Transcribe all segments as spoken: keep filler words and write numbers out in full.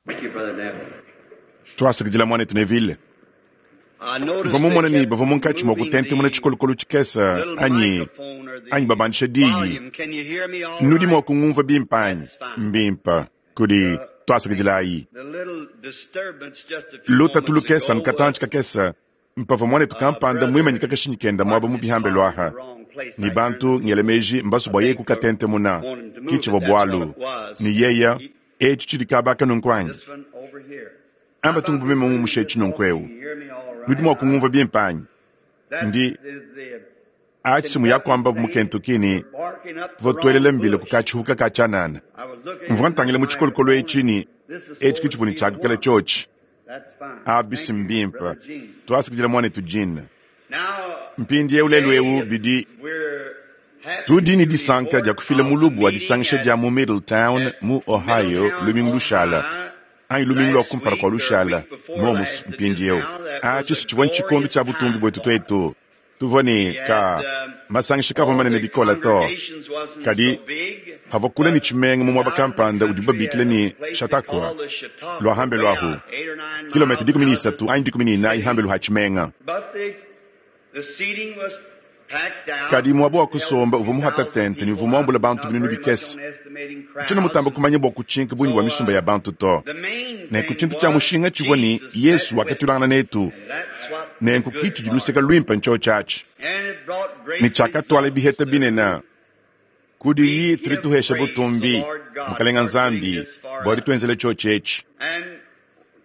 Thank you, Brother Neville. Twasakidila mwanetu Neville. I noticed Mvua mumone they ne kept bavua munkatshi mua moving kutentemuna the tshikolokolo tshikese little anyi microphone or the anyi babandisha diyi. volume. Can you hear me all Nudi mua right? kungumva bimpe anyi? That's fine. Mbimpe. Kudi twasakidilayi. The little disturbance just a few Lutatu moments lukese ago nukatantshi was kakese mpavua mwanetu uh, kampanda mwimanyika brother kashinyi kenda mwaba parked mu his bihambe car in the lwaha. wrong place. Ni I turned bantu ngele meji mbasu I bwa ye think for kukatentemuna wanting to move kichivua it. That's what bwalu. it was. Ni yeya He, echi chili kabaka nunku anyi. this one over here. How Amba about tungu this meme one ngumushe just echi talking? nunku eu. You hear me all Nudi right? mua I, kungumva bimpe anyi. that Ndi is the achi simu Kentucky yakwamba mu thing. Kentucky We're barking up the votwelele wrong mbile bush. kukachihuka kachanana. I was looking Mvua in this ntangile mu tshikolokolo microphone echi and ni this is echi supposed to kichibuni be the chakukela one. chochi. That's fine. Abisi Thank you, mbimpe. Brother Gene. Twasakidila mwanetu Jean. Now, Mpindi eu lelu today eu it's, bidi we're happy tudi ni to disanka report dia kufila of the mulubu wa meeting disangisha at, dia mu Middletown at mu Ohio Middletown, lumingu lushala. Ohio Anyi lumingu lwa last kumpala kwa week or lushala week before momu last it is mpindi eu. now. That was Achi a sichivua nchikondo glorious cha butumbi time bwetu for us. twetu. Tuvua ni We had ka um, masangisha kavua all manene the bikola to. congregations wasn't Kadi so big, havua ni but tshimenga mu mwaba out in the kampanda udi country babikile at a ni place they Chautauqua call the Chautauqua, lwa hambe way lwahu out eight or nine kilomita miles dikumi ni out of the isatu anyi dikumi ni inayi city. hambe luha tshimenga. But the the seating was packed out, Kadi mwaba wa held kusomba uvua three muhata thousand tente ni uvua people. muambula I'm bantu not binunu very much bikese. on estimating Tshina crowds, mutamba and kumanya bwa kutshinka bungi bwa so misumba uh, ya bantu to. the main Nenku thing tshintu tshia was mushinga tshivua ni Jesus Yesu met with wakatulangana us, netu. and that's what the Nenku good kitshi part. luseka lwimpe ntshotshatshi. And it brought Ni great tshakatwala results. biheta The binene. Kudi We yi tuli give tuhesha praise the butumbi Lord God mukalenga for getting Nzambi this far bwa up. ditwenzele tshotshi etshi. And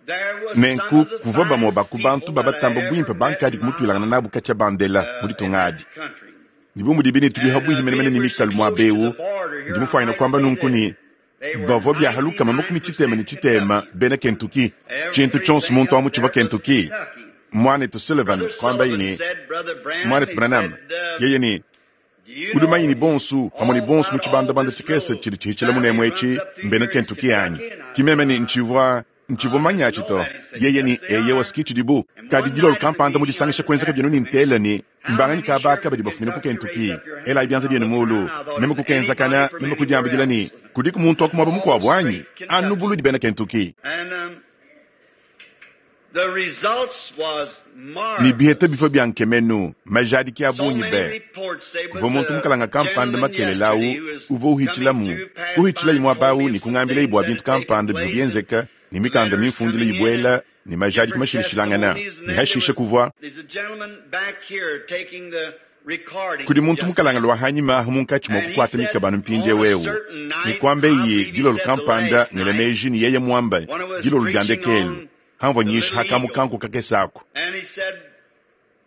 there was some Nenku of the kuvua bamue finest ba ku bantu people that I babatamba ever bwimpe met bankadi in my kumutwilangana life nabu katshia bandela mu uh, in ditunga that adi. country. Ni bu mudi bine tuli And habuhi uh, menemene being ni we're so mikalu mwa close to the bewu border ndi here, I mufwanyina might kwamba say nunku this. ni They were bavua byahalukama makumi tshitema ni ninety-nine percent tshitema Kentucky. bena Kentucky. Tshintu tshonso Everything muntu up amu tshivua there was Kentucky. Kentucky. Mwanetu Sullivan Brother kwamba Sullivan ini said, Brother Branham, mwanetu he Branham said, uh, yeye ni do you udi manyi ni know bonsu pamwe ni all bonsu mu about all tshibandabanda this tshikese little tshili tshihichila valley munemu runs etshi up through mbena here is Kentucky anyi. Kentucky? And I said, Kimeme ni I, ntshivua ntshivua I manya didn't know tshito. that. He said, Yeye ni yes, they eye are. wasikitshi dibu. And Kadi one dilolo night at the kampanda mu meeting, I disangisha just kuenzeka happened byenu to ni mention, ntela ni how mbanganyi many kabaka sure from badi bafumina ku Kentucky raise Kentucky. up your Ela hand? ibyanza And I byenu looked mulu. around, I thought, Meme is kukenzakana anybody from meme anywhere kudiambidila ni else? kudiku muntu wa kumwaba All mukuabu anyi straight anu Kentucky. buludi bena Kentucky. And um, the results was Ni biheta marvelous. bifo bya nkemenu majadiki ya So bungi many be. reports. There Kuva was muntu a mukalanga kampanda gentleman makelelawu yesterday who was uva coming uhichilamu through, passed kuhichila by and imwe told abawu me ni of some kungambila things ibwa that bintu had taken kampanda bivua place and byenzeka ni mikanda letters mimfundile coming in and ibwela ni majadiki different mashilishilangana testimonies. And ni then there hashishe was kuvua there's a gentleman back here taking the kudi recordings muntu just mukalanga now. lwa hanyima ahu munkatshi mwa And he kukwata said mikabanu mpindye on a wewu certain ni night, kwamba I iyi believe he dilolo said the kampanda last ngele night, meji ni yeye mwamba when I was dilolo lya preaching ndekelu on hamvua the nyisha little hakamu eagle. kanku kakesaku And he said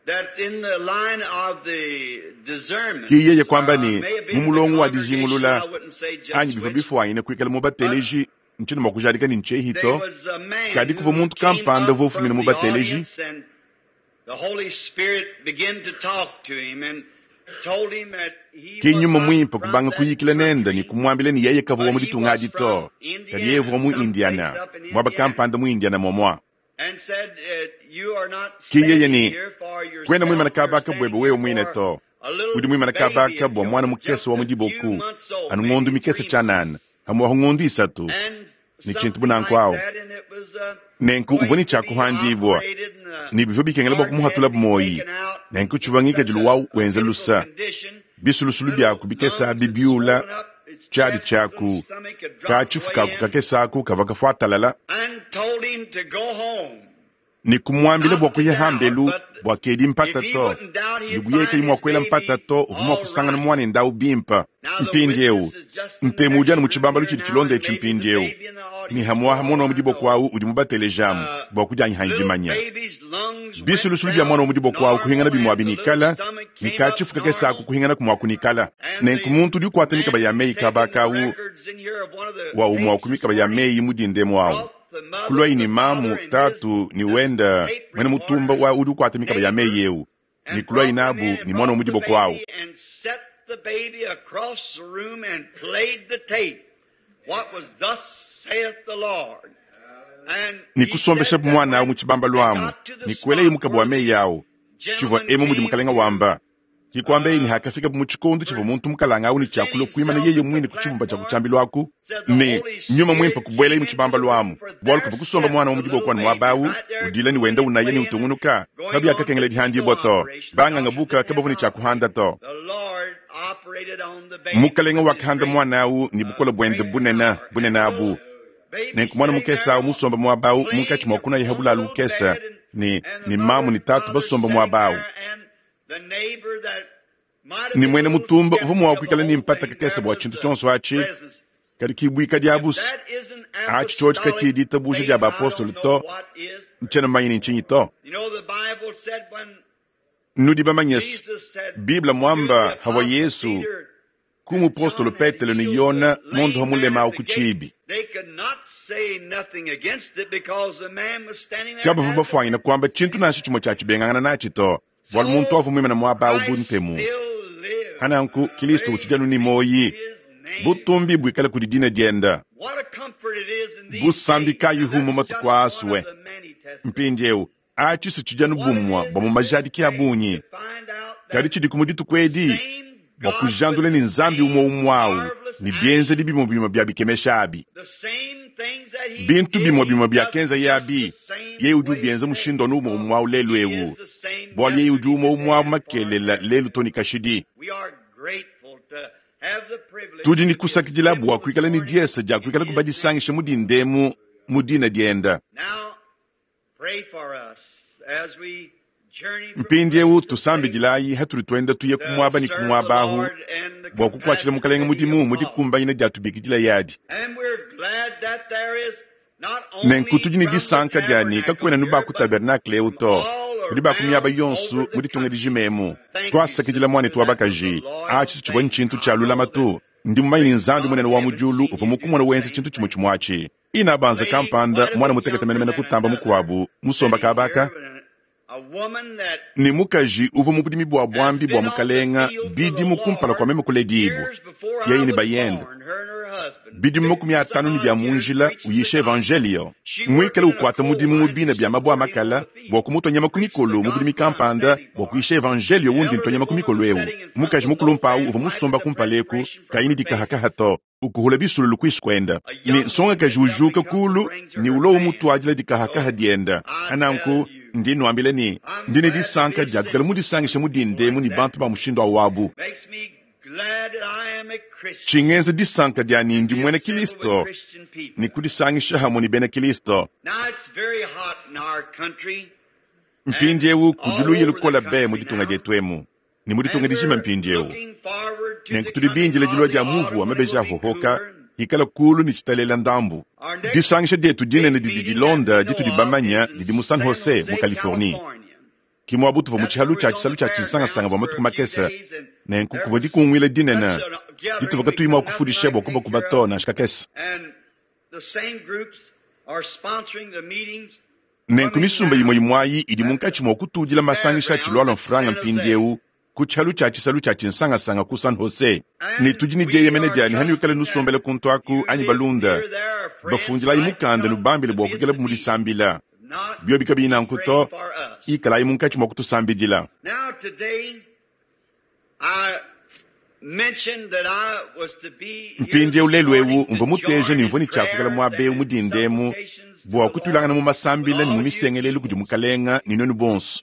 that in the line of the discernment, ki yeye kwamba uh, ni may have been the mumulongo wa congregation, dijingulula I wouldn't say anyi just bivua which, bifwanyine kuikala mu but bateleji ntshina mwa kujadika ni there ntshehito was a man kadi kuvua who muntu came kampanda up uvua ufumina from mu the bateleji audience and the Holy Spirit began to talk to him and told him that he ki was nyuma not mwimpe from kubanga that kuyikila nenda ni country, kumwambila ni yeye kavua but mu he ditunga was adi to from kadi yeye Indiana, uvua mu someplace Indiana up in mwaba Indiana. kampanda mu Indiana momwa And said, uh, you are not ki yeye standing ni here for kwena mwimana yourself, you're kabaka bwebe standing wewe here mwine for to a little udi mwimana baby kabaka of bwa mwana yours, mukese just wa a mu few diboku months old, anu ng'ondu maybe mikese three tshanana months. hamuwaho ng'ondu isatu And ni tshintu something bunanku like awo that, and it was uh, nenku uvua going ni to be tshiakuhandibwa operated and the ni bivua bikengela bwa heart had kumuhatula to be bumoyi taken out nenku in tshivua such ngikadilu a, wawu a wenza pitiful lusa condition. bisulusulu Little byaku bikese lungs abi had byula swollen up, its tshiadi chest, his little tshiaku stomach had dropped way katshifukaku in, kakesaku kavua kafuatalala and told him to go home. ni kumwambila bwa Not to kuya doubt, hambelu but bwa kedi if mpata he to wouldn't doubt, he'd nibuyeka find imwa his kwela mpata baby to uvua all kusangana right. mwana ndawu bimpa Now the mpindi eu witness is just in the ntemu next udi anu mu room tshibambalu here tshidi now, tshilonda and etshi maybe the mpindi eu baby in the ni audience, hamuaha for mwana wa all I mudiboko know. awu udi mubatelejamu Uh, bwa kudianyihanyi little dimanya baby's lungs went bisulusulu bya mwana down wa mudiboko awu kuhingana normal, bimwa and the little binikala stomach ni came up katshifuka kesaku normal. kuhingana kumwa kunikala And nenku the muntu udi ukwata mikaba man ya who's meyi taking the kabaka awu records in here of one of the wa umwa tapes ku this mikaba ya morning meyi mudindemu awu brought the mother, kulwayi ni the mamu father, and his tatu ni this wenda tape mwene mutumba recorder wa udi ukwata mikaba ya neighbor, meyi eu ni and kulwayi brought them nabu in and ni mwana wa brought the mudiboko awu baby and set the baby across the room and played the tape. What was thus saith the Lord. And ni he kusombesha said that mwana awu when mu tshibambalu they amu got to the ni kueleyi spot mukaba wa where meyi the awu tshivua gentleman emu mudi came mukalenga to wamba Kikwambe ni hakafika mu chikondo chivo muntu mukalanga awu ni chakula kuimana yeye mwine kuchibumba cha kuchambi lwaku ne nyuma mwimpa kubwela imu chibamba lwamu bwalu kuva kusomba mwana wa mudibo kwani mwabawu udila ni wenda unaye ni utungunuka kabi akakengela dihandibwa to banganga buka kabavu ni chakuhanda to mukalenga wakahanda mwana awu ni bukola bwende bunena bunena abu nenku mwana mukesa awu musomba mwabawu munkatshi mwakuna yehabulalu ukesa ni ni mamu ni tatu basomba mwabawu ni mwene mutumba uva mwakwikala ni mpata kakesa bwa chintu chonso achi kadi kibwika dia busu achi chochi kachidi tabusha dia baapostolo to nchena manyini nchinyi to nudi bamanyesi biblia mwamba hawa yesu kumupostolo petelo ni yona mundu hamulema kuchibi kabavu bafwanyina kwamba chintu nashi chimwe chachibengangana nachi to bwalu muntu avumwimana mwaba ubuntemu hananku kilisto uchijanu ni moyi butumbi bwikala kudi dina dienda busambi kayihumu matuku aswe mpindiewu achisu chijanu bumwa bwa mu majadiki abunyi kadi chidi kumu dituku edi bwa kujandula ni nzambi umwe umwawu ni bienzedi bimwe bimwe bya bikemesha abi bintu bimwe bimwe byakenza yabi yeye udi ubienza mushindo n'umwe umwawu lelu ewu bwalu yeye udi umwe umwawu makelela lelu toni kashidi tudi ni kusakidila bwa kuikala ni diesa dia kuikala kubadisangisha mu dindemu mu dina dienda mpindiewu tusambidilayi hatuli twenda tuye kumwaba ni kumwabahu bwa kukwatshila mukalenga mudimu mudikumbanyina dia tubikidila yadi nenku tudi ni disanka diani kakwena nubaku tabernakle ewu to kudi bakumyaba yonsu muditunga dijimemu twasakidila mwanetu wa bakaji achi chivwa nchintu cha lulamatu ndi mumanyi ni nzambi munene wa mujulu uva mukumona wenza chintu chimwe chimwachi ina banza kampanda mwana mutekete menemene kutamba mukuabu musomba kabaka ni mukaji uva mu budimi bwa bwambi bwa mukalenga bidimu kumpala kwa meme kuledibwa yeye ni bayenda bidimu makumi atanu ni bya munjila uyisha evangelio mwikale ukwata mudimu mubina bya mabwa makala bwa kumutwa nyama kumikolo mu budimi kampanda bwa kuyisha evangelio wundi ntwa nyama kumikolo ewu mukaji mukulumpawu uva musomba kumpaleku kayini dikahakaha to ukuhula bisululu kwisi kwenda ni nsongakaji ujuka kulu ni ulo umutwadila dikahakaha dienda ananku ndi nwambile ni ndine disanka diakukala mudisangisha mudindemu ni bantu ba mushindu awabu chingenza disanka diani ndi mwene kilisto ni kudisangisha hamwe ni bena kilisto mpindiewu kuduluye lukola be muditunga dietwemu ni muditunga dijima mpindiewu nenku tudi binjila dilua dia muvu wa mabeji ahohoka ikala kulu ni chitalela ndambu disangisha dietu dinene didi dilonda ditudi bamanya didi mu San Jose mu Californie kimwa butuva mu chihalu cha chisalu cha chisangasanga bwa matuku makesa nenku kuvua dikungwila dinene dituva katuyima kufundisha bwa kubakuba to nansha kakesa nenku misumba yimwe yimwayi idi munkatshi mwa kutudila masangisha tshilwalwa mfranga mpindiewu ku tshialu tshia tshisalu tshia tshinsangasanga ku San Jose ni tudi ni dieyemene diani hani wikale nusombele kuntu aku anyi balunda bafundilayi mukanda nubambile bua kuikala mudisambila biobi kabiyi nanku to ikalayi munkatshi mua kutusambidila mpindiewu lelu ewu mvua muteja ni mvua ni tshiakukala muaba ewu mudindemu bua kutulangana mu masambila ni mu misengelelu kudi mukalenga ni nuenu bonso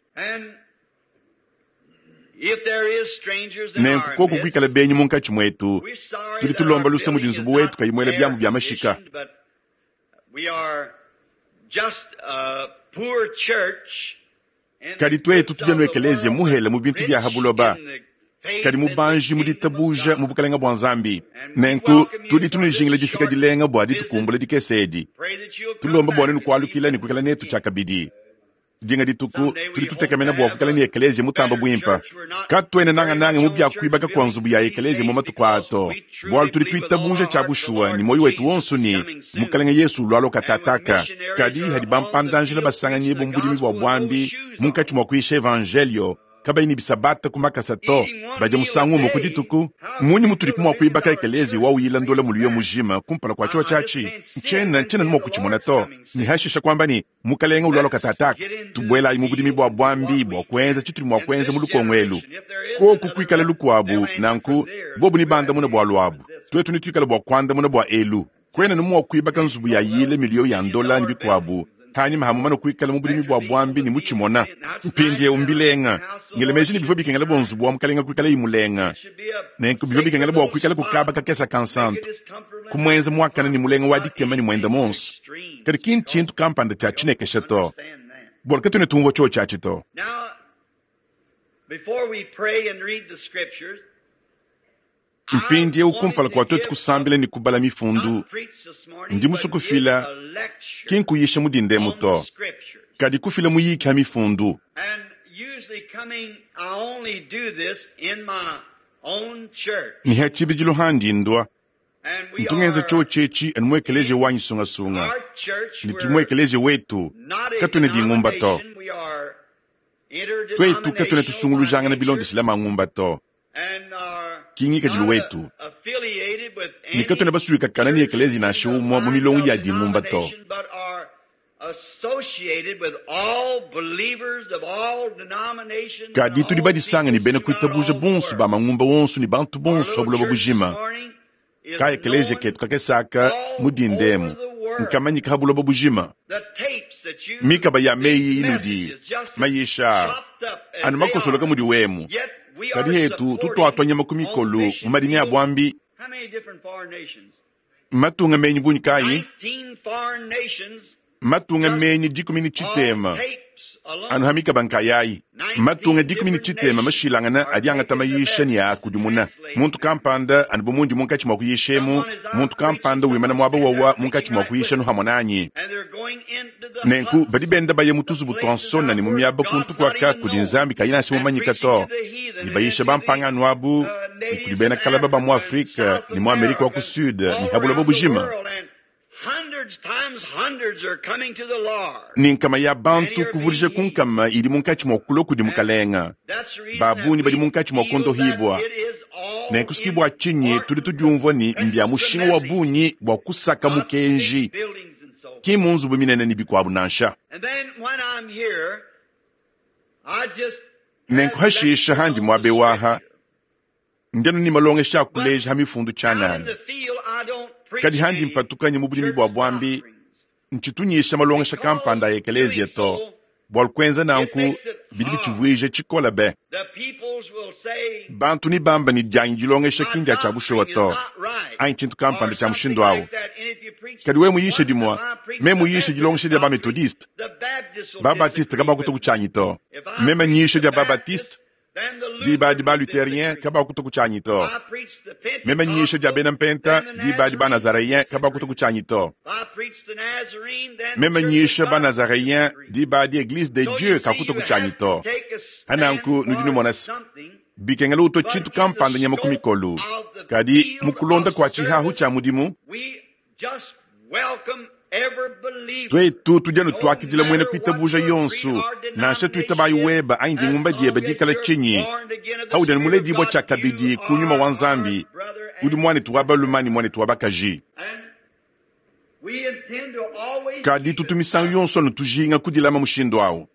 nenku koku kuikala benyi munkatshi muetu tudi tulomba lusa mudi nzubu wetu kayimuela biamu bia mashika kadi twetu tudia nu ekelezia muhela mu bintu bia habuloba kadi mubanji mu ditabuja mu bukalenga bua nzambi nenku tudi tunujingila difika dilenga bua ditukumbula dikese edi tulomba bua nenu kualukila ni kuikala netu tshiakabidi dinga dituku tudi tutekemena bua kuikala ni ekelezia mutamba buimpa katuene nangananga mu byakuibaka kua nzubu ya ekelezia mu matuku ato bualu tudi tuitabuja tshia bushuwa ni moyo wetu wonso ni mukalenga yesu ulwalo katataka kadi hadi bampandanjila basanganyibo mu budimi bua bwambi munkatshi mua kuyisha evangelio kabayi ne bisabata ku makasa to, badia musangu umue ku dituku. Mmunyi mutudi mua kuibaka ekeleziya wa uyila ndola muliyo mujima kumpala kua tshiwa tshiatshi? Ntshiena ntshiena mua kutshimona to. Ne hashisha kuamba ne, Mukalenge ulualua katataka, tubuelayi mu budimi bua buambi bua kuenza tshitudi mua kuenza mu lukongo elu. Koku kuikala lukuabu nanku, bobu ne bandamuna bua luabu, tuetu ne tuikala bua kuandamuna bua elu. Kwena ne mua kuibaka nzubu ya yile miliyo ya ndola ne bikuabu hanyima hamumana kuikala mu budimi bua buambi ne mutshimona. Mpindieu mbilenga ngele meji ne bivua bikengela bua nzubu wa mukalenga kuikala imulenga, nenku bivua bikengela bua kuikala kukaba kakesa kansantu kumuenza muakana ne mulenga wa dikema ne muenda monso. Kadi ki ntshintu kampanda tshia tshinekesha to, bualu katuena tumvua tshiotshi atshi to. Mpindieu kumpala kua tuetu kusambila ne kubala mifundu, ndi musue kufila, ki nkuyisha mu dindemu to, kadi kufila muyiki ha mifundu. Ne ha tshibidilu handi ndua ntu ngenza tshiotshi etshi anu mu ekeleziya wanyi sungasunga, ne tudi mu ekeleziya wetu katuena dingumba to. Tuetu katuena tusungulujangana bilondeshile mangumba to. Ki ngikadilu wetu ne katuena basuikakana ne ekeleziya nansha umue mu milongo ya dingumba to. Kadi tudi badisanga ne bena kuitabuja bonso ba mangumba wonso ne bantu bonso ha buloba bujima. Ka ekeleziya ketu kakesaka mu dindemu nkamanyika ha buloba bujima. Mikaba ya meyi inudi mayisha anu makosoloka mudi wemu. Kadi hetu tutuatwa nyama ku mikolo mu madimi a buambi. Matunga menyi bungi kayi? Matunga menyi dikumi ne tshitema anu ha mikaba nkayayi. Matunga dikumi ne tshitema mashilangana adi angata mayisha ne akudimuna. Muntu kampanda anu bu mundi munkatshi mua kuyishemu, muntu kampanda wimana muaba wawa munkatshi mua kuyisha nu hamwe nanyi. Nenku badi benda baya mu tuzubu tua nsona ne mu miaba kuntu kuaka kudi Nzambi kayi nansha mumanyika to, ne bayisha bampangano abu ne kudi bena kalaba ba mu Afrika ne mu Amerika wa ku Sud ne ha buloba bujima. Ne nkama ya bantu kuvudija ku nkama idi munkatshi mua kulua kudi mukalenga. Babunyi badi munkatshi mua kondohibua. Nenku bua tshinyi tudi tudiumvua ne mbia mushinga wa bungi bua kusaka mukenji, ki mu nzubu minene ne bikuabu nansha. Nenku hashisha handi muabe waha, ndianu ne malongesha a kuleja ha mifundu tshianana. Kadi handi mpatukanye mu budimi bua buambi, ntshitunyisha malongesha kampanda a ekeleziya to, bualu kuenza nanku bidi bitshivuija tshikola be. Bantu ni bamba ne dianyi dilongesha ki ndia tshia bushuwa to, anyi tshintu kampanda tshia mushindu awu. Kadi we muyishe dimua, me muyishe dilongesha dia ba-methodiste, ba-baptiste kabakuta kutshianyi to. Meme nyisha dia ba-baptiste, diba di ba-lutherien kabakuta kutshianyi to. Meme nyisha dia bena mpenta, diba di ba-nazaréen kabakuta kutshianyi to. Meme nyisha ba-nazaréen, diba di église de Dieu kakuta kutshianyi to. Hananku nudi numona se, bikengela uto tshintu kampanda nyama ku mikolo. Kadi mu kulonda kua tshihahu tshia mudimu, tuetu tudi anu tuakidila muena kuitabuja yonso, nansha tuitabayi weba anyi dingumba diebe dikala tshinyi. Haudi anu muledibua tshia kabidi ku nyuma wa Nzambi, udi muanetu wa balume ne muanetu wa bakaji. Kadi tutu misangu yonso anu tujinga kudilama mushindu awu.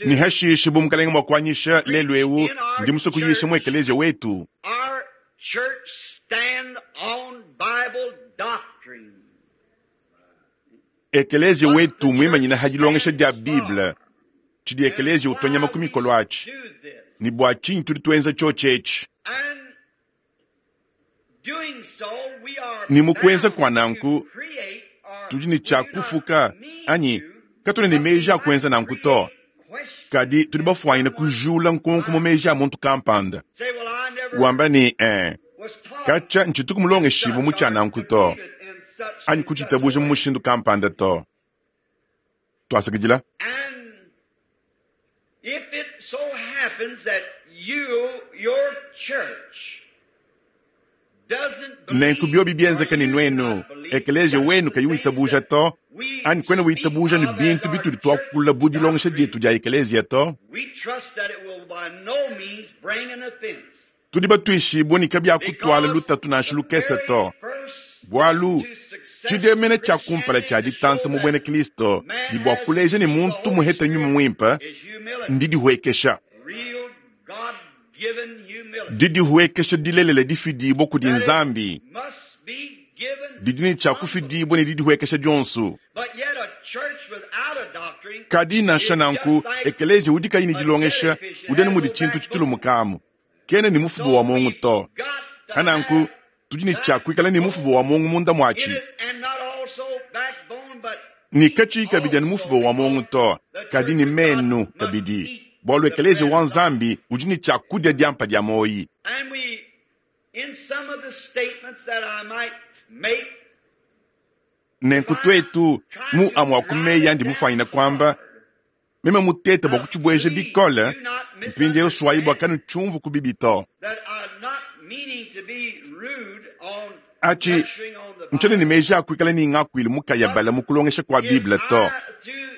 Ne hashishe bu mukalenge mua kuanyisha lelu eu, ndi musue kuyisha mu ekeleziya wetu. Ekeleziya wetu muimanyina ha dilongesha dia Bible, tshidi ekeleziya utonyama ku mikolo atshi, ne bua tshinyi tudi tuenza tshiotshi etshi. Ne mu kuenza kua nanku, tudi ne tshia kufuka anyi katuena ne meji a kuenza nanku to. Kadi tudi bafuanyine kujula nkonko mu meji a muntu kampanda. Wamba ne, eh, katshia ntshituku mulongeshibue mu tshia nanku to, anyi kutshitabuja mu mushindu kampanda to. Tuasakidila. Nenku biobi bienzeka ne nuenu, ekeleziya wenu kayi witabuja to, anyi kwena witabuja ne bintu bitudi tuakula bu dilongesha dietu dia ekeleziya to, tudi batuishibue ne kabiakutwala lutatu nansha lukese to. Bualu tshidemena tshia kumpala tshia ditanta mu buena Kristo ne bua kuleja ne muntu muheta nyuma muimpe ndidihuekesha. Didihuekesha dilelela difidibua kudi Nzambi didi ne tshia kufidibua ne didihuekesha dionso. Kadi nansha nanku ekeleziya udi kayi ne dilongesha udi anu mudi tshintu tshitulumukamu, kena ne mufuba wa muongo to. Hananku tudi ne tshia kuikala ne mufuba wa muongo munda muatshi, ne katshiyi kabidi anu mufuba wa muongo to, kadi ne menu kabidi, bualu ekeleziya wa Nzambi udi ne tshia kudia diampa dia moyi. Nenku tuetu mu amue a ku meyi andi mufuanyine kuamba, meme mutete bua kutshibueja bikole, mpindieu suayi bua kanutshiumvu ku bibi to. Atshi ntshiena ne meji a kuikala ne ngakuilu mukayabala mu kulongesha kua Bible to.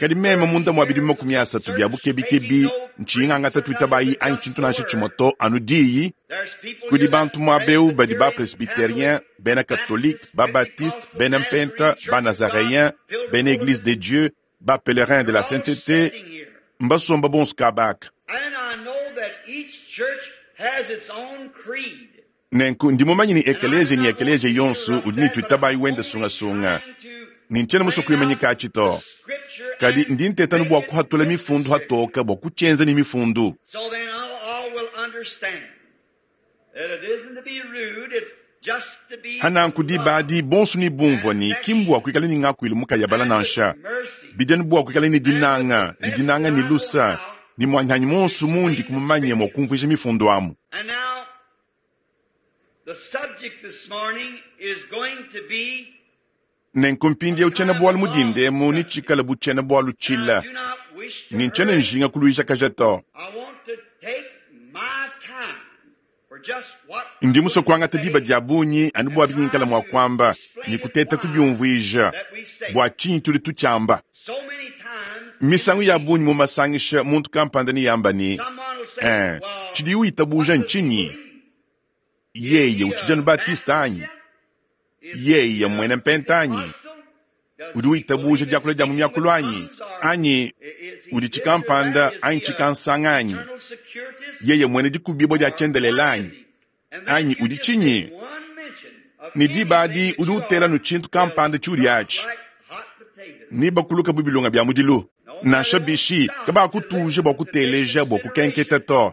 Kadi meme munda mua bidimu makumi asatu bia bukebikebi ntshiyi ngangata tuitabayi anyi tshintu nansha tshimue to, anu diyi. Kudi bantu muaba eu badi ba presbytérien, bena catholique, ba baptiste, bena mpenta, ba nazaréen, bena église de Dieu, ba pèlerin de la sainteté, mbasomba bonso kabaka. Nenku ndi mumanye ne ekeleziya ne ekeleziya yonso udi ne tuitabayi wenda sungasunga, ne ntshiena musue kuimanyika atshi to. Kadi ndi nteta anu bua kuhatula mifundu hatoka bua kutshienza ne mifundu. Hananku diba adi bonso ne bumvua ne ki mbua kuikala ne ngakuilu mukayabala nansha, bidi anu bua kuikala ne dinanga, ne dinanga ne lusa, ne muanyanyi monso mundi kumumanye mua kumvuija mifundu amu. Nenku mpindieu tshiena-bualu mu dindemu ne tshikale bu tshiena-bualu tshila, ne ntshiena njinga kuluijakaja to. Ndi musue kuangata diba dia bungi anu bua bingikala mua kuamba ne kuteta kubiumvuija bua tshinyi tudi tutshiamba. Misangu ya bungi mu masangisha muntu kampanda ne yamba ne, eh, tshidiye witabuja ntshinyi? Yeye utshidi anu Baptiste anyi? Yeye muena mpenta anyi? Udi witabuja diakula dia mu miakulu anyi? Anyi udi tshikampanda anyi tshikansanga anyi? Yeye muena dikubibua dia tshiendelele anyi? Anyi udi tshinyi? Ne diba adi udi utela nu tshintu kampanda tshiudi atshi, ne bakuluka bu bilonga bia mudilu. Nansha bishi kabakutuja bua kuteleja bua kukenketa to,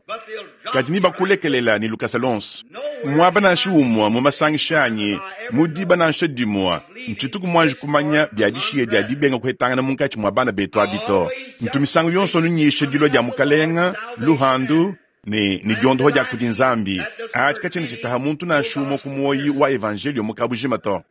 kadi ne bakulekelela ne lukasa lonso. Muaba nansha umue mu masangisha anyi mu diba nansha dimue ntshituku muanji kumanya bia dishiya dia dibenga kuhetangana munkatshi mua bana betu abi to. Ntu misangu yonso anu nyisha dilua dia Mukalenga, luhandu ne ne diondoho dia kudi Nzambi. Atshi katshiena tshitaha muntu nansha umue ku muoyi wa evanjelio mu kabujima to.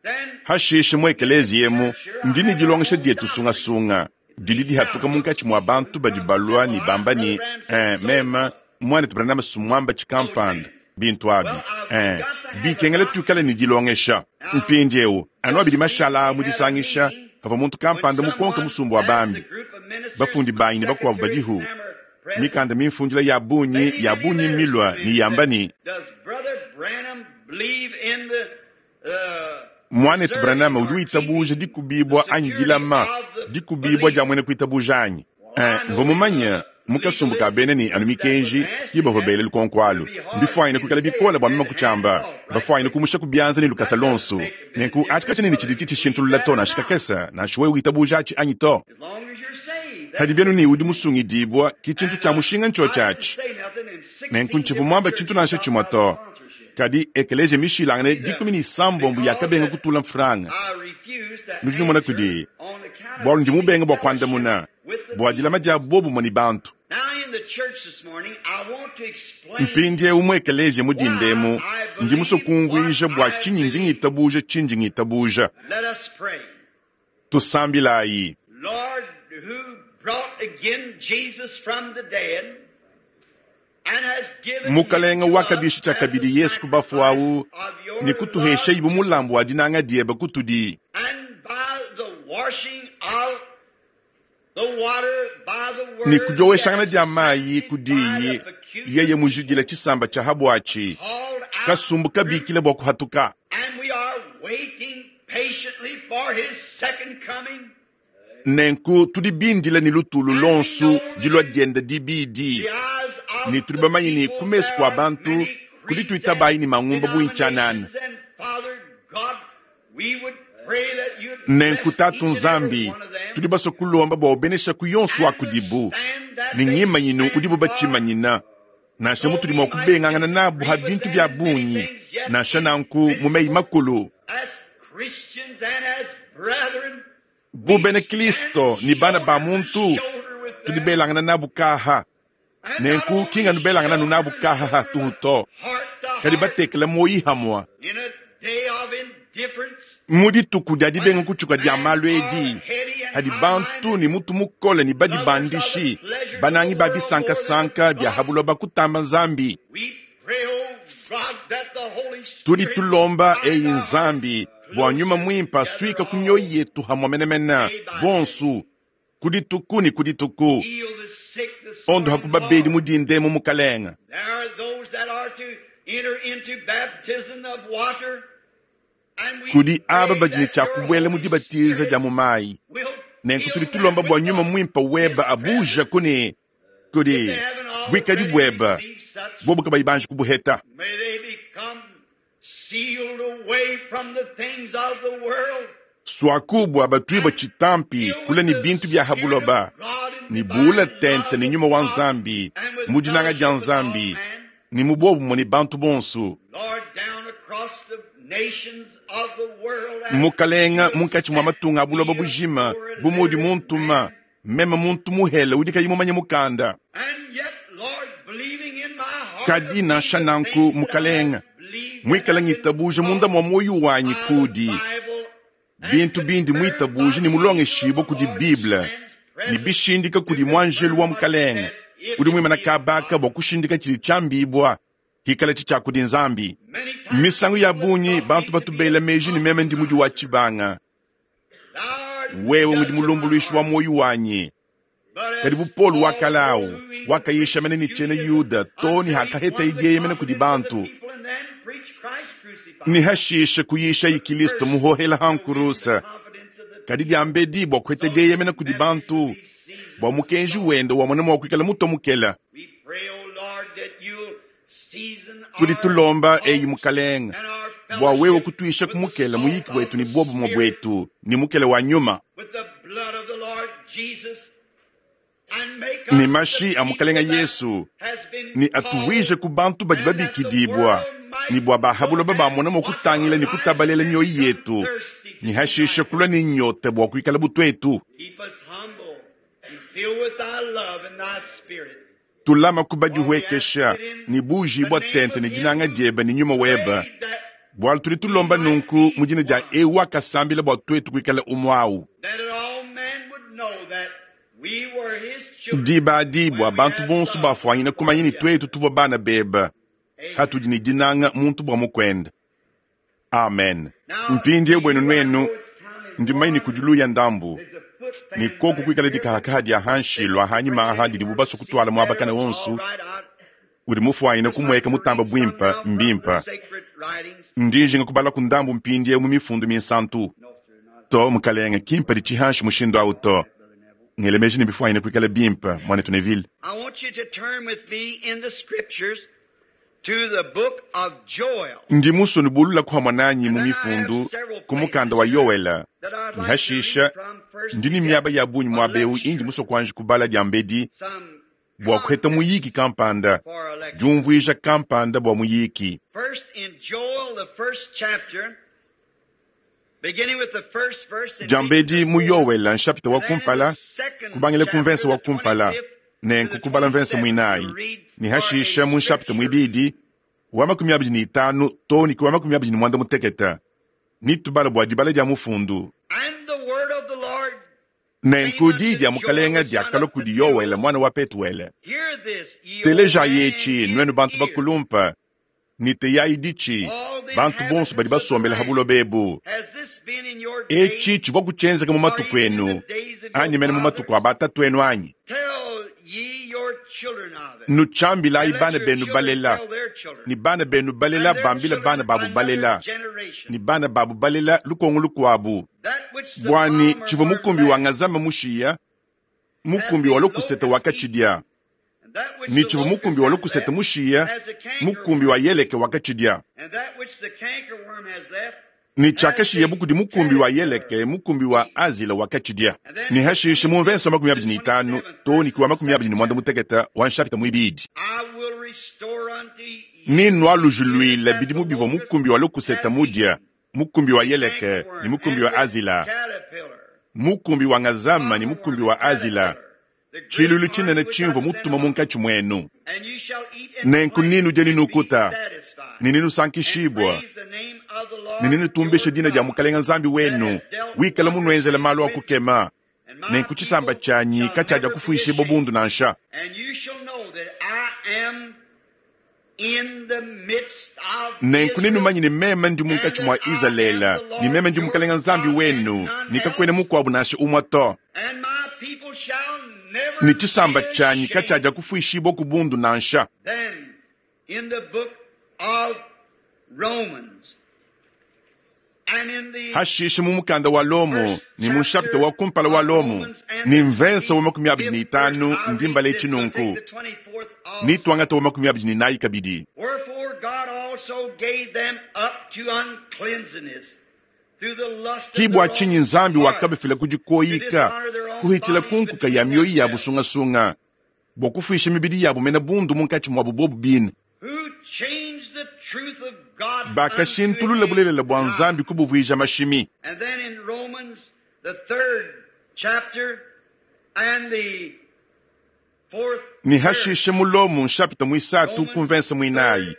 Hashishe mu ekeleziya emu ndi ne dilongesha dietu sungasunga didi dihatuka munkatshi mua bantu badi balua ne bamba ne, eh, meme muanetu Branham sumuamba tshikampanda bintu abi, eh, bikengela tuikale ne dilongesha. Mpindieu anu abidi mashala mu disangisha pavua muntu kampanda mukonke musumba wa bambi, bafundi banyi ne bakuabu badihu, mikanda mimfundila ya bungi ya bungi milua ne yamba ne, muanetu Branham udi witabuja dikubibua anyi dilama dikubibua dia muena kuitabuja anyi? Eh, mvua mumanye mu kasumbu ka bena ne anu mikenji ki bavua bela lukonko alu. Mbifuanyine kuikala bikole bua meme kutshiamba, bafuanyine kumusha ku bianza ne lukasa lonso. Nenku atshi katshiena ne tshidi tshishintulula to nansha kakese, nansha wewe witabuja atshi anyi to. Hadi bienu ne udi musungidibua ki tshintu tshia mushinga ntshiotshi atshi. Nenku ntshivua muamba tshintu nansha tshimue to. Kadi ekeleziya mishilangane dikumi ne isambombo yakabenga kutula mfranga. Nudi numona kudi bualu ndi mubenga bua kuandamuna bua dilama dia bobumue ne bantu. Mpindieu mu ekeleziya mu dindemu ndi musue kumvuija bua tshinyi ndi ngitabuja tshindi ngitabuja. Tusambilayi. Mukalenga wakabisha tshiakabidi Yesu ku bafue awu ne kutuhesha ibu mulambu wa dinanga diebe kutudi. Ne kudioweshangana dia mayi kudiyi yeye mujidila tshisamba tshia habuatshi kasumbu kabikila bua kuhatuka. Nenku tudi bindila ne lutulu lonsu dilua dienda dibidi ne tudi bamanye ne ku mesu kua bantu kudi tuitabayi ne mangumba buintyanana. Nenku Tatu Nzambi tudi basue kulomba bua ubenesha ku yonso wa kudibu ne ngimanyinu udibu batshimanyina nansha mutudi mua kubengangana nabu ha bintu bia bungi nansha nanku mu meyi makulu. Bu bena Kristo ne bana ba muntu tudi belangana nabu kaha. Nenku kinga nubelangana nu nabu kaha hatuhu to kadi batekela moyi hamwa. Mu dituku dia dibenga kutshuka dia malu edi hadi bantu ne mutu mukole ne badibandishi banangi ba bisankasanka bia habuloba kutamba Nzambi. Tudi tulomba eyi Nzambi bua nyuma mwimpa suika ku mioyo yetu hamwa menemene bonsu ku dituku ne ku dituku. Ondo hakubabedi mudinde mu mukalenga. Kudi aba badi ne tshia kubuela mu dibatiza dia mu mayi. Nenku tudi tulomba bua nyuma mwimpa weba abuja kuni kudi buikadi bweba bobu kabayi banji kubuheta. Swakubwa batwiba tshitampi kula ne bintu bia habuloba ne bula tente ne nyuma wa Nzambi mu dinanga dia Nzambi ne mu bobumwe ne bantu bonsu. Mukalenga munkatshi mua matunga a buloba bujima bu mudi muntuma meme muntu muhele udi kayi mumanye mukanda. Kadi nansha nanku mukalenga mwikala ngitabuja munda mwa moyo wanyi kudi bintu bindi mwitabuja ni mulongeshibwa kudi Bible ni bishindika kudi mwanjelu wa mukalenga udi mwimana kabaka bua kushindika tshili tshiambibwa hikala tshi tshia kudi Nzambi. Misangu ya bungi bantu batubela meji ni meme ndi mudi wa tshibanga. Wewe ngudi mulumbuluishi wa moyo wanyi. Kadi bu Paul wakalau wakayisha mene ni tshiena Yuda to ni hakaheta idiye mene kudi bantu ni hashisha kuyisha ikilisto muhohela hankurusa. Kadi diambedi bua kuheta dieyemena kudi bantu bua mukenji wenda wamona mua kuikala muto mukela. Tudi tulomba eyi mukalenga bua wewe kutuisha kumukela muyiki wetu ni bobumwe bwetu ni mukela wa nyuma ni mashi a mukalenga Yesu ni atuwije ku bantu badi babikidibwa ni bua bahabuloba bamona mua kutangila ni kutabalela mioyo yetu ni hashisha kulua ni nyote bua kuikala butwetu. Tulama kubadihuekesha ni buji bua tente ni dinanga dieba ni nyuma weba bua tudi tulomba nunku mu dina dia ewu akasambila bua twetu kuikala umwau. Diba adi bua bantu bonso bafuanyina kumanya ni twetu tuvua bana beba hatudi ni dinanga muntu bua mukwenda. Amen. Mpindie bwenu nwenu ndi maini kujuluya ndambu ni koku kuikala dikahakaha dia hanshi lwa hanyima aha didi bubasu kutwala muabakana wonsu udi mufuanyina kumweka mutamba bwimpa mbimpa. Ndinjinga kubala ku ndambu mpindie mu mifundu minsantu to mukalenga kimpa di tshihanshi mushindu awu to ngelemeji ni bifuanyina kuikala bimpa mwanetu Neville. I want you to turn with me in the scriptures to the book of Joel. Ndi musoni bulula kuhamwa nanyi mu mifundu ku mukanda wa Yoela ni hashisha ndi ni miaba ya bunyi mwa beu indi muso kuanji kubala dia mbedi bua kuheta muyiki kampanda diumvuija kampanda bua muyiki. First in Joel, the first chapter, beginning with the first verse and Dia mbedi mu reading to the Yoela nshapita wa kumpala kubangila ku mvensa wa kumpala nenku kubala mvensa mwinayi ni hashisha mu nshapita mwibidi wa makumi abidi ni itanu to ni ku wa makumi abidi ni mwanda muteketa ni tubala bua dibala dia mufundu. And the word of the Lord Nenku diyi dia mukalenga diakalua kudi Yoele mwana wa Petuele. Telejayi etshi nuenu bantu bakulumpa, ne teyayi ditshi, bantu bonso badi basombela ha buloba ebu. Etshi tshivua kutshienzeka mu matuku enu, anyi mene mu matuku a batatu enu anyi? Nutshiambilayi bana benu balela, ne bana benu balela bambila bana babu balela, ne bana babu balela lukongo lukuabu. Bwani tshivua mukumbi wa ngazama mushiya, mukumbi wa lokuseta wakatshidia, ne tshivua mukumbi wa lokuseta mushiya, mukumbi wa yeleke wakatshidia. Ne tshiakashiya bukudi mukumbi wa yeleke, mukumbi wa azila wakatshidia. Ne hashishe mu mvenso makumi abidi ne itanu to ne kuwa makumi abidi ne mwanda mutekete wa nshapita muibidi. Ni nwalujuluila bidimu bivua mukumbi wa lokuseta mudia, mukumbi wa yeleke ne mukumbi wa azila, mukumbi wa ngazama ne mukumbi wa azila, tshilulu tshinene tshimvua mutuma munkatshi muenu. Nenku ninu dia ninukuta, ne ninusankishibua, ne ninutumbisha dina dia Mukalenga Nzambi wenu, wikala munuenzela malu a kukema. Nenku tshisamba tshianyi katshiadia kufuishibua bundu nansha. Nenku nenumanye ne meme ndi munkatshi mua Izalele, ne meme ndi Mukalenga Nzambi wenu, ne kakuena mukuabu nansha umue to. Ne tshisamba tshianyi katshiadia kufuishibua ku bundu nansha. Hashishe mu mukanda wa Lomo ne mu nshapita wa kumpala wa Lomo ne mvensa wa makumi abidi ne itanu ndimbala etshi nunku, ne tuangata wa makumi abidi ne nayi kabidi. Ki bua tshinyi Nzambi wakabafila ku dikoyika, kuhitshila ku nkuka ya mioyo ya busungasunga, bua kufuisha mibidi yabu mena bundu munkatshi muabu bobu bine. Bakashintulula bulelela bua Nzambi kubuvuija mashimi. Ne hashishe mu Lomo nshapita muisatu ku mvensa muinayi.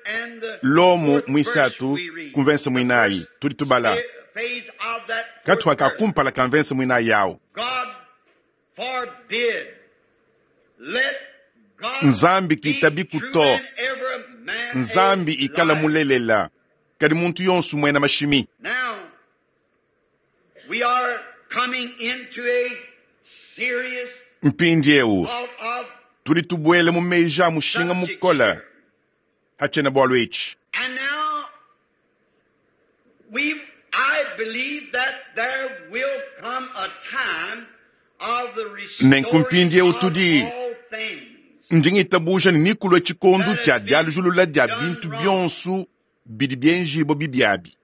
Lomo muisatu ku mvensa muinayi tudi tubala katuha ka kumpala ka mvensa muinayi yawo. Nzambi kitabiku to, Nzambi ikala mulelela, kadi muntu yonso muena mashimi. Mpindiewu tudi tubuela mu meji a mushinga mukola hatshiena bualu etshi. Nenku mpindiewu tudi ndi ngitabuja ne nikulua tshikondu tshia dialujulula dia bintu bionso bidi bienjibua bibiabi.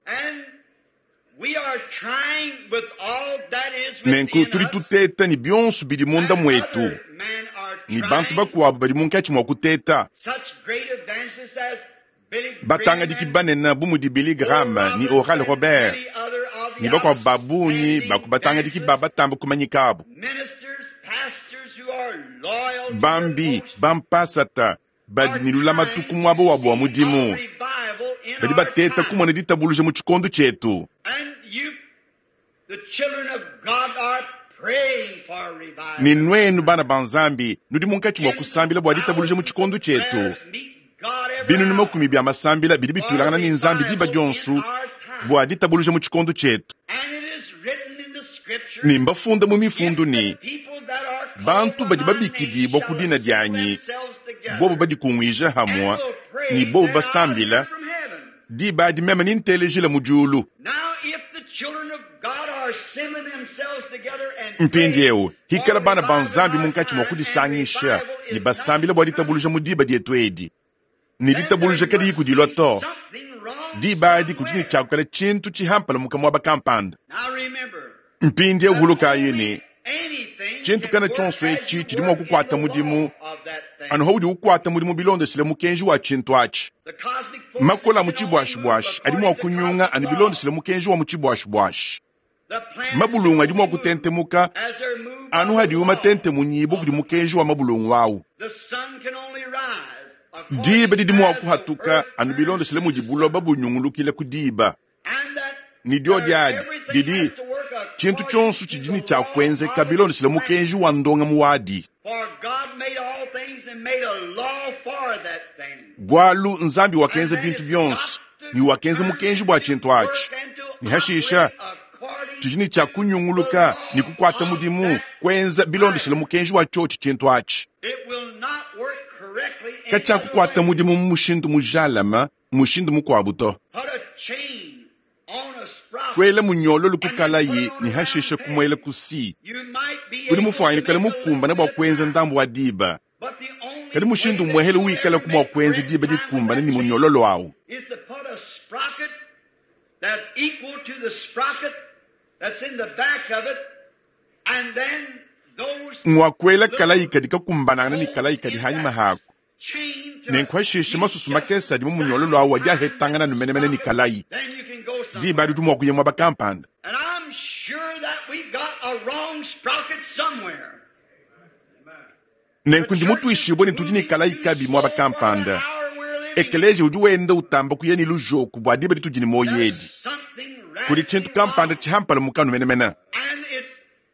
Nenku tudi tuteta ne bionso bidi munda muetu, ne bantu bakuabu badi munkatshi mua kuteta. Batangadiki banene bu mudi Billy Graham ne Oral Robert ne bakuabu ba bungi ba ku batangadiki ba batamba kumanyikabu. Bambi bampasata badi ne lulamatu ku muaba wabu wa mudimu, badi bateta kumona ditabuluja mu tshikondo tshietu. Ne nuenu bana ba Nzambi nudi munkatshi mua kusambila bua ditabuluja mu tshikondo tshietu. Binunu makumi bia masambila bidi bituilangana ne Nzambi diba dionso bua ditabuluja mu tshikondo tshietu. Ne mbafunda mu mifundu ne bantu badi babikidibua ku dina dianyi, bobu badikunguija hamua ne bobu basambila, diba adi meme nintelejila mu diulu. Mpindiewu hikala bana ba Nzambi munkatshi mua kudisangisha ne basambila bua ditabuluja mu diba dietu edi, ne ditabuluja kadiyi kudilua to, diba adi kudi ne tshiakukala tshintu tshihampala muka muaba kampanda. Mpindiewu vulukayi ne tshintu kana tshionso etshi tshidi mua kukuata mudimu anu haudi ukuata mudimu bilondeshile mukenji wa tshintu atshi. Makola mu tshibuashibuashi adi mua kunyunga anu bilondeshile mukenji wa mu tshibuashibuashi. Mabulungu adi mua kutentemuka anu hadiwu matentemunyibua kudi mukenji wa mabulungu awu. Diba didi mua kuhatuka anu bilondeshile mudi buloba bunyungulukila ku diba. Ne dio diadi didi Tshintu tshionso tshidi ne tshia kuenzeka bilondeshile mukenji wa ndongamu wadi. For God made all things and made a law for that thing. Bualu Nzambi wakenza bintu bionso ne wakenza mukenji bua tshintu atshi. Ne hashisha tshidi ne tshia kunyunguluka ne kukuata mudimu kuenza bilondeshile mukenji wa tshiotshi tshintu atshi. It will not work correctly any Katshia other kukuata way. mudimu mu mushindu mujalama mushindu mukuabu to. Put a chain on a sprocket. Kuela munyololo ku kalayi ne hashisha kumuela ku si. You might be Udi able mufuanyikale to make a mukumbane bua little kuenza bit ndambu wa diba. But the only Kadi mushindu way that muehele you wikala ever ku mua make kuenza correct diba time with dikumbane that ne chain munyololo awu. is to put a sprocket that's equal to the sprocket that's in the back of it, and then those Ngwa kuela kalayi kadi kakumbanangana ne kalayi kadi hanyima hako. chain to Nenku hashisha masusu makese adi mu munyololo awu adi ahetangana numenemene ne kalayi. then you can go somewhere. Diba adi udi mua kuya muaba kampanda. And I'm sure that we've got a wrong sprocket somewhere. Nenku ndi mutuishibue ne tudi ne kalayi kabi muaba kampanda. Ekeleziya udi wenda utamba kuya ne lujoku bua diba ditudi ne moyo edi. Kudi tshintu kampanda tshihampala mukanu menemene. And it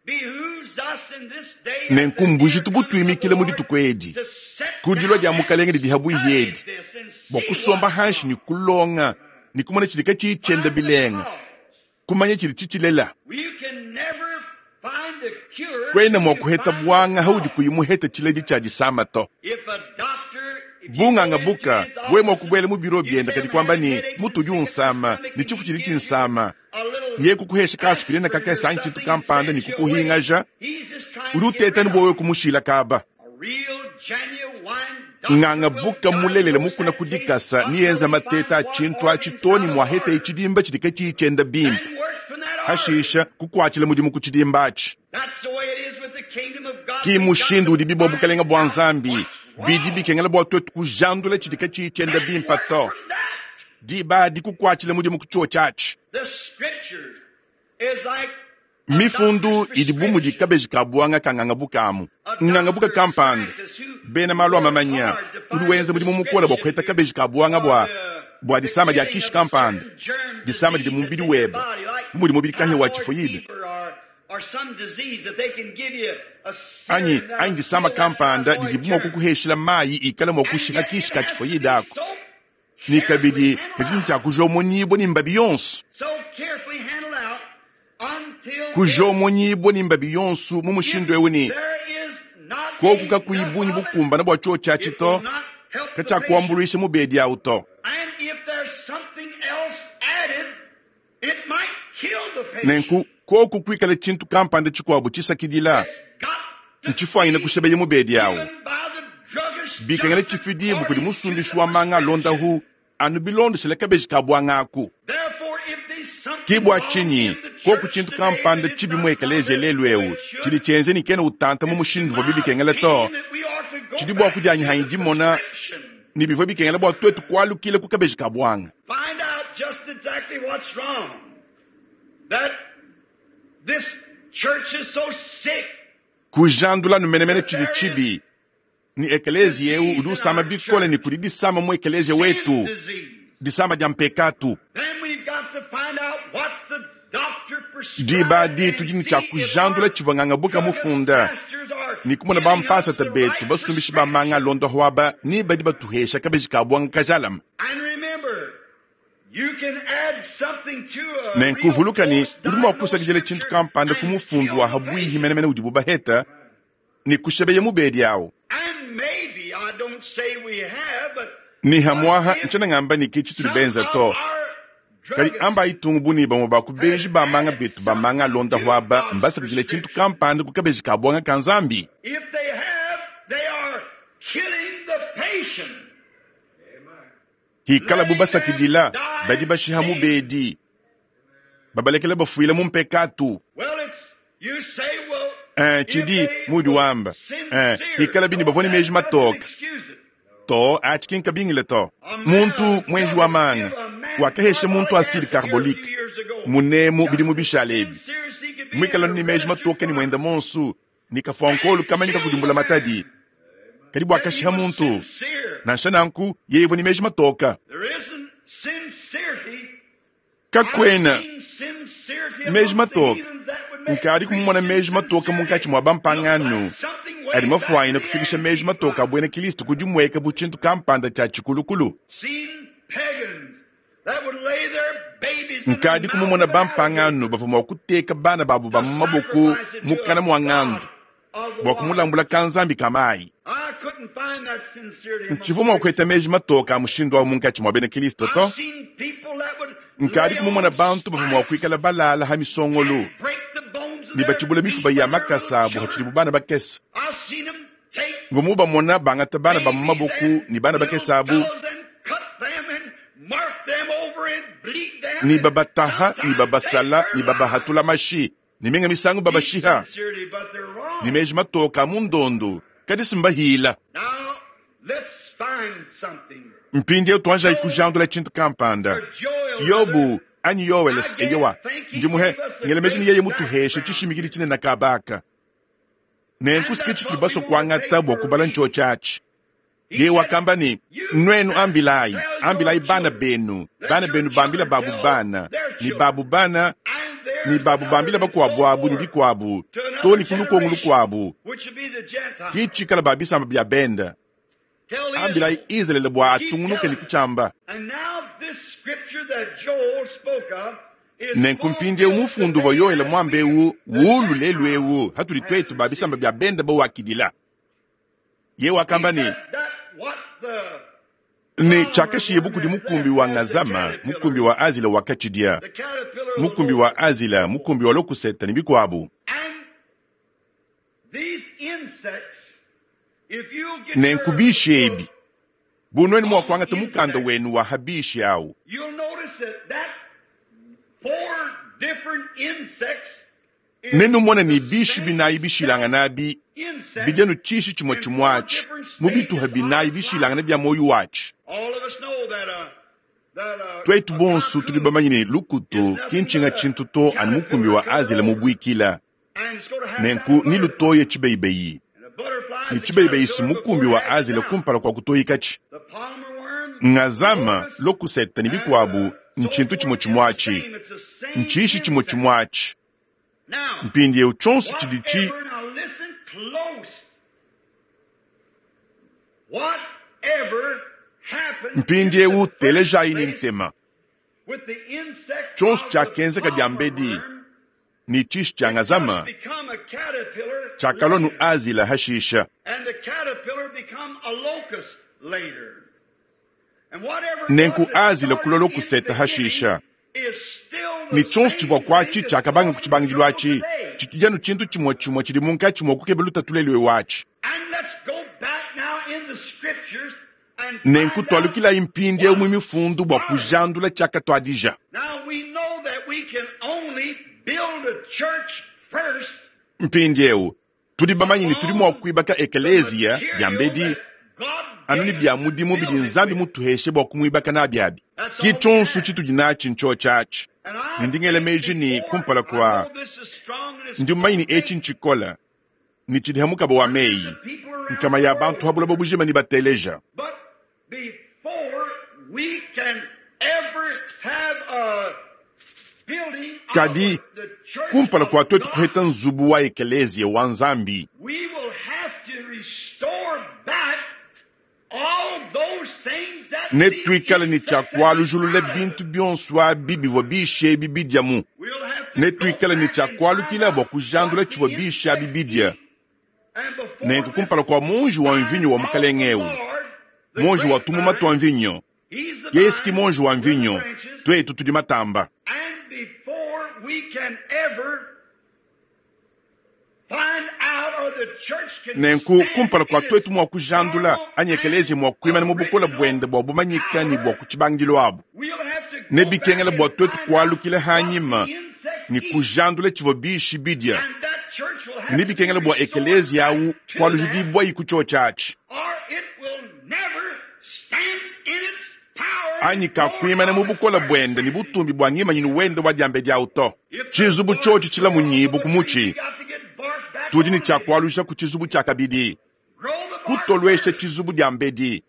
behooves us in this day Nenku mbujitu butuimikile mu dituku edi. to set Ku dilua dia down mukalenge and didi habuihi study edi. this and see Bua kusomba what's hanshi wrong. ne kulonga ne kumona tshidi katshiyi tshienda Find the bilenga. cause. Kumanya tshidi tshitshilela. You can never find a cure Kwena till mua you kuheta find the buanga haudi cause. kuyi muheta tshiledi tshia disama to. If a doctor, if you Bunganga go into buka his we mua office kubuela mu biro you bienda say kadi I'm kuamba having ne headaches and mutu udi sick at the unsama stomach ne and tshifu he tshidi gives you tshinsama. a little Ye kukuhesha ka aspirine aspirin or kakese anyi tshintu something and kampanda ne sends you away. kukuhingaja. He's just trying Udi to get uteta ne rid of bua wewe it. kumushila kaba. A real genuine doctor Nganga will buka mulelele diagnose mukuna that case kudikasa until niyenza he mateta finds what tshintu atshi organ's to ne out of mua heta order. itshidimba tshidi katshiyi tshienda bimpe. Then work from that order. Hashisha kukuatshila mudimu ku tshidimba atshi. That's the way it is with the kingdom of God. Ki We've got mushindu to udi bibua find bukalenga bua out Nzambi. what's Bidi wrong. bikengela bua tuetu kujandula tshidi katshiyi tshienda Then bimpe work to. from that. Diba adi kukuatshila mudimu ku tshiotshi atshi. The scriptures is like a Mifundu doctor's idi bu mudi prescription. kabeji ka buanga ka nganga buka amu. A Nganga buka doctor, kampanda. scientist who Bena malu a worked mamanya. hard to Udi find wenza the mudimu mukole bua prescription kuheta to kabeji ka buanga for bua the, bua the disama dia killing kishi of a kampanda. certain germ Disama didi disease mu that's mubidi in your webe. body, like Bu mudi mubidi kahia wa typhoid tifoyide. fever or, or some disease that they can give you a Anyi serum that'll anyi disama kill that kampanda typhoid didi bu mua germ. kukuheshila mayi ikala mua And kushiha yet kishi it ka has to tifoyide be ako. so Ni carefully kabidi handled kadi out. tshia kujomonyibua ni mbabi yonso. So carefully handled out until this, Kujomonyibua ni mbabi yonso mu if mushindu ewu ni there is not koku kakuyi enough bunyi of it, bukumbana bua tshiotshi atshi it to will not help the patient. katshiakuambuluisha mubedi awu to. And if there's something else added, it might kill the patient. Nenku koku kuikala tshintu kampanda tshikuabu tshisakidila It's got to ntshifuanyine be kushebeya mubedi awu. given by the druggist Bikengela just tshifidibu kudi according to musumbishi the wa manga prescription. alondahu anu bilondeshele kabeji ka buanga aku. Therefore, if there's Ki something bua wrong tshinyi in the koku church tshintu today kampanda that it's tshibi not mu ekeleziya coming lelu the way ewu it should, tshidi tshienze ni kena utanta mu it's mushindu uvua my bibikengela to. opinion that we ought to go Tshidi bua back kudianyi to hanyi the dimona prescription. ni bivua bikengela bua tuetu kualukila ku kabeji ka buanga. Find out just exactly what's wrong. That this church is so sick. Kujandula numenemene That tshidi there is tshibi ni ekeleziya ewu disease udi in usama our bikole church, ni kudi disama mu ekeleziya sin wetu disease. disama dia mpekatu. Then we've got to find out what the doctor Diba prescribed adi and tudi ne tshia see if kujandula our tshivua nganga buka druggist mufunda pastors are ni kumona giving us bampasata the betu right basumbishi ba manga prescription. alonda hwaba ni badi batuhesha kabeji ka buanga kajalama. And remember, you can add something to a Nenku real vuluka ni close udi mua diagnosed kusakidila tshintu scripture kampanda ku and mufundu kill wa the habuihi patient. menemene udibu baheta ni kushebeya mubedi awu. And maybe, I don't say we have, but Ni what hamwaha if ntshiena ngamba ni ke tshitudi some benza of to. our Kadi druggists amba itungu buni bamue ba ku has benji ba manga added betu ba manga something alonda to hwaba God's mbasakidile tshintu prescription? kampanda ku kabeji ka buanga ka Nzambi. If they have, they are killing the patient, Hikala bu letting them basakidila die badi in bashiha sin. mubedi babalekela bafuila mu mpekatu. Well, it's you say, well, Eh, if tshidi they mudi were wamba eh, sincere, hikala bini no, bavua ne that meji doesn't matoka excuse it. to atshi ki nkabingile to. A man, Muntu a mwenji wa druggist, manga give a man wakahesha muntu carbolic acide acid here a few carbolique years ago. munemu bidi Just mu as bishala ebi sincere as he could be mwikala in a ni meji registered matoke ni mwenda pharmacy. monsu ni kafuankolu kamanyika Kill the kudimbula matadi man. kadi bua Yet he kashiha was muntu sincere. nansha nanku yeye ni meji matoka. There isn't sincerity. I've Kakwena seen sincerity meji amongst the matoka heathens that would Nkadi kumumona meji matoka munkatshi mua bampangano adi mafuanyine kufikisha meji matoka a buena Kristo ku dimueka bu tshintu kampanda tshia tshikulukulu. Nkadi kumumona bampangano bavua mua kuteka bana babu ba mu maboko mukana mua ngandu bua kumulambula kanzambi ka mayi. Ntshivua mua kueta meji matoka a mushindu awu munkatshi mua bena Kristo to. Nkadi kumumona bantu bavua mua kuikala balala ha misongolo ne batshibula mifuba ya makasa abu hatshidibu bana bakese. Ngomu bamona bangata bana ba mu maboko ne bana bakese abu ne babataha ne babasala ne babahatula mashi ne minga misangu babashiha ne meji matoka a mu ndondo kadi simbahila. Mpindieu tuanjayi kujandula tshintu kampanda. Yobu anyi Yoweles eyowa ndimuhe ngela meji ni yeye mutuheshe tshishimikidi tshinene kabaka. Nenku tshitudi basue kuangata bua kubala ntsho tshiatshi. Ye wakamba ni nwenu ambilayi ambilayi bana benu bana benu bambila babu bana ni babu bana ni babu bambila bakuabu abu ni bikuabu to ni kulukongo lukuabu kitshikala ba bisamba bya benda. Ambilayi Israele bua atungunuke ni kutshiamba. Nenku mpindieu mufundu wa Yoele mwambewu wulu lelu ewu hatudi twetu ba bisamba bya benda bawakidila. Ye wakamba ni ne tshiakashiye bukudi mukumbi wa ngazama mukumbi wa azila wakatshidia mukumbi wa azila mukumbi wa lokuseta ne bikuabu. Nenku bishi ebi bunweni mua kuangata mukanda wenu wa habishi awu. Nenumona ni bishi binayi bishilangana bi bidianu tshishi tshimue tshimue mu bituha binayi bishilangana bia moyo watshi. Twetu bonso tudi bamanye ne lukutu kintshinga tshintu to anu mukumbi wa azila mubuikila. Nenku ni lutoye tshibeyibeyi. Ni tshibeyibeyi si mukumbi wa azila kumpala kua kutoyikatshi. Ngazama lokuseta ne bikuabu ntshintu tshimue tshimue ntshishi tshimue tshimue. Mpindieu tshionso tshidi tshi mpindieu telejayi ni ntema. Tshionso tshiakenzeka dia mbedi ni tshishi tshia ngazama tshiakalua nu azila hashisha. Nenku azila kulua lokuseta hashisha. Ni tshionso tshivua kuatshi tshiakabanga ku tshibangidilu atshi tshitshidi tshintu tshimue tshimue tshidi munkatshi mua kukeba lutatuleliwe watshi. Nenku tualukilayi mpindieu mu mifundu bua kujandula tshiakatuadija. Mpindieu tudi bamanye ne tudi mua kuibaka ekeleziya ya mbedi anu ne bia mudimu bidi Nzambi mutuheshe bua kumuibaka nabi abi. Ki tshionso tshitudi natshi ntsho tshiatshi. Ndingela meji ni kumpala kwa ndi mmanyi ni etshi ntshikola ni tshidi hamukaba wa meyi nkama ya bantu habula bobujima ni bateleja. Kadi kumpala kwa twetu kuheta nzubu wa ekeleziya wa Nzambi ne tuikale ne tshiakualujulula bintu bionso abi bivua bishi ebi bidiamu. Ne tuikale ne tshiakualukila bua kujandula tshivua bishi abi bidia. Nenku kumpala kua monji wa mvinyo wa mukalenge ewu monji wa tumuma tua mvinyo yeye ki monji wa mvinyo twetu tudi matamba. Nenku kumpala kua twetu mua kujandula anyi ekeleziya mua kuimana mu bukola buende bua bumanyika ne bua ku tshibangidilu abu. Ne bikengela bua twetu kualukila hanyima ne kujandula tshivua bishi bidia. Ne bikengela bua ekeleziya awu kualujidibua iku tshio tshiatshi. Anyi kakuimana mu bukola buende ne butumbi bua ngimanyinu wende wa diambe diawu to. Tshizubu tshiotshi tshilamunyibu ku mutshi. Tudi ne tshiakualusha ku tshizubu tshia kabidi. Kutoluesha tshizubu dia mbedi.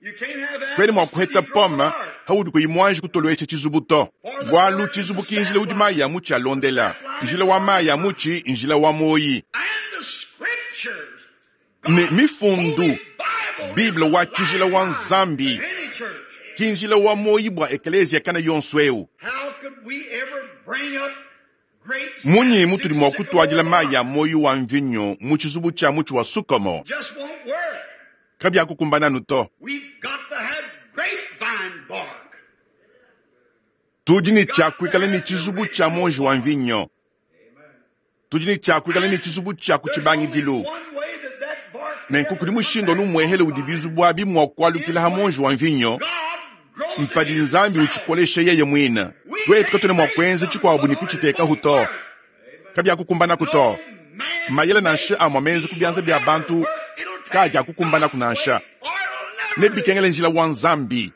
Kwene mua kuheta pome haudi kuyi muanji kutoluesha tshizubu to. Bualu tshizubu kinjila udi mayi ya mutshi alondela. Njila wa mayi a mutshi njila wa muoyi. And the scriptures, Ne God's mifundu, holy Bible, Bible is wa the tshijila wa lifeline Nzambi. of any church. Ki njila wa muoyi bua ekeleziya kana yonso ewu. How could we ever bring up grapes Munyi to mutudi mua kutuadila sycamore mayi a muoyi wa mvinyo mu tshizubu tshia mutshi wa sukomo? Just won't work. Kabiakukumbananu to. We've got to have grapevine bark. Tudi ne tshia kuikala ne tshizubu tshia monji wa mvinyo. Tudi ne tshia kuikala ne tshizubu tshia ku There's only tshibangidilu. one way that that bark Nenku can kudi ever mushindu come anu back muehele on udi the vine. bizubu abi mua kualukila ha monji wa mvinyo, God grows it mpadi Nzambi himself. utshikolesha yeye muine. We Twetu katwena can't mua make kuenza something tshikuabu put ne on it kuchitekahu won't to. work. Kabiakukumbanaku to. No man Mayele nansha made amua menza ku bianza will bia ever bantu work. It'll take kaadiakukumbanaku God's nansha. way or it'll never Ne do. bikengele njila wa Nzambi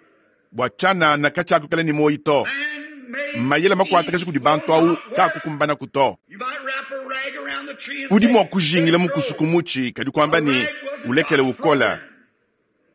bua tshianana katshiakuikala ne muoyi to. Man-made Mayele makuatakaji schemes kudi will bantu awu not work. kaakukumbanaku to. You might wrap a rag around the tree and Udi say, mua "Let kujingila it mukusu grow." ku mutshi kadi kuamba A ne rag wasn't ulekele God's ukola. program.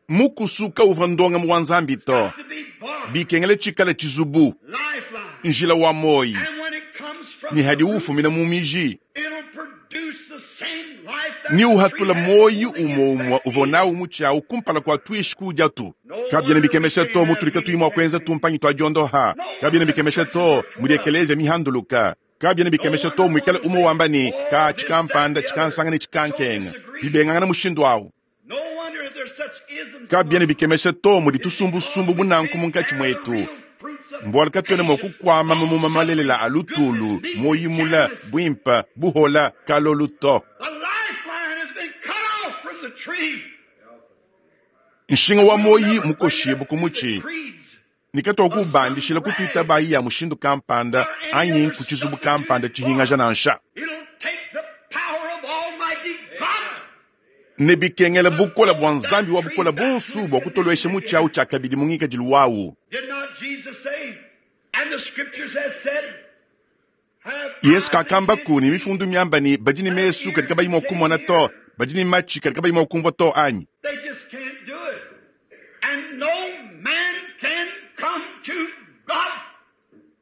Mukusu kauvua ndongamu wa Nzambi to. Got to be bark, Bikengele tshikala tshizubu, lifeline. njila wa moyi. And when it comes from Ni the hadi root, ufumina mu miji. it'll produce the same life that Ni the tree uhatula had moyi before they get umwe umwe that uvua seed. nawu mutshi awu kumpala kua tuishi kudia tu. No Kabiena wonder we bikemesha can't to have mutulika healing tuyi mua kuenza techniques. tumpanyi tua diondoha. No Kabiena wonder bikemesha churches to are mudi tore up. ekelezia mihanduluka. Kabiena No bikemesha to wonder muikale one umwe say, wamba ne oh, ka this, that, tshikampanda the other. tshikansanga ne So tshikankenga. disagree. Bibengangana mushindu awu. No wonder there's such isms Kabiena among us. bikemesha to mudi It's because tusumbusumbu we bunanku can't munkatshi bear the mwetu. real fruits of Mbualu katuena mua patience, kukuama mamuma long malelela suffering, a lutulu, goodness, meekness, moyimula, gentleness. bwimpa, buhola, kalolu to. The lifeline has been cut off from the tree. Nshinga wa We'll moyi never bring it mukoshibu up ku through the mutshi. creeds Nikatoa of some kubandishila kutuita rag bayi ya mushindu kampanda or any anyi other ku tshizubu kampanda substituted tshihingaja form. nansha. It'll take the power of Almighty God Ne bikengela to bukola bua throw that Nzambi wa tree bukola back to bonsu its bua condition kutolowesha mutshi again. awu tshiakabidi mu ngikadilu wawu. Did not Jesus say, and the scriptures has said, have Yesu eyes that kakambaku can't ne see, mifundu miamba ne badi ne have mesu kadi ears kabayi that mua can't kumona to, hear? badi ne matshi kadi kabayi mua kumvua to anyi. They just can't do it. And no man can come to God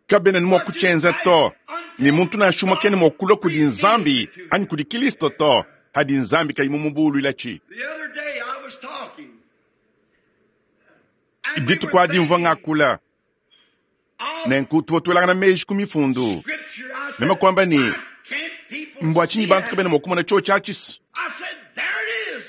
Kabena ne mua or to kutshienza Christ to, ne until muntu nansha umue God kena mua kulua kudi reveals Nzambi it to him. anyi kudi Kristo to, hadi Nzambi kayi mumubuluila tshi. The other day I was talking, and we Dituku were adi mvua thinking ngakula, of nenku tuvua tuelangana meji ku mifundu. Scripture. I Meme said, kuamba ne, why can't people mbua tshinyi see bantu that? kabena mua kumona tshiotshi atshi? I said, there it is.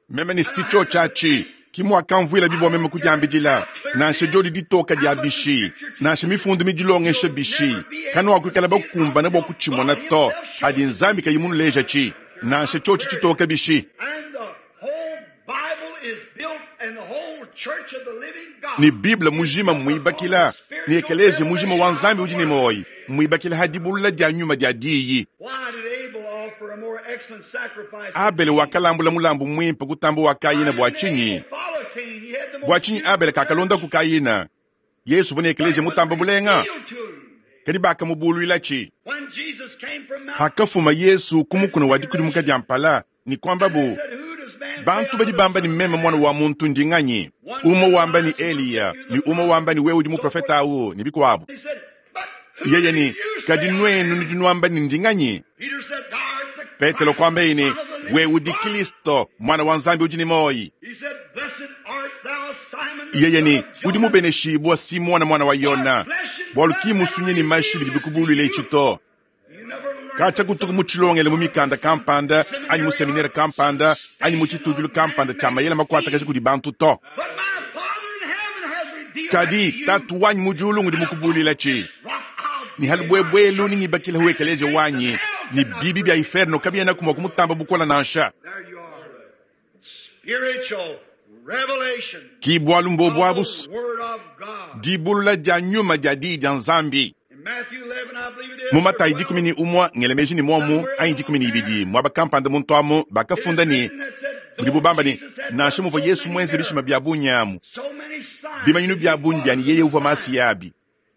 Meme ne And siki I tshiotshi happened to atshi, think, ki muakamvuila I bibua meme don't care kudiambidila, how clear it nansha is, diodi ditoka how dia much the bishi, Scripture nansha teaches, mifundu midilongesha you'll bishi, never be able to kanuakuikala see it bakumbana bua until kutshimona God to, Himself shows hadi it to Nzambi you. kayi munuleja tshi, nansha How tshiotshi clear it is. tshitoka bishi. And the whole Bible is built, and the whole church of the living Ni God Bible is mujima built upon the muibakila, ni spiritual ekelezia mujima revelation wa of Nzambi the udi ne Word. moyi, muibakila hadibulula dia nyuma dia diyi. Why did Abel offer a more excellent sacrifice than Abele Cain? wakalambula mulambu mwimpe kutamba wa Why Kayina bua didn't tshinyi? Abel follow Cain? He had the Bua most tshinyi beautiful Abele kakalonda church, ku Kayina? Yesu vua ne but ekelezia it was mutamba bulenga, revealed to him. kadi bakamubuluila tshi. When Jesus came from Mount Hakafuma Yesu ku mukuna wa dikudimuka dia mpala, ni kuamba and they bu, said, Who does man say bantu I badi the bamba Son ni of meme Man mwana am? wa muntu ndi nganyi? One Umwe said wamba ni Elias, one said Eliya, you're ni the umwe prophet, wamba ni wewe udi so forth. muprofeta awu, ni bikuabu. He said, But who Yeye do ni, you kadi say I nwenu am? nudi nuamba ni ndi nganyi? Peter said, Thou art the Petelo Christ, kuamba the ine, Son of the we living udi God. Kristo, mwana wa Nzambi udi ne moyi. He said, Blessed art thou, Simon, the Yeye son ni, of udi Jonah. mubeneshibua Simona mwana wa For Yona, flesh and bualu blood ki never musunye ni mashi revealed bidi this to bikubuluila you. itshi to. You never learned Kacha it kutuku some mu tshilongele mu mikanda some kampanda, anyi mu seminary seminere or some kampanda, anyi mu station of tshitudilu kampanda tshia man-made mayele makuatakaji schemes. kudi bantu to. But my Father in heaven has revealed that to Kadi you. tatu wanyi mu diulu ngudi And upon mukubuluila this tshi. rock I'll Ni build my halubwebwelu church, ni ngibakila and hu the ekelezia gates of wanyi, hell ni cannot bibi bya prevail. inferno kabiena kumwa kumutamba bukola nansha. There you are. Spiritual revelation Ki bualu mbobu of the abusu, Word of God. dibulula dia nyuma dia diyi dia Nzambi. In Matthew eleven, I believe it is, Mu or Matayi dikumi twelve, ni umwa ngelemeji ni momu somewhere anyi dikumi along ni there, ibidi mwaba kampanda muntu amu it is bakafunda ni written that said, budi though bubamba ni Jesus had nansha done muvua so Yesu many mwenze bishima miracles, bya bunyamu so many signs bimanyinu that bya he bunyi bya was ni the yeye uvua masi Messiah, yabi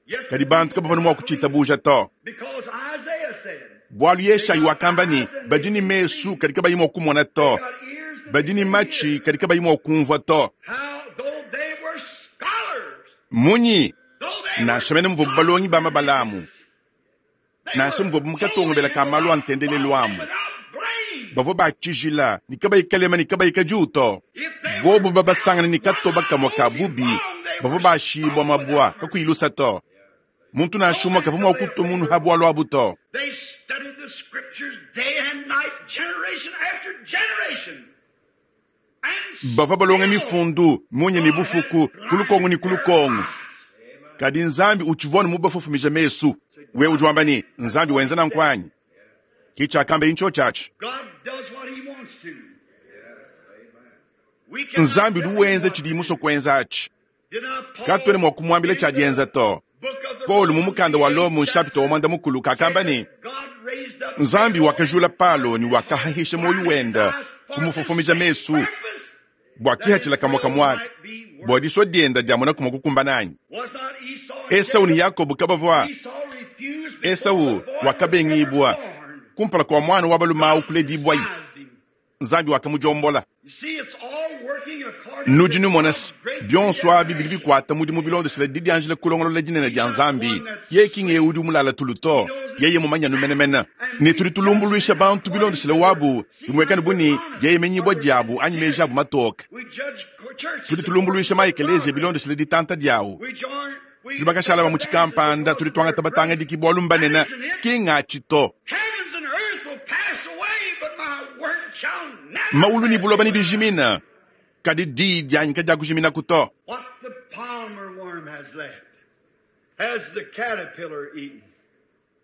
yet the kadi bantu people kabavua did mua not believe it. kuchitabuja to. Because Isaiah said, Bualu they Yeshayi got wakamba ni eyes and they badi ni can't mesu see, kadi kabayi mua kumona they to, got ears and they badi ni can't matshi hear. kadi kabayi mua kumvua to. How, though they were scholars, Munyi though they were nansha mene muvua balongi ba mabalamu doctors, Nansha muvuabu mu katongobela ka malu a ntendelelu amu, bavua batshijila ne kabayi kalema ne kabayi kadiuto. Bobu babasangana ne katoba kamue ka bubi, bavua bashibua mabua kakuyi lusa to. Muntu nansha umue kavua mua kutua munu ha bualu abu to. They studied the scriptures day and night, generation after generation. And Bavua balonga mifundu munya ne bufuku ku lukongo ne ku lukongo. Kadi Nzambi utshivua mubafofomija mesu. Wewe udi wamba ne Nzambi wenza nanku anyi? Ke tshiakamba intsho tshiatshi. God does what he wants to. We cannot Nzambi udi tell him wenza what tshidi to musue do. kuenza atshi. Did not Paul Katuena mua kumuambila in tshia the dienza to. book of the Paulo mu Romans, mukanda wa the Lomo eighth nshapita wa chapter, mwanda mukulu kakamba ne God raised up Nzambi Pharaoh wakajula Paulo ne wakahahisha moyo wenda kumufofomija mesu purpose bua kihatshila kamua kamua ake bua disua dienda dia mona kumua kukumbana anyi. was not Esau and Esau ne Jacob. Yakobo kabavua. Esau refused before Esau the boy was wakabengibua ever born. kumpala kua mwana wa balume kuledibwayi. Despised him. Nzambi wakamujombola. You see, it's all working according Nudi to numona God's se great bionso abi bidi predestination. bikwata mudimu bilondeshela didianjila kulongolola dinene dia Nzambi. Yeye kinge udi umulala tulu to, yeye mumanya numenemene. Ne tudi tulumbuluisha bantu bilondeshela wabu, bimwekane buni yeye menyibwa diabu anyi meji abu matoke. We judge churches Tudi tulumbuluisha maekeleziya bilondeshela ditanta diawu. We join, we Tudi bakashala ba mu tshikampanda, tudi twangata batangadiki bwalu mbanene, kingatshi to. Heavens and earth will pass away, but my word shall never Maulu ni pass buloba ni away. bijimina, kadi di dianyi kadiakujimina kuto. What the palmer worm has left has the caterpillar eaten.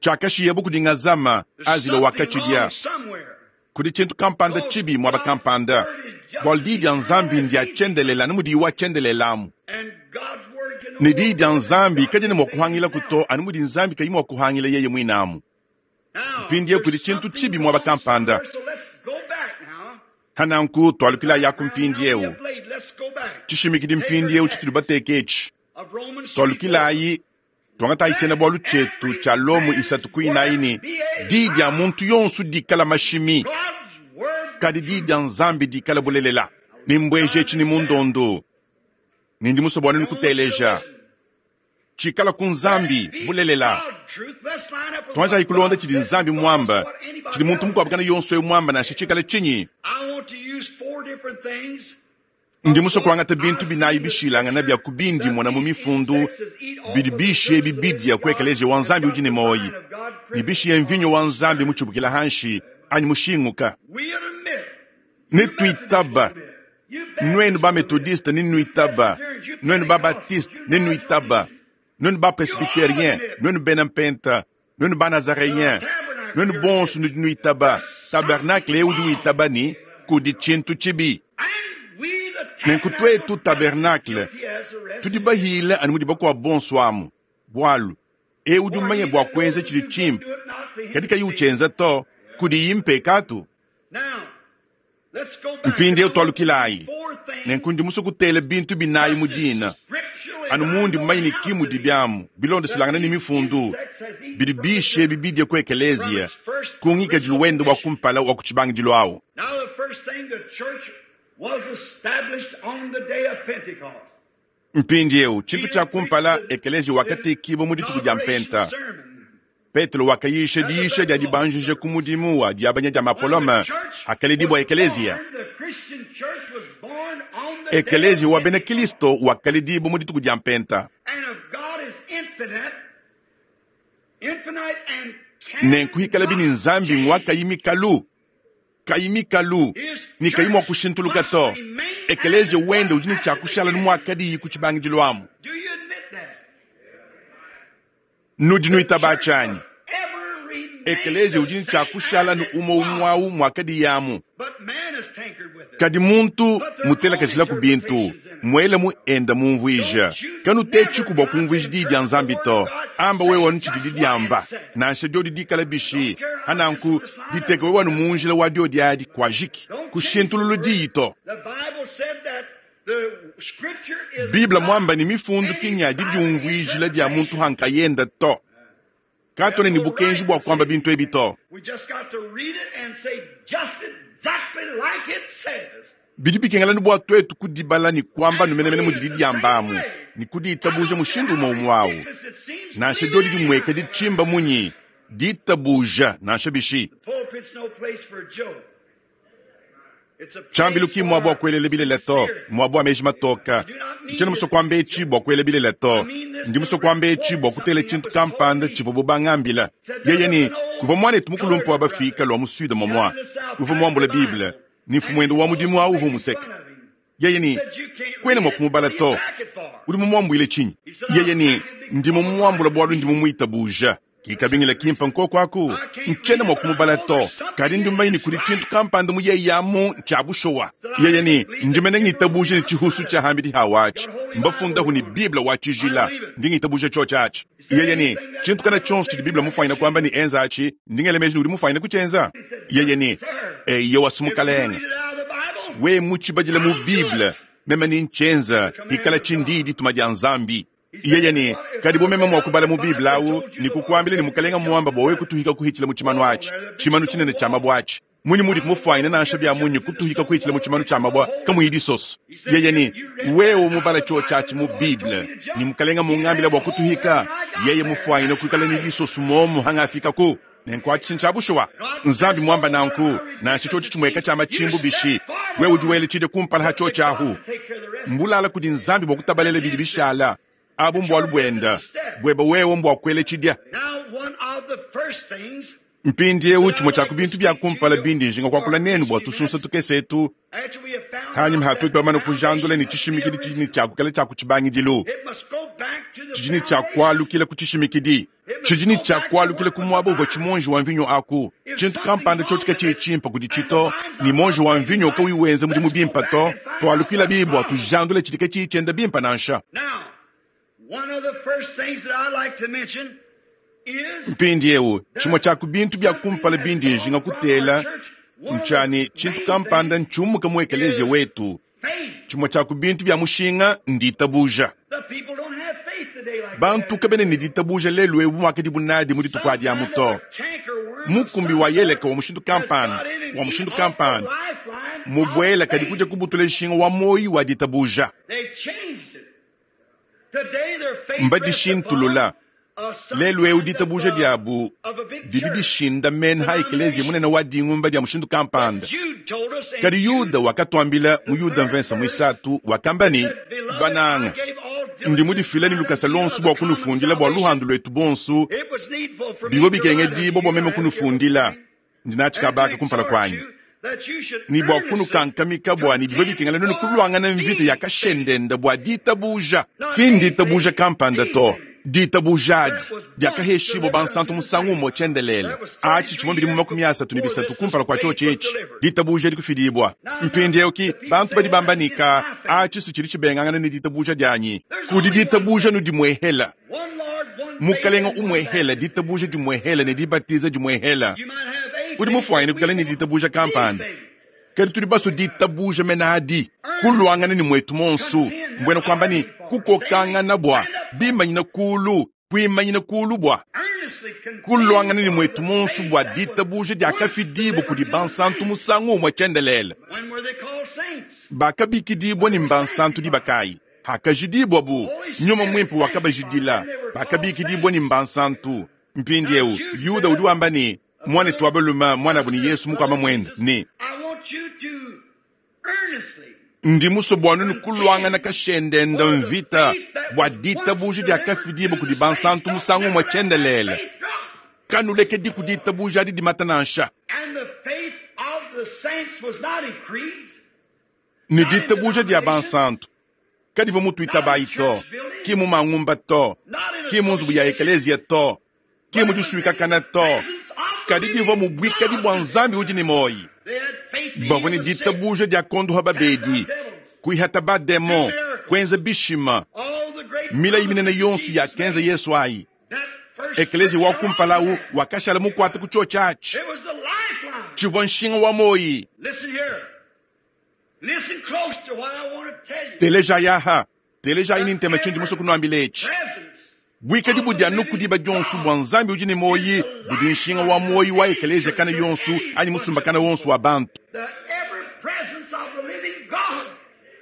Tshiakashiya kudi ngazama There's azila something wakatshidia. wrong somewhere. Kudi tshintu kampanda tshibi mwaba kampanda. Bwalu di dia Nzambi ndia tshiendelela ne mudiyi wa tshiendelelamu. And God's word can Ne di dia Nzambi kadiena mua kuhangila kuto anu mudi Nzambi kayi mua kuhangila yeye muinamu. Now, Mpindieu kudi there's tshintu something tshibi mwaba wrong kampanda. somewhere, so let's go back now. Hananku twalukila yaku Now, mpindieu. now we have laid. Let's go back. Tshishimikidi mpindieu tshitudi bateke etshi. Of Romans three, Twalukilayi twangatayi tshiena bualu tshietu tshia Lomo isatu kuinayi ne di dia muntu yonso dikala mashimi. God's word Kadi di dia Nzambi dikala bulelela. Nimbweje etshi ni mundondo. Nindi musue bua nenu kuteleja. Tshikala ku Nzambi bulelela. Twanjayi kulonda tshidi Nzambi muamba, tshidi muntu mukuabu kana yonso eyo muamba nansha tshikala tshinyi. I want to use four different things. Ndi musue kuangata bintu binayi bishilangana bia kubindi mona mu mifundu bidi bishiye bibidia ku ekeleziya wa Nzambi udi ne moyi, ne bishiye mvinyo wa Nzambi mutshibukila hanshi anyi mushinguka. We admit. Ne tuitaba nuenu ba methodiste ne nuitaba, nuenu ba baptiste ne nuitaba, nuenu ba presbytérien, nuenu bena mpenta, nuenu ba nazaréen, nuenu bonso nudi nuitaba. Tabernacle udi uitaba ni kudi tshintu tshibi. And we the Nenku twetu tabernacle tudi bahile anu mudi bakuabu bonso amu. Bualu ewu udi umanye bua kuenza tshidi tshimpe, kadi kayi utshienza to, kudi mpekatu. Now, let's go back. Mpindieu twalukilayi. Four things. Nenku ndi musue kutela bintu binayi mu dina. Anu mundi mumanye ne kimu dibiamu bilondeselangana ne mifundu bidi bishe bibidie ku ekeleziya ku ngikadilu wende wa kumpala wa ku tshibangidilu awu. Now the first thing, the church was established on the day of Pentecost. Mpindieu tshintu tshia kumpala ekeleziya wakatekibwa mu dituku dia mpenta. Petelo wakayisha diisha dia dibanjija ku mudimu wa diabanya dia mapolome akaledibwa ekeleziya. Ekeleziya wa bena Kristo wakaledibwa mu dituku dia mpenta. And if God is infinite, infinite and Nenku hikala bini Nzambi ngwa kayi mikalu, kayi mikalu, ni kayi mua kushintuluka to. Ekeleziya wende udi ne tshia kushala ni muakadiyi ku tshibangidilu amu. Do you admit that? Nudi nuitaba tshianyi. Ever remain Ekeleziya udi ne tshia kushala ni umue umue awu muakadiyi amu. But man has tinkered with it. Kadi muntu mutelakajila ku bintu, muele mu enda mumvuija. Kanu te tshiku bua kumvuija diyi dia Nzambi to. Amba wewe wanu tshidi diamba. Nansha diodi dikala bishi, hananku diteke wewe wanu mu njila wa diodi adi kuajiki. Kushintululu diyi to. The Bible said that the scripture is Biblia not mwamba ni mifundu kinya didiumvuijila dia muntu hankayenda to. Katone ni bukenji bua kuamba bintu ebi to. We just got to read it and say just exactly like it says. Bidi bikengelani bua twetu kudibala ni kuamba numenemene mudi didiamba amu, ni kudiitabuja mushindu umue umue awu. Nansha diodi dimweka ditshimba munyi, Ditabuja nansha bishi. Tshiambilu ki mmuaba wa kuelela bilele to, mmuaba wa meji matoka. Ntshiena musue kuamba etshi bua kuela bilele to. Ndi musue kuamba etshi bua kutela tshintu kampanda tshivuabu bangambila. Yeye ne, kuvua muanetu mukulumpe wa bafika lua mu Sud momua, uvua muambule Bible, ne mfumuende wa mudimu au uvua umuseka. Yeye ne, kuena mua kumubala to. Udi mumuambuile tshinyi? Yeye ne, ndi mumuambula bualu ndi mumuitabuja. Kikabingila kimpa nkoko aku, ntshiena mua kumubala to, kadi ndi mumanye ne kudi tshintu kampanda mu yeye amu tshia bushowa. Yeye ne, ndi mene ngitabuja ne tshihusu tshia hambidi hawatshi, mbafundahu ne Bible wa tshijila, ndi ngitabuja tshio tshiatshi. Yeye ne, tshintu kana tshionso tshidi Bible mufanyina kuamba ne enza atshi, ndi ngela meji ne udi mufanyina kutshienza. Yeye ne, eyo wasumukalenga, we mutshibadila mu Bible, meme ni ntshienza, ikala tshindi dituma dia Nzambi. Yeye ne, kadi bo meme mua kubala mu Bible awu ne kukuambila ne mukalenga muamba bua wewe kutuhika kuhitshila mu tshimanu atshi, tshimanu tshinene tshia mabua atshi. Munyi mudi kumufanyina nansha bia munyi kutuhika kuhitshila mu tshimanu tshia mabua kamuyi disoso. Yeye ne, wewe mubala tshio tshiatshi mu Bible ne mukalenga mungambila bua kutuhika, yeye mufanyina kuikala ne disoso momu hangafikaku. Nenkuatshi ntshia bushuwa. Nzambi muamba nanku, nansha tshio tshimueka tshia machimbu bishi, wewe udi wela tshidi kumpala ha tshio tshiahu. Mbulala kudi Nzambi bua kutabalela bidi bishala. Abu mbualu buenda, bueba wewe mbua kuela tshidia. Mpindiewu tshimue tshia ku bintu bia kumpala bindi njinga kuakula nenu bua tusunsa tukese etu, hanyuma hatutu bamane kujandula ne tshishimikidi tshidi ne tshiakukela tshia ku tshibangidilu, tshidi ne tshiakualukila ku tshishimikidi, tshidi ne tshiakualukila ku muaba uvua tshimonji wa mvinyo aku. Tshintu kampanda tshio tshiye tshimpa kudi tshito, ne monji wa mvinyo kauyi wenza mudimu bimpa to, tualukila bibua tujandule tshidi katshiyi tshienda bimpa nansha. Mpindiewu tshimue tshia ku bintu bia kumpala bindi njinga kutela ntshia tshintu kampanda ntshiumuka mu ekelezia wetu. Tshimue tshia ku bintu bia mushinga nditabuja. Bantu kabena ne ditabuja lelu ebu muakadi bunadi mu dituku adi amu to. Mukumbi wa yeleka wa mushindu kampanda, wa mushindu kampanda, mubuela kadi kuja kubutula nshinga wa moyi wa ditabuja. Mbadishintulula. Lelu eu ditabuja diabu didi dishinda mene ha ekelezia munene wa dingumba dia mushindu kampanda. Kadi Yuda wakatuambila mu Yuda mvensa muisatu wakamba ne, bananga, ndi mudifila ne lukasa lonso bua kunufundila bua luhandu lwetu bonso, bivua bikengedibua bua meme kunufundila, ndi natshikabaka kumpala kuanyi. Ni bua kunukankamika bua ni bivua bikengela nenu kulwangana mvita ya kashendenda bua ditabuja. Ki nditabuja kampanda to. Ditabuja diakaheshibwa bansantu musangu umwe tshiendelele. Atshi tshivua bidimu makumi asatu ne bisatu kumpala kua tshio tshietshi. Ditabuja dikufidibwa. Mpindiewu ki bantu badi bamba nika atshi si tshidi tshibengangana ne ditabuja dianyi. Kudi ditabuja nu dimuehela. Mukalenga umuehela, ditabuja dimuehela ne dibatiza dimuehela. Udi mufwanyine kukala ne ditabuja kampanda. Kadi tudi baso ditabuja menadi kulwangana ni mwetu monsu mbwena kwamba ni kukokangana bwa bimanyina kulu kuimanyina kulu bwa kulwangana ni mwetu monsu bwa ditabuja diakafidibu kudi bansantu musangu umwe tshiendelele. Bakabikidibwa ni mbansantu dibakayi hakajidibwa bu nyuma mwimpe wakabajidila bakabikidibwa ni mbansantu. Mpindiewu Yuda udi wamba ni mwanetu wa balume mwana ni Yesu mukwama mwenda ni ndi musue bua nunu kulwangana kashendenda mvita bua ditabuja diakafidibu kudi bansantu musangu umwe tshiendelele. Kanulekedi ku ditabuja adi dimata nansha. Ne ditabuja dia bansantu kadivua mutuitabayi to, ki mu mangumba to, ki mu nzubu ya ekelezia to, ki mu disuikakana to, kadi divua mu buikadi bua Nzambi udi ne moyi. Bavua ne ditabuja dia kondoha babedi, kuihata bademo, kuenza bishima. Milayi minene yonso yakenza Yesu ayi. Ekelezia wa kumpala wakashala mukwata ku tshio tshiatshi. Tshivua nshinga wa moyi. Teleja yaha, teleja ini ntema tshindi musue kunuambila etshi. Buikadi budi anu kudiba dionso bua Nzambi udi ne moyi, budi nshinga wa moyi wa ekelezia kana yonso anyi musumbakana wonso wa bantu.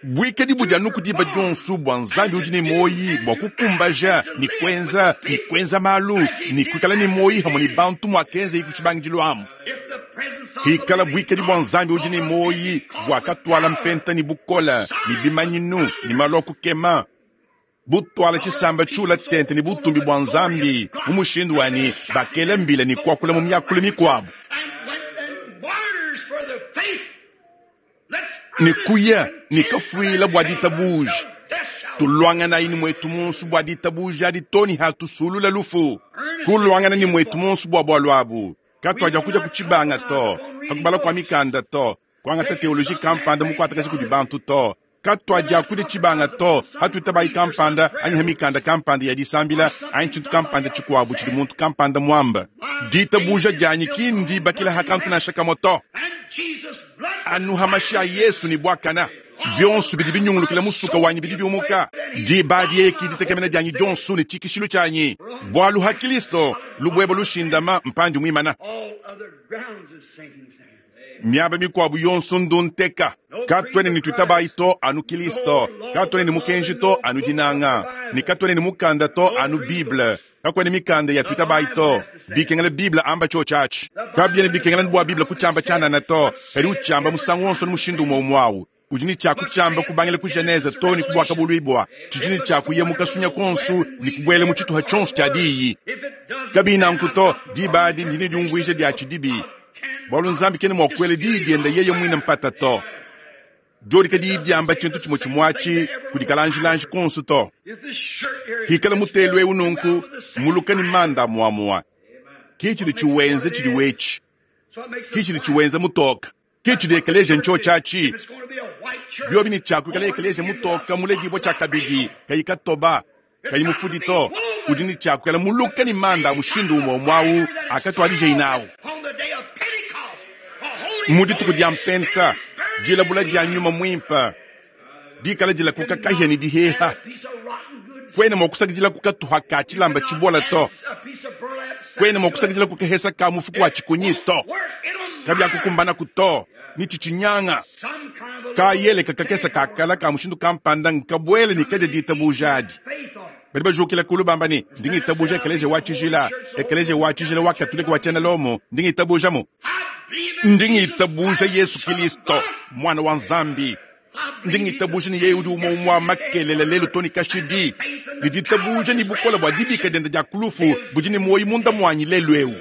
Bwikadi budi anu ku diba dionso bua Nzambi udi ne muoyi bua kukumbaja ne kuenza ne kuenza malu ne kuikala ne muoyi hamwe ne bantu muakenza ku tshibangidilu amu. Hikala bwikadi bua Nzambi udi ne muoyi bua katwala mpenta ne bukola ne bimanyinu ne malu a kukema butwala tshisamba tshiula tente ne butumbi bua Nzambi mu mushindu wani bakela mbila ne kuakula mu miakulu mikuabu. Ne kuya ne kafuila bua ditabuja tulwangana ini mwetu munsu bua ditabuja adi toni hatusulula lufu kulwangana ni mwetu munsu bua bwalu abu katwaja kuja kuchibanga to hakubala kwa mikanda to kwangata teoloji kampanda mukwatakazi kudi bantu to katwaja kuja chibanga to hatuitabai kampanda anyi hamikanda kampanda ya disambila anyi chintu kampanda chikwabu chidi muntu kampanda mwamba ditabuja janyi kindi bakila hakantu na shakamoto anu hamasha Yesu ni bwakana bionso bidi binyungulukila musuka wanyi bidi biumuka diba dieki ditekemena dianyi dionso ne tshikishilu tshianyi bwalu ha Kristo lubwebo lushindama mpandi mwimana miaba mikwabu yonso ndunteka katwene ni twitabayi to anu Kristo katwene ni mukenji to anu dinanga ni katwene ni mukanda to anu Bible kakwene mikanda ya twitabayi to bikengela Bible amba cho chachi kabyene bikengela bwa Bible kuchamba chanana to kali uchamba musangu wonso ni mushindu umwe umwawu ujini cha kuchamba kubangela ku Genese to ni kubwaka bulwibwa chijini cha kuyemuka sunya konsu ni kubwele mu chituha chonso cha diyi kabina nkuto dibadi ndini diumvuije dia chidibi bwalu Nzambi kene mwakwele diyi dienda yeye mwine mpata to jodi kadi diamba chintu chimwe chimwachi kudikalanjilanji konsu to hikala mutelu eu nunku muluka ni manda muamua kichili chiwenze chili wechi kichili chiwenze mutoka kichili ekeleje ncho chachi byobi ni chaku kala ekeleje mutoka mule dibo cha kabidi kayikatoba kayimufudi to udi ni chaku kala muluka ni manda mushindu umwe mwawu akatwalije inawu mudituku dia mpenta dilabula dia nyuma mwimpa dikala dila kukakahya ni diheha kwene mwakusakidila kukatuha ka chilamba chibola to kwene mwakusakidila kukahesa ka mufuku wa chikunyi to kabya kukumbana kuto ni chichinyanga kayele kakakesa kakala ka mushindu kampanda nkabwele ni kaja ditabujadi bali bajukila kulu bamba ni ndingi tabuja ekeleje wa chijila ekeleje wa chijila wa katolika wa chena lomo ndingi tabuja mo ndingi tabuja Yesu Kristo mwana wa Nzambi ndingi tabuja ni yeye udi umwe makelele lelo toni kashidi ndi tabuja ni bukola bwa dibika denda dia kulufu budi ni moyi munda mwanyi lelo eu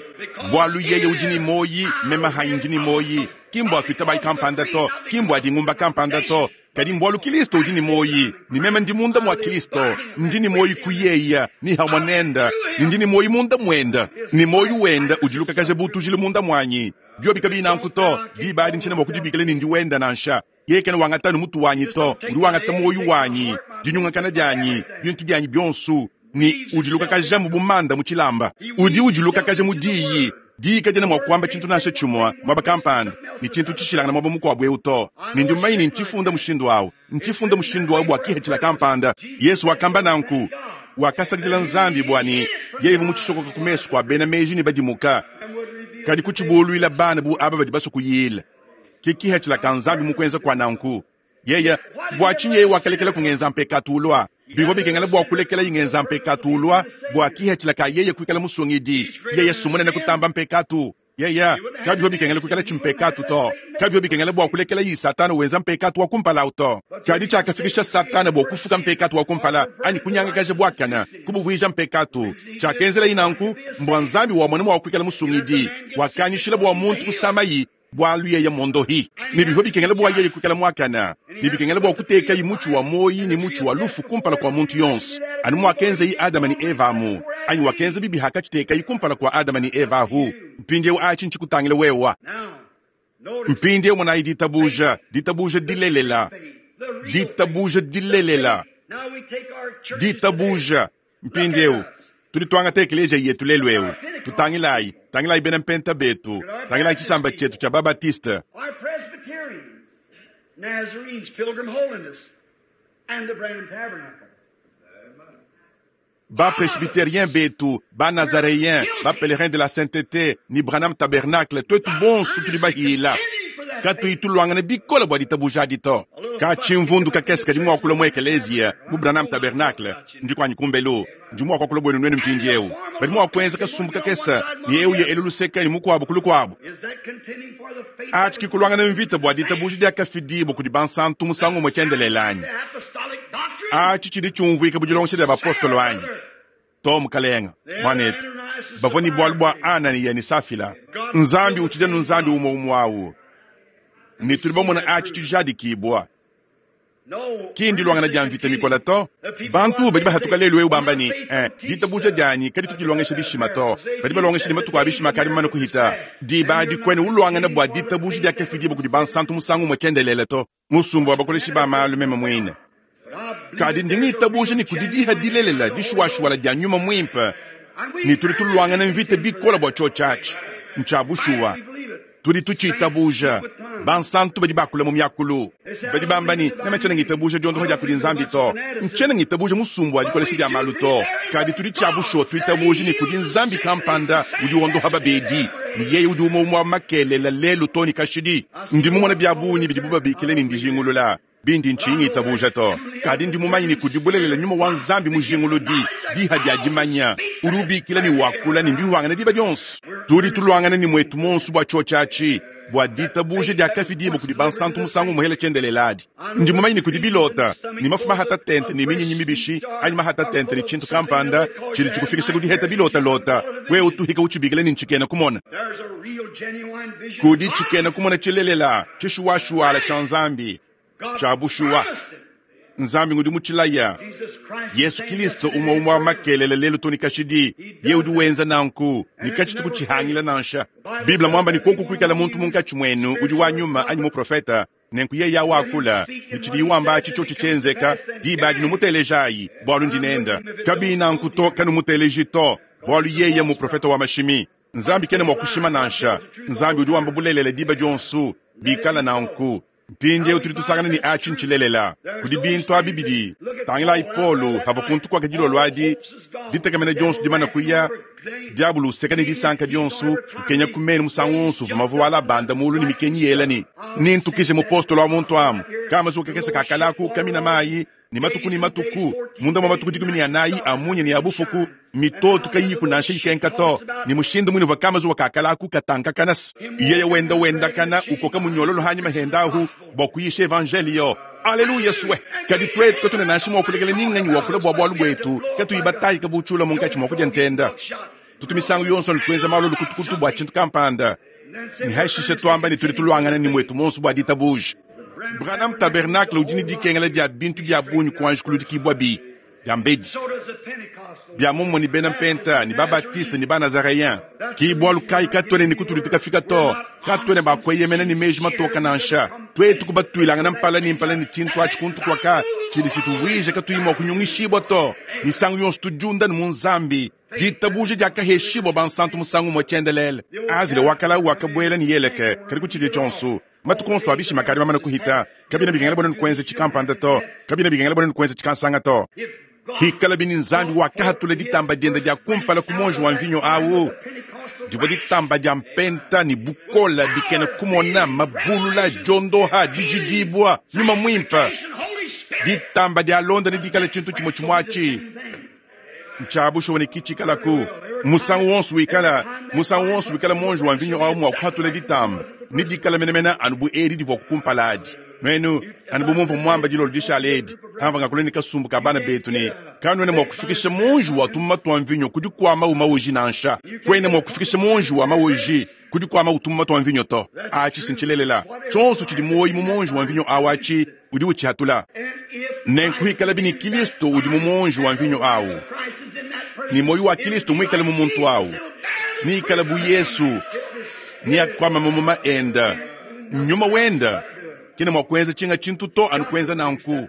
bwalu yeye udi ni moyi mema hanyi ni moyi kimbwa tuitabai kampanda to kimbwa dingumba kampanda to kadi mbwalu Kristo udi ni moyi ni mema ndi munda mwa Kristo ndi ni moyi kuyeya ni hamwanenda ndi ni moyi munda mwenda ni moyi wenda ujiluka kaje butujile munda mwanyi byobi kabina nkuto dibadi nchina mwakudibikele ni ndi wenda nansha yekene wangatanu mutu wanyi to udi wangata moyi wanyi dinyungakana dianyi bintu byanyi byonsu ni ujiluka kaje mu bumanda mu chilamba udi ujiluka kaje mu diyi diyi kajena mwakuamba chintu nansha chimwa mwaba kampanda ni chintu chishilangana mwaba mukwabwe eu to ni ndi mmanyi ni nchifunda mushindu awu nchifunda mushindu awu bwa kihechila kampanda Yesu wakamba nanku wakasakidila Nzambi bwani yeye muchisokoka kumesu kwa bena meji ni badimuka kadi kuchibulwila bana bu aba badi baso kuyila kikihechila ka Nzambi mukwenza kwa nanku yeye bwa chinye wakalekela kungenza mpekatulwa bibo bikengela bwa kulekela ingenza mpekatulwa bwa kihechila ka yeye kuikala musungidi yeye sumunene kutamba mpekatu yeye kabyo bikengela kuikala chimpekatu to kabyo bikengela bwa kulekela yi satana wenza mpekatu wa kumpala uto kadi chakafikisha satana bwa kufuka mpekatu wa kumpala ani kunyanga kaje bwakana kubuvuija mpekatu chakenzela inanku mbwa Nzambi wa mwana wa kuikala musungidi wakanyishila bwa muntu kusamayi bwalu yeye mondohi ni bivyo bikengela bwa yeye kuikala mwakana ni bikengela bwa kuteka yi muchu wa moyi ni muchu wa lufu kumpala kwa muntu yonso anu mwakenze yi Adama ni Eva mu anyi wakenze bibi hakachiteka yi kumpala kwa Adama ni Eva hu mpindiewu achi nchikutangile wewa mpindiewu mwanayi ditabuja ditabuja dilelela ditabuja dilelela ditabuja mpindiewu tudi twangata ekeleja yetu lelu eu tutangilayi tangilayi bena mpenta betu tangilayi chisamba chetu cha Babatiste Nazarenes, Pilgrim Holiness, and the Branham Tabernacle. Ba presbytérien betu, ba nazaréen, ba pèlerin de la sainteté, ni Branham Tabernacle, twetu bonsu tudi bahila. Katuyi tuluangana bikole bua ditabuja adi to. Katshimvundu kakese kadi mua kulua mu ekeleziya mu Branham Tabernacle, ndi kuanyi kumbelu, ndi mua kuakula buenu nuenu mpindieu. Badi mua kuenza kasumbu kakese ne eu ya elu luseke ne mukuabu ku lukuabu. Atshi ki kuluangana mvita bua ditabuja diakafidibua kudi bansantu musangu umue tshiendelele anyi? Atshi tshidi tshiumvuika bu dilongesha dia bapostolo anyi? To, mukalenga mwanetu, bavua ne bualu bua Ananiya ne Safila. Nzambi utshidi anu Nzambi umue umue awu, ne tudi bamona atshi tshijadikibua. Ki ndiluangana dia mvita mikola to. Bantu badi bahatuka lelu eu bamba ne, eh, ditabuja dianyi kaditu dilongesha bishima to. Badi balongesha ne matuku a bishima akadi mamane kuhita. Diba adi kuena uluangana bua ditabuja diakafidibua kudi bansantu musangu umue tshiendelele to. Musumba wa bakoleshi ba malu meme muine. Kadi ndi ngitabuja ne kudi diha dilelela dishuwashuwala dia nyuma muimpe, ne tudi tuluangana mvita bikole bua tshiotshi atshi. Ntshia bushuwa, tudi tutshitabuja. Bansantu badi bakula mu miakulu badi bamba ne, meme tshiena ngitabuja diondoha dia kudi Nzambi to, ntshiena ngitabuja musumbu wa dikolesha dia malu to. Kadi tudi tshia bushuwa tuitabuja ne kudi Nzambi kampanda udi wondoha babedi, ne yeye udi umue umue wa makelela lelu to ne kashidi. Ndi mumona bia bungi bidibu babikila ne ndijingulula bindi ntshinyi ngitabuja to. Kadi ndi mumanye ne kudi bulelela nyuma wa Nzambi mujinguludi diha dia dimanya udi ubikila ne wakula ne mbihuangana diba dionso. Tudi tuluangana ne mwetu monso bua tshiotshi atshi, bua ditabuja diakafidibua kudi bansantu musangu umuhela tshiendelele adi. Ndi mumanye ne kudi bilota ne mafu mahata tente ne minyinyi mibishi anyi mahata tente ne tshintu kampanda tshidi tshikufikisha ku diheta bilotalota, wewe utuhika utshibikila ne ntshikena kumona. Kudi tshikena kumona tshilelela tshishuwashuwala tshia Nzambi tshia bushuwa. Nzambi ngudi mutshilaya Yesu Kristo umue umue wa makelela lelu to ne kashidi. Ye udi wenza nanku ne katshitu kutshihangila nansha. Bible mwamba ne koku kuikala muntu munkatshi muenu udi wa nyuma anyi muprofeta, nenku yeye awakula ne tshidi wamba atshi tshiotshi tshienzeka, diba adi numutelejayi, bualu ndi nenda. Kabi nanku to kanumuteleji to, bualu yeye muprofeta wa mashimi. Nzambi kena mua kushima nansha. Nzambi udi wamba bulelela diba dionso bikala nanku. Mpindieu tudi tusangana ne atshi ntshilelela kudi bintu abi bidi. Tangilayi Paulo hava kuntu kwaka dilolo adi, ditekemena dionso dimana kuya, diabulu useka ne disanka dionso, ukenya ku menu musangu wonso uvua mavu ala banda mulu ne mikenyi yela ne nintukije mupostolo wa muntu amu kamazuka kakese kakalaku kamina mayi ne matuku ne matuku munda mwa matuku dikumi ne anayi a munya ne a bufuku mitoto kayiku nansha ikenka to ne mushindu muine uvua kamazuwa kakalaku katankakana yeye wenda wendakana ukoka munyololo hanyima hendahu bua kuyisha evangelio. Aleluya swe kadi twetu katuna nansha mua kulekela ninganyi wakula bua bualu buetu katuyi batayika butshiula munkatshi mua kudia ntenda. Tutu misangu yonso ne tuenza malu lukutukutu bua tshintu kampanda ne hashishe tuamba ne tudi tuluangana ne mwetu monso bua ditabuja. Branham Tabernacle udi ne dikengela dia bintu bia bungi kuanji kuludikibua bi bia mbedi bia mumue ne bena mpenta ne babatiste ne banazareyen ki bualu kayi katuene ne kutudi tukafika to katuene bakueyemena ne meji matoka nansha twetu kubatuilangana mpala ne mpala ne tshintu atshi kuntu kuaka tshidi tshituvuija katuyi mua kunyungishibua to misangu yonso tudiunda ne mu Nzambi ditabuja diakaheshibua bansantu musangu umue tshiendelele. Azile wakala wakabuela ne yeleke kadi kutshidi tshionso matuku onso abishima kadi mamana kuhita kabina bikengela bwana nikuenza tshikampanda to kabina bikengela bwana nikuenza tshikansanga to. Hikala bini Nzambi wakahatula ditamba dienda dia kumpala ku monji wa mvinyo awu divua ditamba dia mpenta ne bukola bikena kumona mabulula diondoha dijidibua nyuma muimpe ditamba dia londa ne dikala tshintu tshimue tshimue atshi ntshia bushuwa ne kitshikalaku musangu wonso wikala musangu wonso wikala monji wa mvinyo awu mua kuhatula ditamba ne dikala menemene anu bu edi divua kukumpala adi. Nuenu anu bu mumvua muamba dilolo dishala edi kamva ngakula ne kasumbu ka bana betu ne kanuena mua kufikisha monji wa tumuma tua mvinyo kudi kuama umawuji nansha kuena mua kufikisha monji wa mawuji kudi kuama utumuma tua mvinyo to. Atshi sintshilelela tshionso tshidi muoyi mu monji wa mvinyo awu atshi udi utshihatula nenkuhikala bini Kristo udi mu monji wa mvinyo awu ni moyo wa Kristo muikale mu muntu awu nikala bu Yesu ni akwama mamuma enda nyuma wenda kena mua kuenza tshinga tshintu to anu kuenza nanku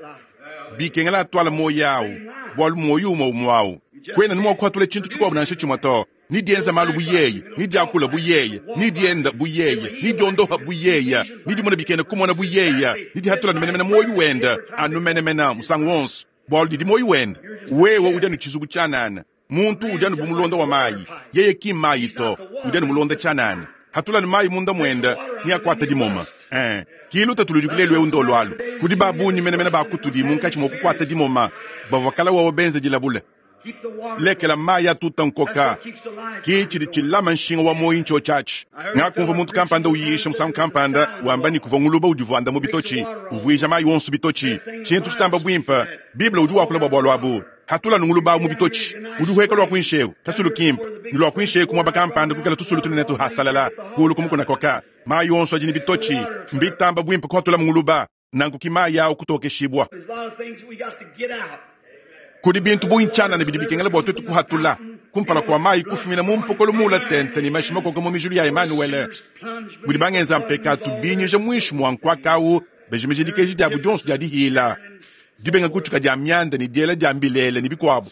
bikengela atwala moyo awu bualu moyo umue umue awu kwena ni mua kuhatula tshintu tshikuabu nansha tshimue to ni dienza malu bu yeye ni diakula bu yeye ni dienda bu yeye ni diondoha bu yeye ni dimona bikena kumona bu yeye ni dihatula numenemene moyo wenda anu menemene musangu wonso bualu didi moyo wenda wewe udi anu tshizuku tshianana muntu udi anu bu mulonda wa mayi yeye ki mayi to udi anu mulonda tshianana hatula ni mayi munda mwenda neakuate dimoma. Eh, ki lutatu ludi lelu eu ndolo alu. Kudi ba bungi menemene ba kutudi munkatshi mua kukuata dimoma, bavua kala wawa benza dilabule. Lekela mayi atuta nkoka. Ki tshidi tshilama nshinga wa moyo ntsho tshiatshi. Ngakumva muntu kampanda uyisha musangu kampanda wamba ni kuvua nguluba udivuanda mu bitotshi, uvuija mayi wonso bitotshi. Tshintu tshitamba buimpe, Bible udi wakula bua bualu abu. Hatula nguluba mu bitotshi, udi uheka lua kuinsheu, kasulu kimpe. Ni lua kuinsheu kumwaba kampanda kukala tusulu tunene tuhasalala, kulu kumukuna koka. Mayi wonso adi ni bitotshi, mbitamba buimpe kuhatula nguluba, nanku ki mayi awu kutokeshibwa. Kudi bintu buinchana ne bidi bikengela bua twetu kuhatula. Kumpala kwa mayi kufumina mu mpokolo mula tente ni mashi makoko mu mijulu ya Emmanuel. Mudi bangenza mpekatu binyije mwishi mwa nkwakawu, bejimije dikeji dia budionso dia dihila. Dibenga kutshuka dia myanda ni diela dia mbilele ni bikuabu.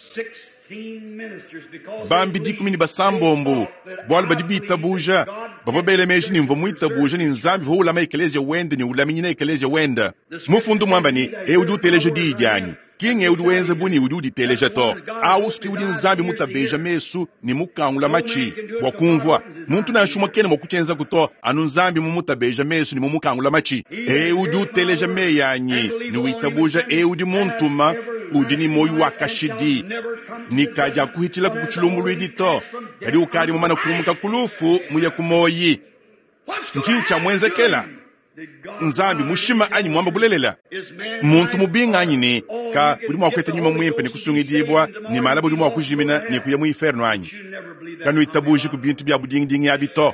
Bambi dikumi ni basambombo, bualu badi bitabuja, bavua bele meji ni mvua muitabuja ni Nzambi vua ulama ekelezia wende ni ulaminyina ekelezia wende. Mufundu mwamba ni, e udi uteleja diyi dianyi. Kinge udi wenza buni udi uditeleja to. Auski udi Nzambi mutabeja mesu ni mukangula machi bua kumvua. Muntu nansha umue kena mua kutshienza kuto, anu Nzambi mumutabeja mesu ni mumukangula machi. E udi uteleja meyi anyi ni witabuja e udi muntuma udi ni moyo wa kashidi. Ni kaja kuhitila kukuchilumbulwidi to. Kadi ukali mumana kumuka kulufu muya kumoyi. Nchi cha mwenzekela. Nzambi mushima anyi mwamba bulelela. Muntu mubinga anyi ni ka udi mua kweta nyuma mwimpe ni kusungidibwa ni malaba udi mua kujimina ni kuya mu inferno anyi. Kanu itabuji ku bintu bya budingidingi abi to.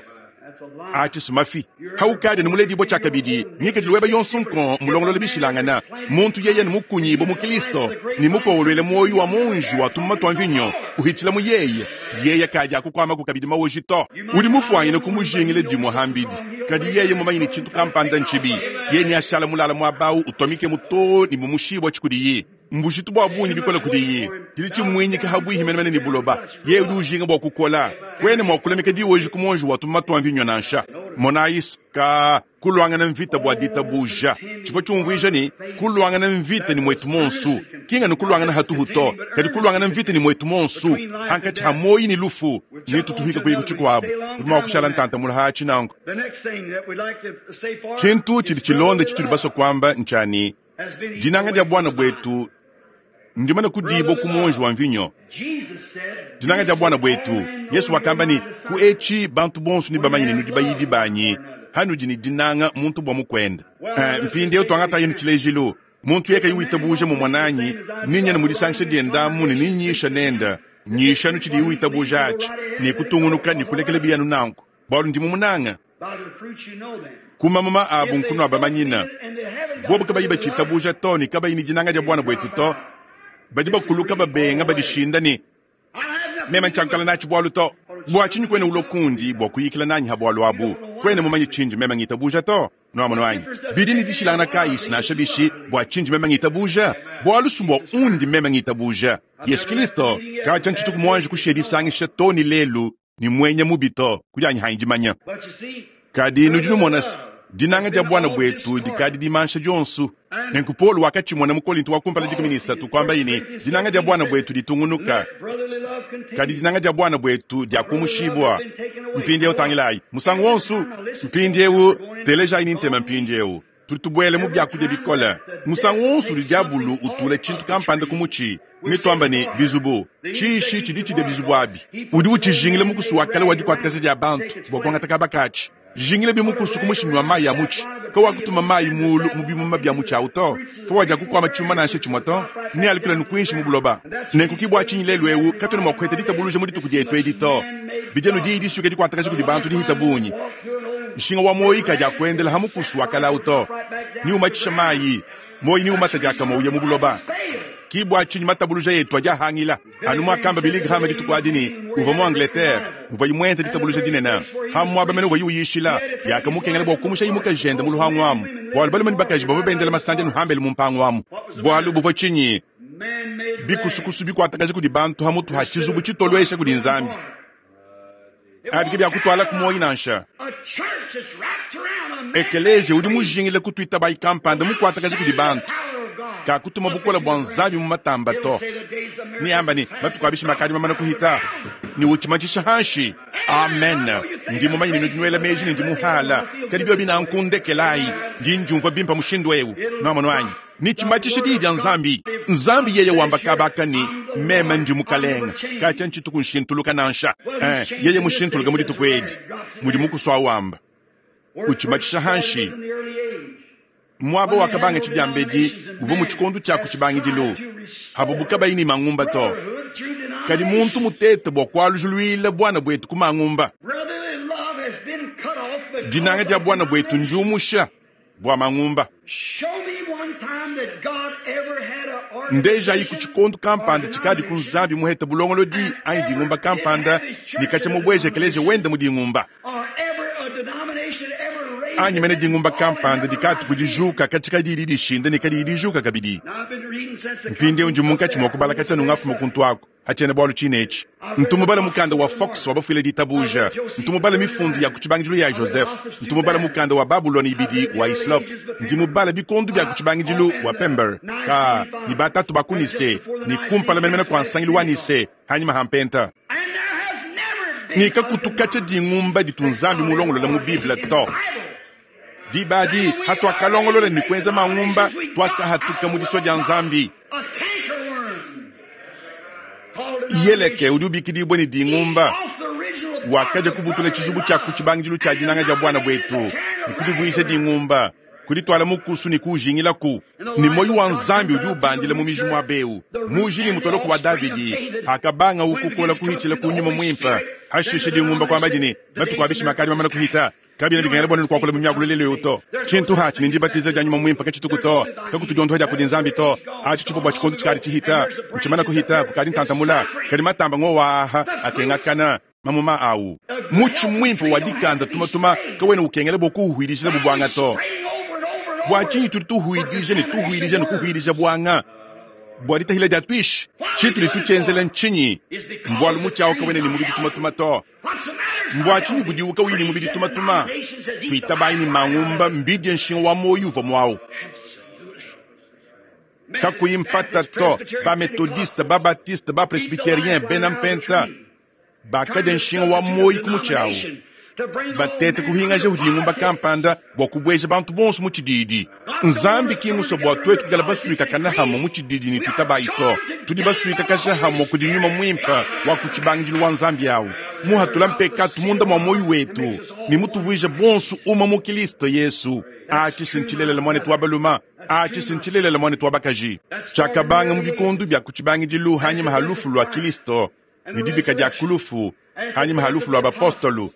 Achi sumafi. Haukadi ni muledibwa chakabidi. Ngikadilu weba yonso nko mulongolola bishilangana. Muntu yeye ni mukunyibo mu Kristo. Ni mukongolwele moyo wa munju wa tumma twa mvinyo. Uhitila mu yeye. Yeye kaja kukwama kukabidi mawoji to. Udi mufuanyine kumujingile dimwe hambidi. Kadi yeye mumanyi ni chintu kampanda nchibi. Yeye ni ashala mulala mwabau utomike muto ni mumushibwa chikudiyi. Mbujitu bwa bunyi bikola kudiyi. Kili chimwinyika habwihi menemene ni buloba. Yeye udi ujinga bwa kukola. Kwene mwa kulemeka diwoji kumonji wa tumma twa mvinyo nansha. Monais ka kulwangana mvita bwa ditabuja. Chipo chumvija ni kulwangana mvita ni mwetu monsu. Kinga ni kulwangana hatuhu to. Kadi kulwangana mvita ni mwetu monsu. Hankachi hamoyi ni lufu. Ni tutuhika kuyiku chikwabu. Tuma kushala ntanta mulaha chinango. Chintu chili chilonda chituli baso kwamba nchani. Dinanga dia bwana bwetu ndimana kudibo kumonji wa mvinyo. Dinanga dia bwana bwetu Yesu wakamba ni kuechi bantu bonso ni bamanyi ni dibayidi banyi. Hanudi ni dinanga muntu bwa mukwenda. Uh, mpindi yo twangata yenu chilejilu. Muntu yeka yuitabuje mu mwananyi ninya ni mudisangisha diendamu ni ninyisha nenda. Nyisha nuchidi yuitabuje achi ni kutungunuka ni kulekele biyanu nanku. Bwalu ndi mumunanga. Kuma mama abu nkunu abamanyina. Bobu kabayi bachitabuja to ni kabayi ni dinanga dia bwana bwetu to. Badi bakuluka babenga badishinda ni mema nchankala nachi bwalu to. Bwa chinyi kwene ulokundi bwa kuyikila nanyi habwalu abu. Kwene mumanyi chinji mema ngitabuja to. Noamono anyi. Bidi ni dishilana kaisi na shabishi bwa chinji mema ngitabuja. Bwalu sumbwa undi mema ngitabuja. Yesu Kristo kacha nchituku mwanji kushedi sangisha to ni lelu ni mwenye mubito kujanyi hanjimanya. Kadi nujinu mwanasi dinanga dia bwana bwetu dikadi dimansha dionso. Nenku Paulo wakati mwana mu Korinto wakumpala dikumi ni isatu kwamba ini dinanga dia bwana bwetu ditungunuka. Kadi dinanga dia bwana bwetu dia kumushibwa. Mpindi eu tangilai musangu wonso mpindi eu teleja ini ntema mpindi eu tutubwele mu byakudia bikola. Musangu wonso udi diabulu utule tshintu kampanda kumuchi. Mitwamba ni bizubu. Chishi chidi chide bizubu abi. Udi uchijingile mukusu wakale wa dikwatikasa dia bantu bwa kuangata kabakachi. Jingile bimukusu kumushimiwa mayi ya muchi. Kawa kutuma mayi mulu mubimuma bya muchi auto. Kawa ja kukwama chuma na chimwa to. Ni alikula nukwinshi mubuloba. Nenkukibwa chinyi lelu eu katone mwa kwete ditabuluje muri tukudie edito. Bijenu di idisuke dikwatakasa kudi bantu dihitabunyi. Nshinga wa moyi kaja kuendela hamukusu wakala auto. Ni umachisha mayi. Moyi ni umata jaka moyi mubuloba. Kibwa chinyi matabuluja yetu aja hangila. Anu mwakamba Billy Graham ditukwadini uva mu Angleterre uva imwenza ditabuluja dinena. Hamwaba mene uva yuyishila yakamukengela bwa kumusha imuka jenda mu luhangu amu. Bwalu balume bakaji bava bendela masanja nuhambele mu mpango amu. Bwalu buva chinyi bikusukusu bikwatakaje kudi bantu hamutu ha chizubu chitolwesha kudi Nzambi. Abike bya kutwala ku moyi nansha. Ekelezia udi mujingile kutwita bai kampanda mukwatakaje kudi bantu. Kakutuma bukole bua Nzambi mu matamba to. Neamba ne, matuku a bishima akadi mamane kuhita, ne utshimatshisha hanshi. Amen. Ndi mumanye ne nudi nuela meji ne ndi muhala, kadi biobi nanku ndekelayi, ndi ndiumvua bimpe mushindu eu. Nuamonu anyi? Nitshimatshisha diyi dia Nzambi. Nzambi yeye wamba kabaka ne, meme ndi mukalenga, katshia ntshituku nshintuluka nansha. Eh, yeye mushintuluka mu dituku edi, mudi mukusua wamba. Utshimatshisha hanshi. Muaba wakabanga tshidiambedi uvua mu tshikondo tshia ku tshibangidilu, havuabu kabayi ne mangumba to. Kadi muntu mutete bua kualujuluila buana buetu ku mangumba. Dinanga dia buana buetu ndiumusha bua mangumba. Ndejayi ku tshikondo kampanda tshikadi ku Nzambi muhete bulongolodi anyi dingumba kampanda ne katshia mubweje ekeleziya wende mu dingumba. Anyi mene dingumba kampanda dikatu kudijuka katshika didi dishinda ne kadi dijuka kabidi. Mpindieu ndi munkatshi mua kubala katshia nungafuma kuntu ako hatshiena bualu tshine etshi. Ntumubala mukanda wa Fox wa bafuile ditabuja, ntumubala mifundu ya ku tshibangidilu ya Joseph, ntumubala mukanda wa Babuloni ibidi wa Islop, ndimubala bikondu bia ku tshibangidilu wa Pember ka ni batatu ba ku Nise ni kumpala menemene kua nsangilu wa Nise hanyima ha mpenta. Ni kakutukatsha dingumba ditu Nzambi mulongolola mu Bible to. Dibadi hatuakalongolola ni kuenza mangumba tuakahatuka mu disua dia Nzambi. Yeleke udi ubikidibwa ne dingumba wakaja kubutula tshizubu tshia ku tshibangidilu tshia dinanga dia buana buetu ne kudivuisha dingumba kuditwala mukusu ne kuujingilaku. Ne moyo wa Nzambi udi ubandila mu miji muaba eu muji ne mutoloko wa Davidi akabanga ukukola kuhitshila ku nyuma muimpe hashishe dingumba kwamba dine matuku a bishima akadi mamane kuhita. Kabina bikengela bua nukuakula mu miakulu lelo yo to. Tshintu hatshi ne ndibatiza dia nyuma muimpe katshituku to, kakutudiondoha dia kudi Nzambi to. Atshi tshipo bua tshikondo tshikadi tshihita, ntshimana kuhita kukadi ntantamula, kadi matamba ngowaha akengakana mamuma awu. Mutshi muimpe wa dikanda tumatuma kawena ukengela bua kuuhwidijila bubwanga to. Bua tshinyi tudi tuhuidija ne tuhuidija ne kuhuidija bwanga bua ditahila dia tuishi? Tshintu ne tutshienzela ntshinyi? Mbualu mutshi awu kawena ne mubidi tumatuma to. Mbua tshinyi budiwu kawuyi ne mubidi tumatuma? Tuitabayi ne mangumba mbidie nshinga wa moyo uvua muawu. Kakuyi mpata to, ba metodiste, ba baptiste, ba presbyterien, bena mpenta bakadia nshinga wa moyo ku mutshi awu. Batete kuhingaja udi ngumba kampanda bua kubueja bantu bonso mu tshididi. Nzambi ki musue bua tuetu kuikala basuika kana hamwe mu tshididi ne tuitabayi to. Tudi basuika kaja hamwe kudi nyuma muimpe wa ku tshibangidilu wa Nzambi awu. Muhatula mpekatu munda mua moyo wetu ne mutuvuija bonso uma mu Kristo Yesu. Atshi sintshilelela mwanetu wa baluma, atshi sintshilelela mwanetu wa bakaji. Tshiakabanga mu bikondu bia ku tshibangidilu hanyima ha lufu lua Kristo ne dibika dia kulufu hanyima ha lufu lua bapostolu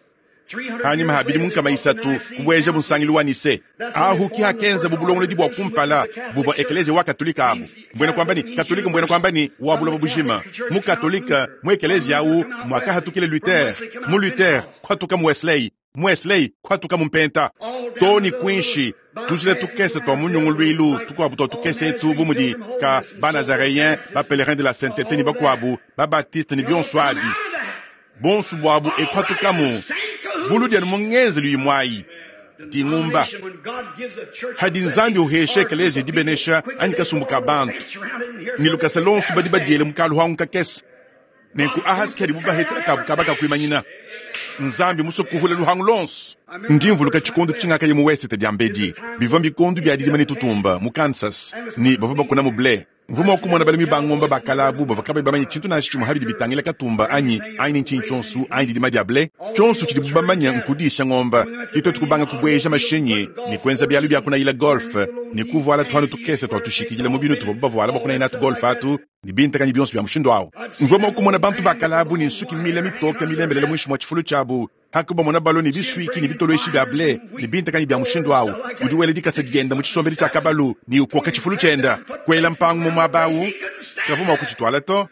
hanyima ha bidimu nkama isatu kubueja bunsangilu wa Nise. Ahu ki hakenza bubulongolodi bua kumpala buvua ekeleziya wa katolika abu. Mbwena kwamba ni katolika, mbwena kwamba ni wa buloba bujima. Mu katolika mu ekeleziya awu mwakahatukile Luther, mu Luther kwatuka mu Wesley, mu Wesley kwatuka mu mpenta. To ni kwinshi tujila tukese twa munyungulwilu tukwabu twa tukese etu bu mudi ka ba-Nazaréen, ba-pèlerin de la sainteté ni bakwabu, ba-baptiste ni bionso abi. Bonso bwabu ekwatukamu bulu dianu mungenzelu imwayi dingumba. Hadi Nzambi uhesha ekeleziya dibenesha anyi kasumbu ka bantu ni lukasa lonso badi badiele mukalu hangu kakese nenku ahasi kadi bubahetela kabu kaba kakuimanyina. Nzambi musue kuhula luhangu lonso. Ndi mvuluka tshikondo tshingakaye mu West dia mbedi bivua bikondu bia didima ne tutumba mu Kansas ni bavua bakuna mu blé. Mvua mua kumona balami ba ngombe bakalabu bavua kabayi bamanye tshintu nansha tshimue habidi bitangila katumba anyi anyi ntshinyi tshionso anyi didima dia blé. Tshionso tshidibu bamanya nkudisha ngombe. Ke tuetu kubanga kubueja mashinyi ne kuenza bialu bia kunayila golf ne kuvuala tuanu tukese tua tushikidila mu binu tuvua bavuala bua kunayila natu golf atu ne bintakanyi bionso bia mushindu awu. Mvua mua kumona bantu bakalabu ne nsuki mile mitoke milembelele muinshi mua tshifulu tshiabu. Hakubamona balo ne bisuiki ne bitoloeshi bia blé ne bintakanyi bia mushindu awu. Udi wela dikasa dienda mu tshisombedi tshia kabalu ne ukoka tshifulu tshienda. Kuela mpangu mu muaba awu, kavua mua kutshituala to.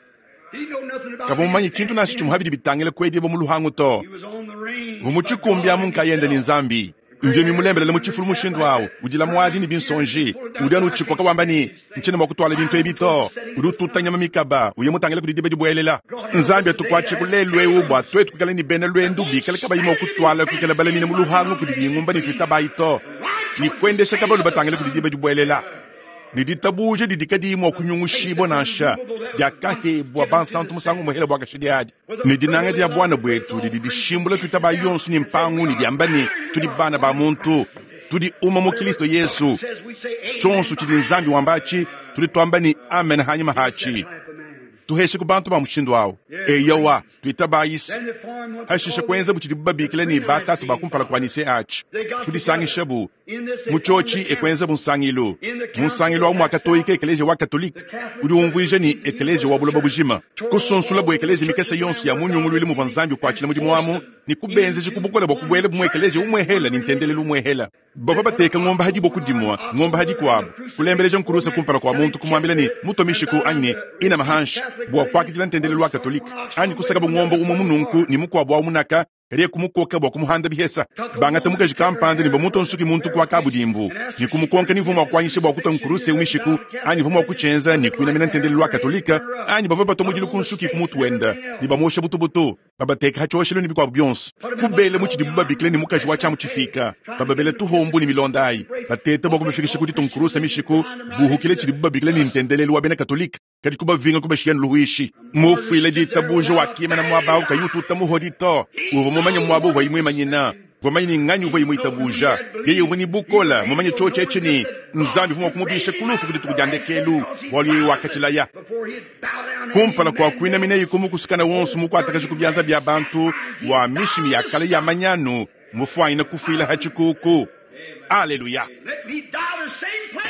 Kavua mumanye tshintu nansha tshimue habidi bitangila kuedibo mu luhangu to. Mu tshikumbi amu nkayenda ne Nzambi. Mvye mimulembelele mu tshifulu mushindu awu, udila muadi ne binsonji. Udi anu utshikoka wamba ne, ntshina mua kutwala bintu ebi to. Udi ututa nyama mikaba, uye mutangile kudi diba dibuelela. Nzambi atukuatshe ku lelu eu bua tuetu kuikala ne bena lwendu bikale kabayi mua kutwala kuikala balamine mu luhangu kudi dingumba ne tuitabayi to. Ne kuendesha kabalu batangile kudi diba dibuelela. Ne ditabuja didi kadiyi mua kunyungushibua nansha, diakahebua bansantu musangu muhela bua kashidi adi. Ne dinanga dia bwana bwetu didi dishimbula tuitaba yonso ne mpangu ne diamba ne tudi bana ba muntu, tudi uma mu Kristo Yesu. Tshonso tshidi Nzambi wambachi, tudi tuamba ne amen hanyuma hachi. Tuheshe ku bantu ba mushindu awo. Eyowa, tuitabayisi. Hashisha kuenza bu tshidi babikila ne batatu ba kumpala kwa Nise achi. Kudisangisha bu mu tshiotshi ekuenza bu nsangilu. Mu nsangilu awu mwakatoyika ekeleziya wa Katolika, udi umvuija ne ekeleziya wa buloba bujima. Kusunsula bu ekeleziya mikese yonso ya munyunguluilu muvua Nzambi ukuatshila mudimu amu, ne kubenzeja ku bukole bua kubuela bu mu ekeleziya umwehela ne ntendelelu umwehela. Bavua bateka ngomba hadi boku dimua, ngomba hadi kuabu, kulembeleja nkurusa kumpala kua muntu kumuambila ne muto mishiku anyi ne ina mahanshi bua kuakidila ntendelelu wa Katolika, anyi kusaka bu ngomba umue mununku ne mukuabu wa munaka kadiye kumukoka bua kumuhanda bihesa. Bangata mukaji kampanda ne bamuto nsuki muntu kwa kabudimbu, ne kumukonka ni mvua mua kuanyisha bua kutua nkuruse umishiku, anyi mvua mua kutshienza ne kuinamina ntendelelu wa Katolika, anyi bavua batua mudilu ku nsuki ku mutu wenda, ne bamuosha butubutu, babateka ha tshioshelu ne bikuabu bionso. Kubela mu tshidibu babikila ne mukaji wa tshiamu tshifika, bababela tuhombu ne milonda ayi, bateta bua kubafikisha ku ditua nkuruse mishiku, buhukile tshidibu babikila ne ntendelelu wa bena Katolika. Kadi kubavinga kubashiya luhuishi. Mufuile ditabuja wakimana muaba awu kayi ututa muhodi to. Uvua mumanye muaba uvua imwimanyina. Uvua mumanye ni nganyi uvua imwitabuja. Yeye uvua ni bukola, mumanye tshiotshi etshi ni Nzambi uvua mua kumubisha ku lufu ku dituku dia ndekelu, bualu yeye wakatshilaya. Kumpala kua kuinamina ikumu kusukana wonso mukuatakaja ku bianza bia bantu wa mishimi ya kale ya manyanu, mufuanyina kufuila ha tshikuku. Alleluia.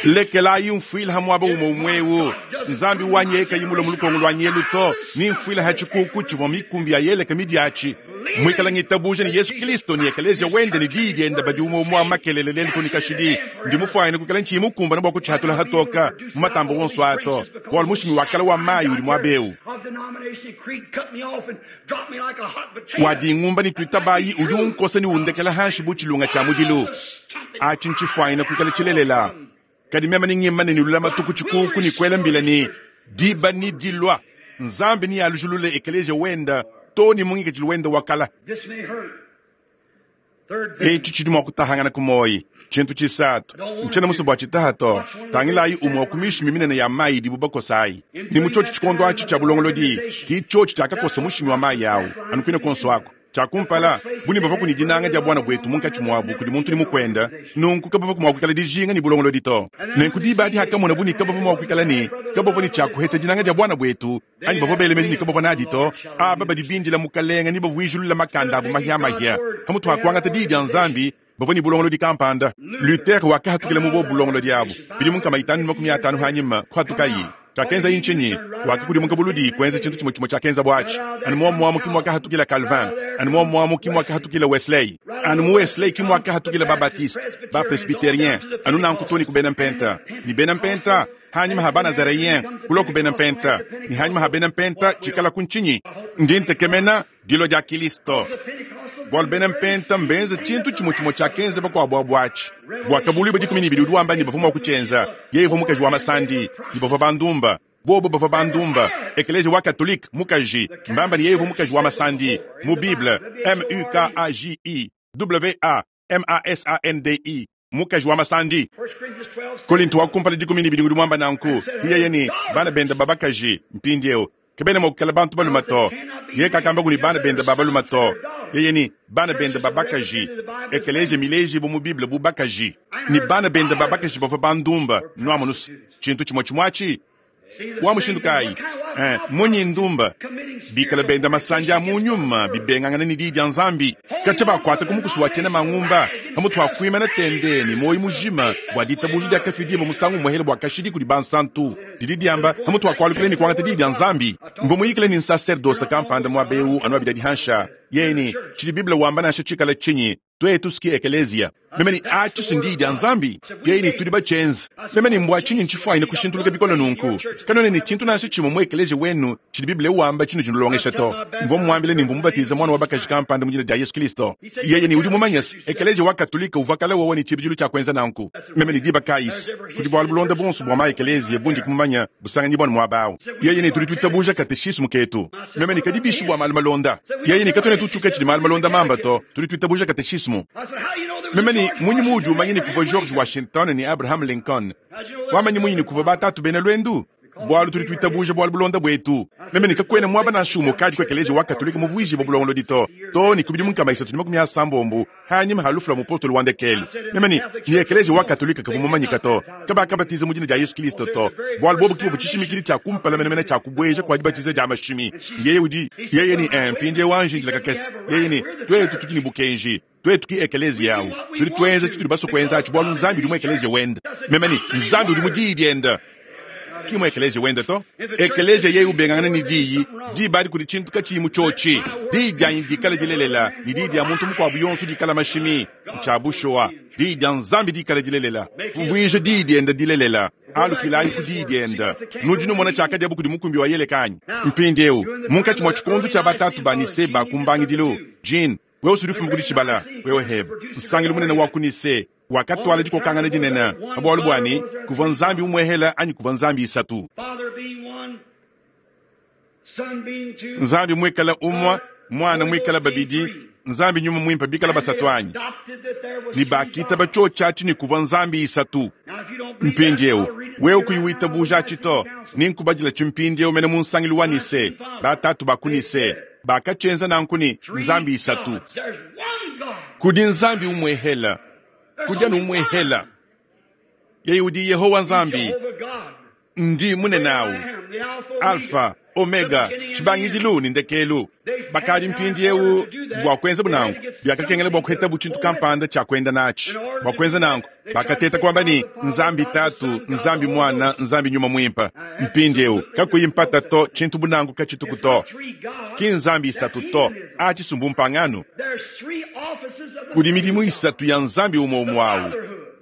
Lekelayi mfuila ha muaba umwe umwewu. Nzambi wanyeka yimula mulukongo lwa nyelu to, ni mfuila ha tshikuku tshivua mikumbi ya yeleka midiachi. Mwikala ngitabuja ni Yesu Kristo ni ekelezia wende ni diyi diende badi umwe umwe makelele lelu to ni kashidi. Ndi mufuanyina kukala nchi mukumba na bua kutshihatula hatoka mu matambo wonso ato. Bualu mushimi wa kala wa mayi udi muabeu. Wa dingumba ni tuitabayi udi unkosa ni undekela hanshi bu tshilunga tshia mudilu. Achi ntshifuanyina kukala tshilelela. Kadi mema ni ngimane ni lulama tuku tshikuku ni kwela mbila ni diba ni dilwa. Nzambi ni alujulule ekelezia wenda to ni mungike chiluwenda wakala. Echi chidi mwa kutahangana kumoyi. Chintu chisatu. Nchena musu bwa chitaha to. Tangilayi umwa kumishi miminene ya mayi dibu bakosayi. Ni muchochi chikondo achi cha bulongolodi. Ki chochi chakakosa mushimi wa mayi yawo. Anukwina konso ako. Chakumpala, buni bava kuni dinanga dia bwana bwetu munkatshi mwabu kudi muntu ni mukwenda, nunku kabava kumwa dijinga ni bulongolodi to. Nenku diba adi hakamona buni kabava mwa kuikala ni, kabava ni tshiakuheta dinanga dia bwana bwetu, anyi bavua belemeji ni kabava nadi to, aba badi bindila mukalenga ni bavuijulula makanda abu mahia mahia. Hamutu hakuangata diyi dia Nzambi, bavua ni bulongolodi kampanda. Luther wakahatukila mu bo bulongolodi abu. Bidi munkama itanu makumi atanu hanyima kuhatukayi. Chakenza inchinyi, wakikudimuka buludi kwenza chintu chimwe chimwe chakenza bwachi. Anu mwa mwamu kimwa kahatukila Calvin, anu mwa mwamu kimwa kahatukila Wesley, anu mu Wesley kimwa kahatukila ba Baptiste, ba Presbyterien, anu nankutoni kubena mpenta. Ni bena mpenta, hanyuma ha ba Nazaréen, kulo kubena mpenta. Ni hanyuma ha bena mpenta chikala kunchinyi. Ndi ntekemena dilo dia Kristo. Bualu bena mpenta mbenze chintu chimwe chimwe chakenza bakwabwa bwachi. Bwakabulu badi kumi n'ibiri udi wamba ni bavua mua kutshienza. Yeye uvua mukaji wa masandi, ni bavua bandumba. Bobo bavua bandumba. Ekelezia wa Katolika mukaji, mbamba ni yeye uvua mukaji wa masandi. Mu Bible, M U K A J I W A M A S A N D I, mukaji wa masandi. Korinto wa kumpala dikumi n'ibiri udi wamba nanku, yeye ni bana benda babakaji mpindieu. Kebena mokukala bantu baluma to. Ye kakamba kuni bana benda babaluma to. Yeye ni bana benda babakaji. Ekelezia mileji bu mu Bible bu bakaji. Ni bana benda babakaji bavua bandumba. Nwamunus. Chintu chimwe chimwachi. Wa mushindu kayi? Eh, munyi ndumba. Bikala benda masanja mu nyuma bibengangana ni diyi dia Nzambi. Kacha bakwata kumukusu wa tena mangumba. Hamutu akuima na tende ni moyi mujima bwa ditabuja dia kafidi mu musangu muhele bwa kashidi kudi bansantu. Didi diamba hamutu akwalukile ni kwangata diyi dia Nzambi. Mvo muyikile ni sacerdoce kampanda mwa beu anwa bidadi hansha. Yeye chidi Biblia wamba na chikala chinyi. Twetu ski ekelezia. Meme ni achi sindi dia Nzambi. Yeye ni tudi bachenza. Meme ni mbwa chinyi nchifwa ina kushintuluka bikono nunku. Kanone ni chintu nacho chimwe mu ekelezia wenu chidi Biblia wamba chinu chinulongesha to. Mvo mwambile ni mvumubatiza mwana wa bakaji kampanda mujina dia Yesu Kristo. Yeye ni udi mumanyes ekelezia wa Katolika uvakala wowo ni chibijilu cha kwenza nanku. Meme ni diba kais. Kudi bwa bulonda bonso bwa ma ekelezia bundi kumumanya busanganyi bwa mwabao. Yeye ni tudi tutabuja katechismu ketu. Meme ni kadibishi bwa malu malonda. Yeye ni katone tuchuka chidi malu malonda mamba to. Tudi tutabuja katechismu. Meme ne, Mmunyi muudi umanya ne kuvua George Washington ne Abraham Lincoln? Wamanyi munyi ne kuvua batatu bena luendu? Bualu tudi tuitabuja bualu bulonda buetu. Meme ne, Kakuena muaba nansha umue ukadi ku Ekeleziya wa Katolike muvuijibue bulongolodi to, too ne ku bidimu nkama isatu ne makumi asambombo hanyima ha lufu lua mupostolo wa ndekelu. Meme ne, Ne Ekeleziya wa Katolike kavua mumanyika to, kabakabatiza mu dina dia Yesu Kilisto to, bualu bobu ki buvua tshishimikidi tshia kumpala menemene tshia kubueja kua dibatiza dia mashimi. Yeye udi, yeye ne, eh, mpindieu anji indila kakese. Yeye ne, Tuetu tudi ne bukenji. Tuetu ki ekeleziya awu. Tudi tuenza tshitudi basue kuenza atshi bualu Nzambi udi mu ekeleziya wende. Meme ne, Nzambi udi mu Diyi diende. Ki mu ekeleziya wende to. Ekeleziya yeye ubengangana ne Diyi, diba adi kudi tshintu katshiyi mu tshiotshi. Diyi dianyi dikale dilelela ne diyi dia muntu mukuabu yonso dikale mashimi. Ntshia bushuwa. Diyi dia Nzambi dikale dilelela. Kuvuija Diyi diende dilelela. Alukilayi ku Diyi diende. Nudi numona tshiakadiabu kudi mukumbi wa Yeleka anyi? Mpindieu, munkatshi mua tshikondo tshia batatu ba Nicee ba ku mbangidilu, Jean, wewe usudi ufuma ku ditshibala, wewe Heb, nsangilu munene wa ku Nicee wakatuala dikokangana dinene pa bualu bua ne, kuvua Nzambi umuehela anyi kuvua nzambi isatu. Nzambi muikale umue, Muana muikale babidi, Nzambi Nyuma Muimpe bikale basatu anyi? Ne bakitaba tshiotshi atshi ne kuvua nzambi isatu. Mpindieu, wewe kuyi witabuja atshi to, nenkubadilatshi mpindieu mene mu nsangilu wa Nicee, batatu ba ku Nicee bakatshienza nanku ne nzambi isatu. Kudi Nzambi umuehela, kudi anu umuehela. Yeye udi Yehowa Nzambi. Ndi munene au, Alfa, Omega, tshibangidilu ne ndekelu. Bakadi mpindieu bua kuenzabu nanku, biakakengela bua kuhetabu tshintu kampanda tshia kuenda natshi. Bua kuenza nanku, bakateta kuamba ne, Nzambi Tatu, Nzambi Muana, Nzambi Nyuma Muimpe. Mpindieu, kakuyi mpata to, tshintu bu nanku katshituku to. Ki nzambi isatu to, a tshisumbu mpangano. Kudi midimu isatu ya Nzambi umue umue au,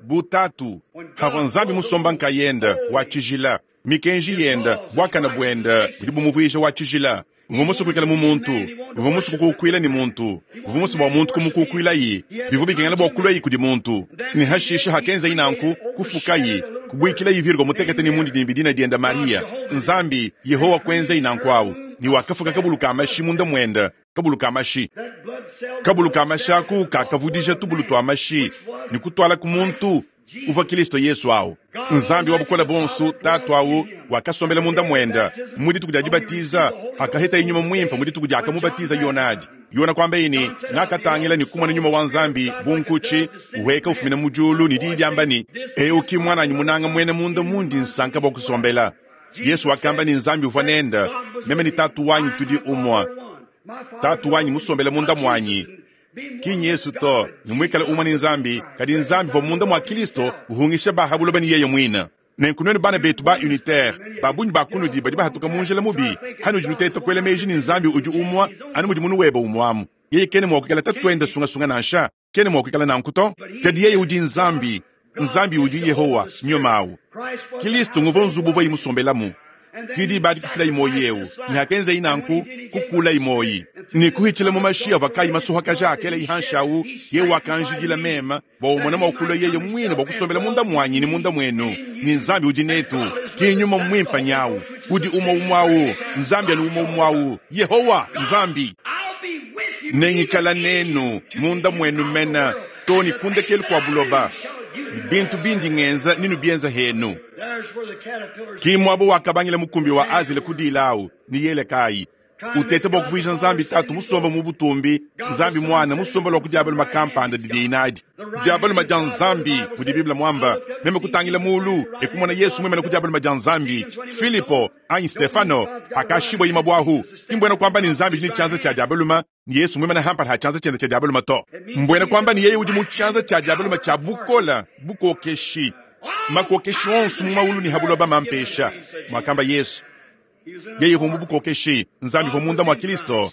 bu Tatu, pavua Nzambi musomba nkayende, wa tshijila, mikenji yende, buakane buende budi bumuvuija wa tshijila. Uvua musue kuikala mu muntu, uvua musue kukukuila ne muntu, uvua musue bua muntu kumukukuilayi, bivua bikengela bua kuluayi kudi muntu. Ne hashishe hakenzayi nanku, kufukayi, kubuikilayi Virgo mutekete ne mundidimbi dina diende Maria. Nzambi, Yehowa kuenzayi nanku au, ne wakafuka kabulu ka mashi munda muende, kabulu ka mashi. Kabulu ka mashi aku kakavudija tubulu tua mashi ne kutuala ku muntu uvua Kilisto Yesu au. Nzambi wa bukole buonso, Tatu au, wakasombela munda muende mu dituku dia dibatiza, hakahetaye Nyuma Muimpe mu dituku diakamubatiza Yona adi. Yona kuambaye ne, Ngakatangila ne kumona Nyuma wa Nzambi bu nkutshi uhueka ufumina mu diulu ne diyi diamba ne, Eu ki muananyi munanga muena munda mundi nsanka bua kusombela. Yesu wakamba ne Nzambi uvua nende, meme ne Tatu wanyi tudi umue. Tatu wanyi musombele munda muanyi. Ki nYesu to, ne muikale umue ne Nzambi, kadi Nzambi uvua munda mua Kilisto uhungisha ba ha buloba ne yeye muine. Nenku nuenu bana betu ba unitaire, ba bungi ba kunudi badi bahatuka mu njila mubi, hanudi nuteta kuela meji ne Nzambi udi umue anu mudi munu webe umue amu. Yeye kena mua kuikala tatuende sungasunga nansha, kena mua kuikala nanku to. Kadi yeye udi Nzambi, Nzambi udi Yehowa, Nyuma au. Kilisto nguvua nzubu uvuaye musombelamu. Ki diba adi kufilayi muoyo eu, ne hakenzayi nanku, kukulayi muoyo ne kuhitshila mu mashi avua kayi masuhakaja akelayi hanshi au, yeye wakanjidila meme bua umona mua kulua yeye muine bua kusombela munda muanyi ne munda muenu. Ne Nzambi udi netu, ki Nyuma Muimpe nyawu, udi umue umue au, Nzambi anu umue umue au, Yehowa Nzambi. Nengikala nenu munda muenu mena too ne ku ndekelu kua buloba, ne bintu bindi ngenza nenubienza henu. Ki muaba wakabangila mukumbi wa Azile ku dila au ne Yelekayi uteta bua kuvuija Nzambi Tatu musombe mu butumbi, Nzambi Muana musombe lua ku diabaluma kampanda didiye nadi. Diabaluma dia Nzambi, mudi Bible muamba. Meme kutangila mulu e kumona Yesu muimane ku diabaluma dia Nzambi. Filipo anyi Stefano akashibua imabuahu. Ki mbuena kuamba ne Nzambi udi ne tshianza tshia diabaluma ne Yesu muimane hampala ha tshianza tshiende tshia diabaluma to. Mbuena kuamba ne yeye udi mu tshianza tshia diabaluma tshia bukola, bukokeshi. Makokeshi onso mu maulu ne ha buloba mampesha, muakamba Yesu. Yeye uvua mu bukokeshi, Nzambi uvua munda mua Kilisto,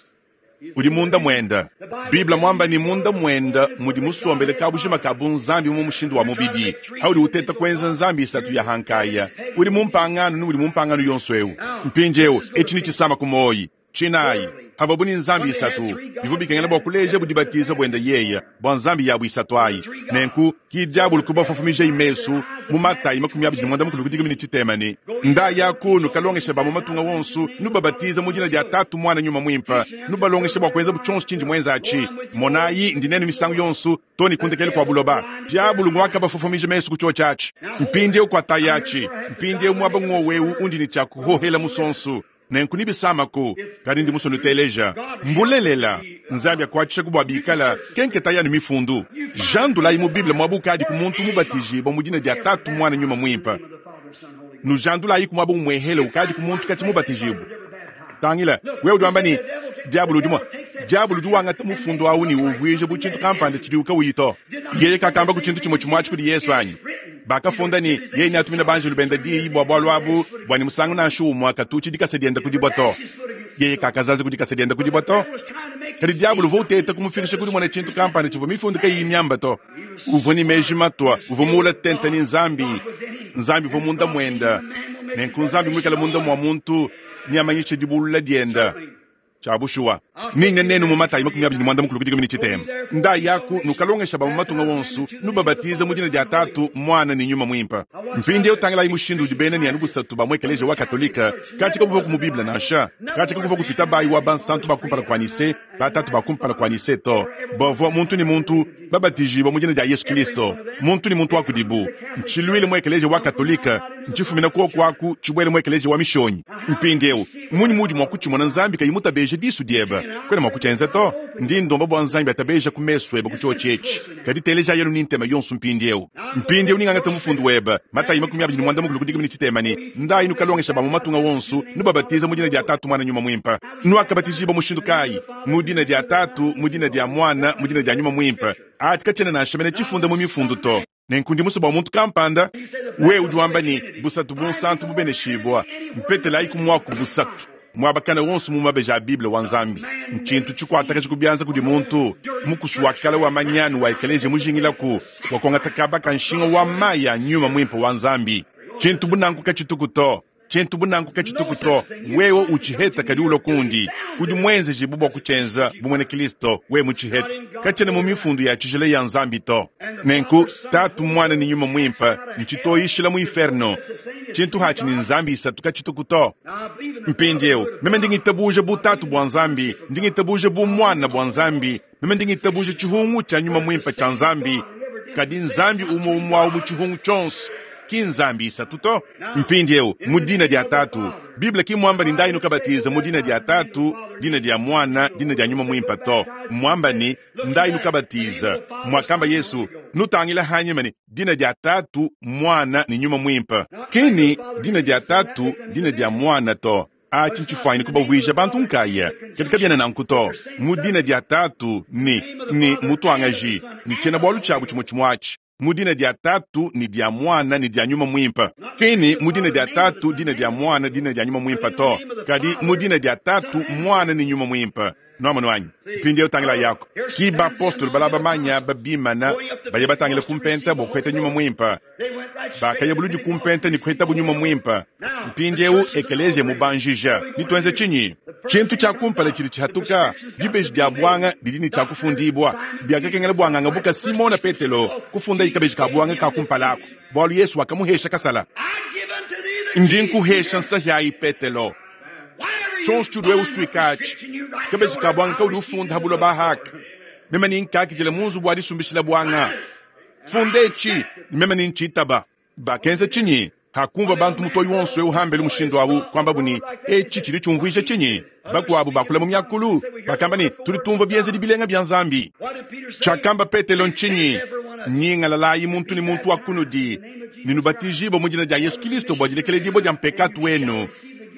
udi munda muende. Bible muamba ne munda muende mudi musombele kabujima ka bunzambi mu mushindu wa mubidi. Haudi uteta kuenza nzambi isatu ya hankaya, udi mu mpangano ne udi mu mpangano yonso eu. Mpindieu etshi ni tshisama ku muoyi. Tshinayi, havuabu ne nzambi isatu, bivua bikengela bua kuleja budibatiza buende yeye bua nzambi yabu isatu ayi. Nenku ki diabulu kubafofomija imesu Mu Matayi makumi abidi ne muanda mukulu ku dikumi ne tshitema ne, Ndayaku nukalongesha ba mu matunga wonso, nubabatiza mu dina dia Tatu, Muana, Nyuma Muimpe, nubalongesha bua kuenzabu tshionso tshindi muenza atshi. Monayi, ndi nenu misangu yonso too ne ku ndekelu kua buloba. Diabulu nguakabafofomija mesu ku tshiotshi atshi. Mpindieu kuatayi atshi. Mpindieu muaba ng'wowu undi ne tshia kuhohela musonso. Nenku nibisamako, kadi ndi musue nuteleja. Mbulelela, Nzambi akuatshishaku bua bikala kenketa yanu mifundu. Jandulayi mu Bible muaba ukadi ku muntu mubatijibua mu dina dia Tatu, Muana, Nyuma Muimpe. Nujandulayi ku muaba umuehele ukadi ku muntu katshi mubatijibua. Tangila, wewe udi wamba ne, diabulu udi mua diabulu udi wangata mufundu awu ne uvuija bu tshintu kampanda tshidiwu kawuyi to. Yeye kakamba ku tshintu tshimue tshimue atshi kudi Yesu anyi? Bakafunda ne, yeye neatumine banjelu bende diyi bua bualu abu, bua ne musangu nansha umue katutshi dikasa diende ku dibue to. Yeye kakazaza ku dikasa diende ku dibue to. Kadi diabulu uvua uteta kumufikisha ku dimona tshintu kampanda tshivua mifundu kayiyi miamba to. Uvua ne meji matua, uvua muula tente ne Nzambi. Nzambi uvua munda muende. Nenku Nzambi muikale munda mua muntu, neamanyishe dibulula diende. Tshia bushuwa, ninga nenu mu Matayi makumi abidi ne muanda mukulu ku dikumi ne tshitema. Ndayaku nukalongesha ba mu matunga wonso, nubabatiza mu dina dia Tatu, Muana ne Nyuma Muimpe. Mpindieu tangilayi mushindu udi bena ne anu busatu ba mu ekeleziya wa Katolika katshi kabuvua ku mu Bible nansha, katshi kakuvua kutuita bayi wa bansantu ba kumpala kua Nise, batatu ba kumpala kua Nise to. Bavua muntu ne muntu babatijibua mu dina dia Yesu Kristo, muntu ne muntu wa kudibu. Ntshiluile mu ekeleziya wa Katolika, ntshifumina kuoku aku tshibuele mu ekeleziya wa Mishonyi. Mpindieu mmunyi muudi mua kutshimona Nzambi kayi mutabeje disu diebe? Kuena mua kutshienza to. Ndi ndomba bua Nzambi atabeja ku mesu ebe ku tshiotshi etshi. Kadi teleja yenu ne ntema yonso mpindieu. Mpindieu ningangata mufundu webe, Matayi makumi abidi ne muanda mukulu ku dikumi ne tshitema ne, Ndayi nukalongesha ba mu matunga wonso, nubabatiza mu dina dia Tatu, Muana, Nyuma Muimpe. Nuakabatijibua mushindu kayi? Mu dina dia Tatu, mu dina dia Muana, mu dina dia Nyuma Muimpe. Atshi katshiena nansha mene tshifunda mu mifundu to. Nenku ndi musue bua muntu kampanda, wewe udi wamba ne, busatu bunsantu bubeneshibua. Mpetelayi ku muaku busatu muaba kana wonso mu mabeji a Bible wa Nzambi. Ntshintu tshikuatakaja ku bianza kudi muntu mukusu wa kale wa manyanu wa ekeleziya mujingilaku bua kuangata kaba ka nshinga wa mayi a Nyuma Muimpe wa Nzambi. Tshintu bu nanku katshituku to. Tshintu bu nanku katshituku to. Wewe utshiheta kadi ulua kundi. Udi muenzejibu bua kutshienza bu muena Kristo, wewe mutshiheta. Katshiena mu mifundu ya tshijila ya Nzambi to. Nenku Tatu, Muana ne Nyuma Muimpe ntshitoyishila mu inferno. Tshintu hatshi ne Nzambi isatu katshituku to. Mpindieu meme ndi ngitabuja bu Tatu bua Nzambi, ndi ngitabuja bu Muana bua Nzambi, meme ndi ngitabuja tshihungu tshia Nyuma Muimpe tshia Nzambi. Kadi Nzambi umue umue awu mu tshihungu tshionso, ki Nzambi isatu to. Mpindieu mu dina dia Tatu, Bible ki muamba ne ndayi nukabatiza mu dina dia Tatu, dina dia Muana, dina dia Nyuma Muimpe to. Muamba ne ndayi nukabatiza, muakamba Yesu, nutangila hanyima ne dina dia Tatu, Muana ne Nyuma Muimpe. Ki ni dina dia Tatu, dina dia Muana to. Atshi ntshifuanyine kubavuija bantu nkaya, kadi kabiena nanku to. Mu dina dia Tatu ne ne mutuangaji ne tshiena bualu tshiabu tshimue tshimue atshi. Mu dina dia Tatu ne dia Muana ne dia Nyuma Muimpe. Ki ni mu dina dia Tatu, dina dia Muana, dina dia Nyuma Muimpe to. Kadi mu dina dia Tatu, Muana ne Nyuma Muimpe. Nuamonu anyi? Mpindieu tangila yako. Ki bapostolo balaba manya babimana baye batangila kumpenta bua kuheta Nyuma Muimpe. Bakaya buludi kumpenta ne kuhetabu Nyuma Muimpe. Mpindieu ekeleziya mubanjija. Nituenze tshinyi? Tshintu tshia kumpala tshidi tshihatuka, dibeji dia buanga didi ne tshia kufundibua. Biakakengela buanganga buka Simona Petelo kufunda ikabeji ka buanga ka kumpala ako, bualu Yesu wakamuhesha kasala. Ndi nkuhesha nsahyayi Petelo. Tshionso tshiudi wewe usuika atshi, kabeji ka buanga kaudi ufunda ha buloba haka. Meme ni nkakidila mu nzubu wa disumbishila buanga. Funda etshi, meme ni ntshitaba. Bakenza tshinyi? Hakumva bantu mutoyi wonso eu hambelu mushindu awu, kwambabu ne, etshi tshidi tshiumvuija tshinyi? Bakuabu bakula mu miakulu, bakamba ne, tudi tumvua bienzedi bilenga bia Nzambi. Tshiakamba Petelo ntshinyi? Nyingalalayi muntu ne muntu wa kunudi, ne nubatijibue mu dina dia Yesu Kristo bua dilekeledibua dia mpekatu wenu,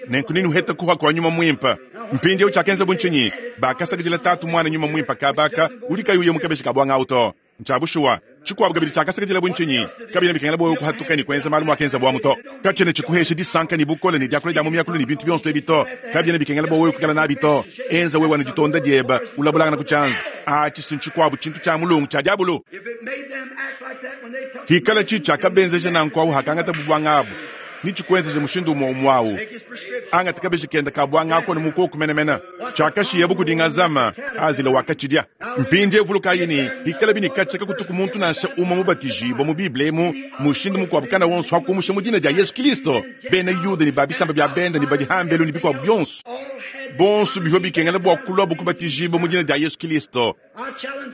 nenku nenuhete kuha kua Nyuma Muimpe. Mpindieu tshiakenzabu ntshinyi? Bakasakidila Tatu, Muana, Nyuma Muimpe kabaka udi kayi uya mu kabeji ka buanga awu to. Ntshia bushuwa. Tshikuabu kabidi tshiakasakidila bu ntshinyi? Kabiena bikengela bua wewe kuhatuka ne kuenza malu muakenza buamu to. Katshiena tshikuhesha disanka ne bukole ne diakula dia mu miakulu ne bintu bionso ebi to. Kabiena bikengela bua wewe kuikala nabi to. Enza wewe anu ditonda diebe, ulabulangana ku tshianza. Atshi si tshikuabu tshintu tshia mulungu tshia diabulu. Hikala tshi tshiakabenzeja nanku awu hakangata bubuanga abu. Netshikuenzeje mushindu umue umue awu. Angata kabeji kende ka buanga ako ne mukoku menemene. Tshiakashiyabu kudi Ngazama, Azila wakatshidia. Mpindieu vulukayi ne, pikalabi ne katshia kakutuku muntu nansha umue mubatijibue mu Bible emu mushindu mukuabu kana wonso pa kumusha mu dina dia Yezu Kristo, bena Yuda ne ba bisamba bia bende ne badi hambelu ne bikuabu bionso, bonso bivua bikengela bua kuluabu kubatijibua mu dina dia Yezu Kristo.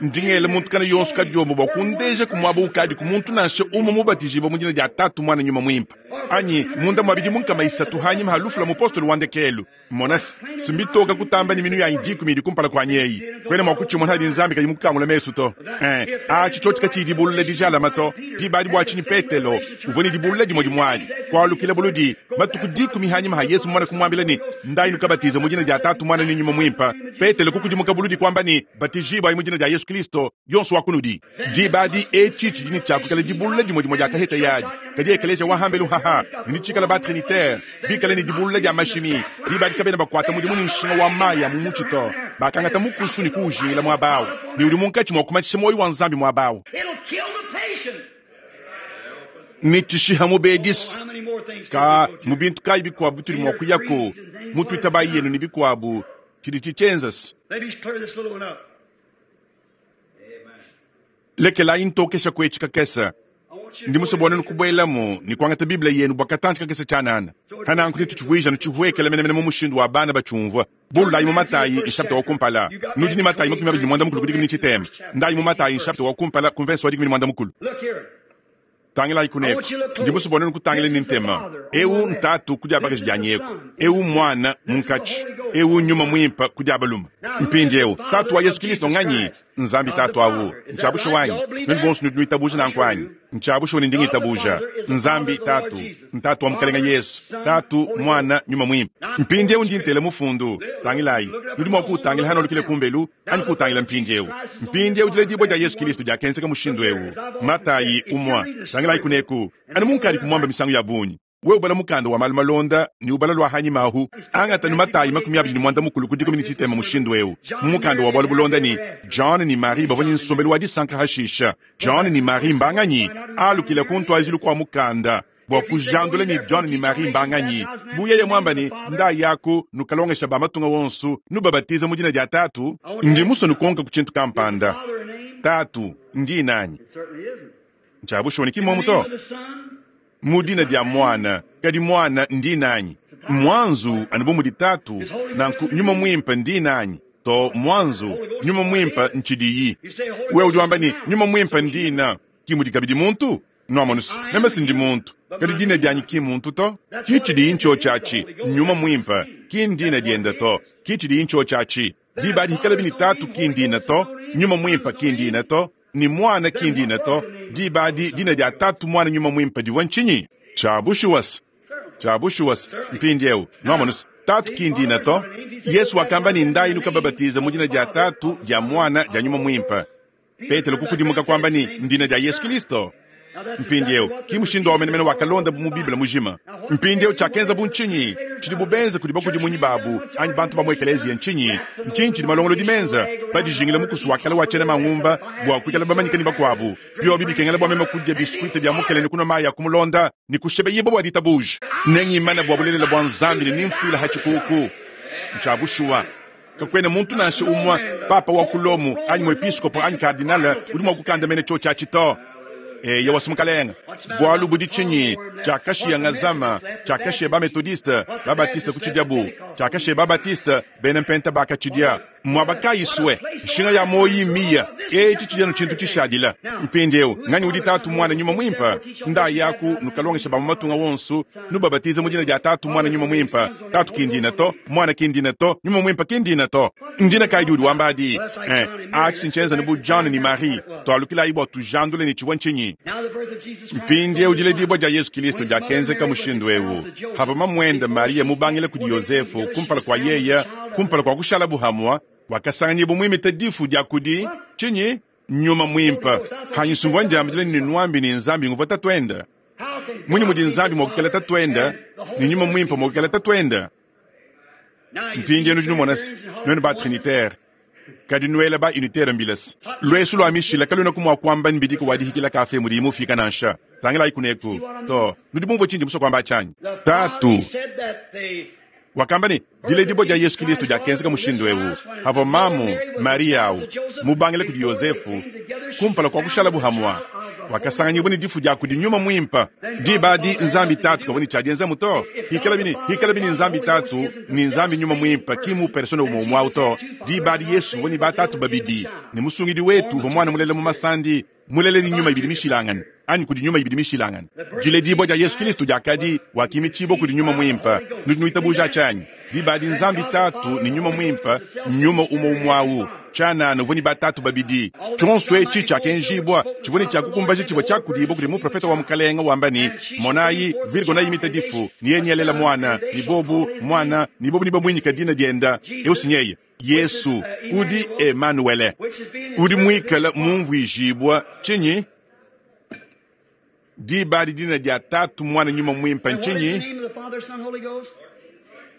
Ndi ngela muntu kana yonso kadiombo bua kundeja ku muaba ukadiku muntu nansha umue mubatijibue mu dina dia Tatu, Muana, Nyuma Muimpe. Anyi munda mua bidimu nkama isatu hanyima ha lufu lua mupostolo wa ndekelu. Mona se, simbitoka kutamba ne minu yanyi dikumi idi kumpala kuanyi eyi. Kuena mua kutshimona hadi Nzambi kayi mukukangula mesu to. Eh, atshi tshiotshi katshiyi dibulula dijalama to. Diba adi bua tshinyi Petelo uvua ne dibulula dimue dimue adi kualukila buludi matuku dikumi hanyima ha Yesu mumane kumuambila ne, Ndayi nukabatize mu dina dia Tatu, Muana ne Nyuma Muimpe. Petelo kukudimuka buludi kuamba ne, Batijibuayi mu dina dia Yesu Kristo, yonso wa kunudi. Diba adi etshi tshidi ne tshiakukala dibulula dimue dimue dia kaheta yadi. Kadi ekeleziya wa hambelu haha ne tshikala ba trinitaire bikale ne dibulula dia mashimi. Diba adi kabena bakuata mudimu ne nshinga wa mayi a mu mutshi to. Bakangata mukusu ne kuujingila muaba awu, ne udi munkatshi mua kumatshisha muoyo wa Nzambi muaba awu. It'll kill the patient. Ne tshishiha mubedisi. How many more things Ka can we go to? mu bintu kayi bikuabu bitudi mua kuyaku, mu tuitabayi yenu ne bikuabu, tshidi tshitshienzase. Let me clear this little one up. Lekelayi ntokesha kuetshi kakese. I want you to Ndi go musue bua to nenu kubuelamu ne kuangata Bible yenu bua katantshi kakese tshianana. Hananku netutshivuija nutshihuekela menemene mu mushindu wa bana batshiumvua. Bululayi mu Matayi nshapita wa kumpala. Nudi ne Matayi makumi abidi ne muanda mukulu ku dikumi ne tshitema. Ndayi mu Matayi nshapita wa kumpala ku mvese wa dikumi ne muanda mukulu. Look here. Tangilayi kuneku. Ndi musue bua nenu kutangila ne ntema. Eu ntatu ku dia bakaji dia nyeku. Eu mwana munkatshi. Eu nyuma muimpe ku dia balume. Mpindieu tatu wa Yesu Kristo nganyi? Nzambi tatu awu. Ntshiabusha wanyi. Nenu bonso nudi nuitabuja nanku anyi? Ntshiabusha ne ndi ngitabuja. Nzambi tatu, ntatu wa Mukalenga Yesu, tatu, mwana, nyuma muimpe. Mpindieu ndi ntela mufundu. Tangilayi. Nudi mua kuutangila hano lukile kumbelu anyi kuutangila mpindieu. Mpindieu diledibua dia Yesu Kristo diakenzeka mushindu eu. Matayi umua. Tangilayi kuneku. Anu munkadi kumuamba misangu ya bungi. Wewe ubala mukanda wa malu malonda ne ubala lua hanyima ahu. Angata ne Matayi makumi abidi ne muanda mukulu ku dikumi ne tshitema mushindu eu. Mu mukanda wa bualu bulonda ne John ne Marie bavua ne nsombelu wa disanka hashisha. John ne Marie mbanganyi alukila ku ntuazilu kua mukanda bua kujandula ne John ne Marie mbanganyi. Bu yeye muamba ne ndayi yaku nukalongesha ba matunga wonso nubabatiza mu dina dia Tatu. Ndi musue nukonka ku tshintu kampanda. Father name? Tatu ndi nanyi? It certainly isn't. Ntshiabushuwa ne In the kimomo name to. of the Son, Mu dina dia mwana kadi mwana ndi nanyi? Mwanzu anu bu mudi tatu nanku nyuma muimpe ndi nanyi? To mwanzu nyuma muimpe ntshidiyi. you say Holy Wewe Ghost udi wamba is ne now. nyuma muimpe ndina ki mudi kabidi muntu? Nuamonusi meme sindi muntu kadi dina dianyi ki muntu to. Ki tshidiyi ntshiotshi nyuma muimpe ki ndina diende to. Ki tshidiyi ntshiotshi diba adi hikala bini tatu ki ndina to, nyuma muimpe ki ndina to, ni mwana ki ndina to. Diba adi dina dia tatu mwana nyuma muimpe divua ntshinyi? Tshiabushuwasi. Tshiabushuwasi mpindieu nuamonusi tatu ki ndina to. Yesu wakamba ne ndayi nukababatiza mu dina dia tatu dia mwana dia nyuma muimpe. Petelo kukudimuka kwamba ne ndina dia Yesu Kristo. Now that's Mpindieu exactly what ki the mushindu wa menemene procedure wakalonda mu Bible mujima. Mpindieu tshiakenza bu ntshinyi tshidi bubenza kudi bakudimunyi babu anyi bantu ba mu ekeleziya ntshinyi? Ntshinyi tshidi malongolodi menza badijingila mukusu wa kale wa tshiena mangumba bua kuikala bamanyike ne bakuabu. Biobi bikengela bua meme kudia biskuite bia mukele ne kunua mayi a kumulonda ne kushebeyibwa bua ditabuja. Nengimana bua bulelela bua Nzambi ne nimfuila ha tshikuku. Ntshiabushuwa. Kakuena muntu nansha umue papa wa ku Lomo anyi muepiskopo anyi kardinale udi mua kukandamena tshiotshi atshi to. Eya wasu mukalenga. Bualu budi tshinyi tshiakashiya ngazama tshiakashiya ba methodiste ba batiste kutshidiabu tshiakashiya ba batiste bena mpenta bakatshidia muaba kayi sue nshinga ya moyi miya etshi tshidianu tshintu tshishadila. Mpindieu nganyi udi tatu mwana nyuma muimpe? Ndayi yaku nukalongesha ba mu matunga wonso nubabatize mu dina dia tatu mwana nyuma muimpe. Tatu ki ndina to, mwana ki ndina to, nyuma muimpe ki ndina to. Ndina kayi udi wamba adi? Eh, atshi sintshienza ne bu John ne Marie tualukilayi bua tujandule ne tshivua ntshinyi? Now the birth of Jesus Christ. Mpindieu diledibua dia Yesu Kristo diakenzeka mushindu eu. Hava mamuende Maria mubangile kudi Yosefu kumpala kua yeya kumpala kua kushala buhamua wakasanganyibwa muimite difu dia kudi tshinyi? Nyuma muimpe. Hanyisumbua ndiambile ne nuambi ne Nzambi nguvua tatuende. How can Munyi God mudi be Nzambi the mua kukela Father tatuende and the Holy ne nyuma Ghost muimpe is mua the kukela Son? tatuende? Now you see Mpindieu nudi numona se Trinitarians and nuenu ba Holy trinitaire kadi nuela ba unitaire mbilasi. Lwesu lua mishila kalwena ku mua kuamba mbidiko wa dihikila kafe mudi imufika nansha. Tangilayi kuneku. To, nudi bumvue tshindi musue kuamba tshianyi? Tatu wakamba ne, diledibua dia Yesu Kilisto diakenzeka mushindu eu. Havua mamu Maria au mubangile kudi Yosefu kumpala kua kushalabu hamua, wakasanganyibua ne difu dia kudi Nyuma Muimpe. Diba adi Nzambi Tatu kavua ne tshiadienzamu to. Hikala bini, hikala bini Nzambi Tatu ne Nzambi Nyuma Muimpe ki mu persona umue umue au to. Diba adi Yesu uvua ne batatu babidi, ne musungidi wetu uvua muana mulela mu masandi, mulele ne nyuma ibidi mishilangane, anyi kudi nyuma ibidi mishilangane. Diledibua dia Yesu Kilisto diakadi wakimitshibua kudi Nyuma Muimpe. Nudi nuitabuja tshianyi? Diba adi Nzambi Tatu ne Nyuma Muimpe, nyuma umue umue au. Tshianana uvua ne batatu babidi. Tshionso etshi tshiakenjibua tshivua ne tshiakukumbaja tshivua tshiakudibua kudi muprofeta wa Mukalenga wamba ne, monayi Virgo nayimita difu, ne yeye nialela mwana, ne bobu mwana, ne bobu ne bamuinyika dina dienda eusinyeye Yesu udi Emanuele, udi muikala mumvuijibua tshinyi? Diba adi dina dia Tatu Mwana Nyuma Muimpe ntshinyi?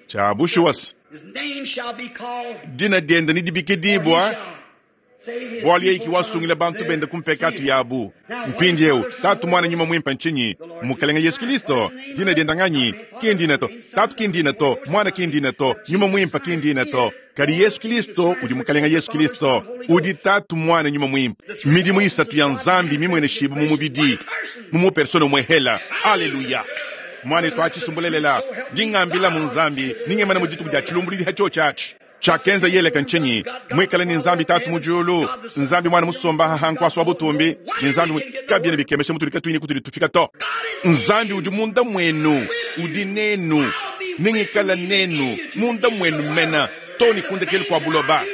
Tshia bushuwa. Dina dienda ni dibikidibua bualu yeye ki wasungila bantu bende ku mpekatu yabu. Mpindieu Tatu Mwana Nyuma Muimpe ntshinyi? Mukalenga Yesu Kilisto. Dina dienda nganyi? Ki ndina to. Tatu ki ndina to, Mwana ki ndina to, Nyuma Muimpe ki ndina to. Kadi Yesu Kilisto udi Mukalenga Yesu Kilisto, udi Tatu Mwana Nyuma Muimpe. Midimu isatu ya Nzambi mimweneshibu mu mubidi, mu mupersona umwe hela. Haleluya. Mwana twachisumbulelela ndingambila mu Nzambi ningemana mu dituku dia chilumbulili hacho chachi chakenza yeleka nchinyi mwikale ni Nzambi Tatu mujulu, Nzambi Mwana musomba hahankwaswa butumbi ni Nzambi kabiene bikemesha mutuli katuini kutuli tufika to. Nzambi udi munda mwenu, udi nenu, ningikala nenu munda mwenu mena toni kundekeli kwa buloba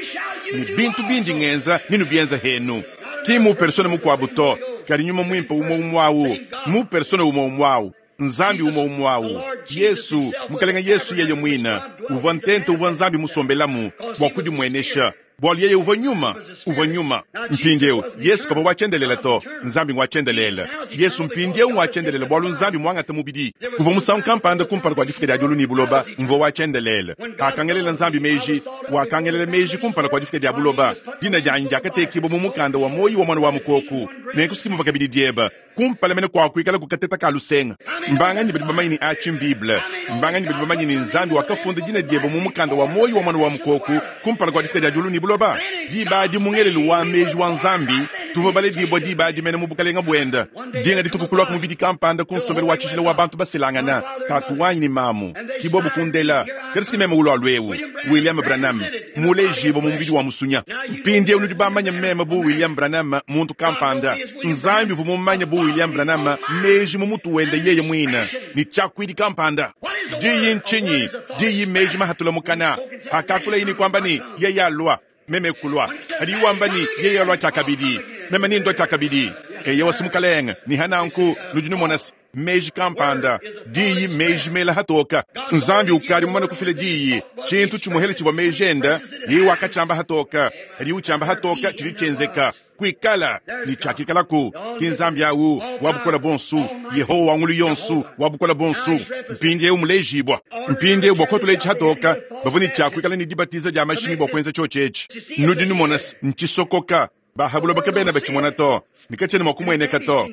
ni bintu bindi ngenza ninu bienza henu ki mu persona mukwabu to kali nyuma mwimpe umwe umwawu mu persona umwe umwawu Nzambi umwe umwawu Yesu mukalenga Yesu yeye mwina uvua ntente uvua Nzambi musombelamu bua kudimwenesha bualu yeye uvua nyuma uvua nyuma mpindieu Yesu kavua wachendelela to Nzambi ngwachendelela Yesu mpindieu ngwachendelela bualu Nzambi mwangata mubidi kuvua musangu kampanda kumpala kua difika dia diulu ni buloba mvua wachendelela akangelela Nzambi meji wakangelela meji kumpala kua difika dia buloba dina dianyi diakatekibua mu mukanda wa moyi wa mwana wa mukoku nenkusikimuva kabidi dieba kumpala mene kwa kuikala kukateta ka lusenga mbanganyi badi bamanyi ni achi Bible mbanganyi badi bamanyi ni Nzambi wakafunda dina dieba mu mukanda wa moyi wa mwana wa mukoku kumpala kua difika dia diulu ni buloba diba adi mungelelu wa meji wa Nzambi tuvua baledibua diba adi mene mu bukalenga buenda dinga dituku kulua ku mubidi kampanda ku nsombelu wa tshijila wa bantu baselangana tatu wanyi ni mamu kibobu kundela kadi meme ulua lwewu William Branham mulejibo mu mubidi wa musunya mpindieu nudi bamanya meme bu William Branham muntu kampanda Nzambi vu mumanya bu William Branham meji mu mutu wenda yeye mwina ni chakwidi kampanda diyi nchinyi diyi meji mahatula mukana hakakula yini kwamba ni yeye alwa meme kulwa hadi wamba ni yeye alwa chakabidi meme ni ndo chakabidi eye wasimukalenga ni hananku nudi numonasi meji kampanda diyi meji mela hatoka Nzambi ukali mumana kufila diyi chintu chimuhele chibwa meji enda yeye wakachamba hatoka hadi uchamba hatoka chili chenzeka kuikala ni chakikalaku ki Nzambi awu wabukola bonsu Yehowa wangulu yonsu wabukola bonsu mpindieu mulejibwa mpindieu bwa kotulechi hatoka bavua ni chakuikala ni dibatiza dia mashimi bwa kuenza chochechi nudi numona nchisokoka bahabulo bakabena bachimona to nikachene mwakumweneka to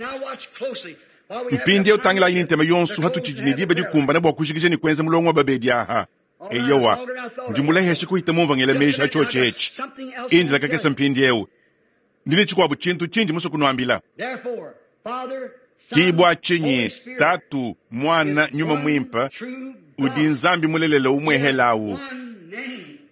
mpindieu tangila yini ntema yonsu hatuchiji ni diba dikumbana bwa kushikisha ni kuenza mulongo wa babedi aha eyowa ndi muleheshe kuhita mumvangela meji hachochechi indila kakesa mpindieu ndili chikwabu chintu chinji muso kunuambila kibwa chinyi Tatu Mwana Nyuma Mwimpe udi Nzambi mulelela umwehelawu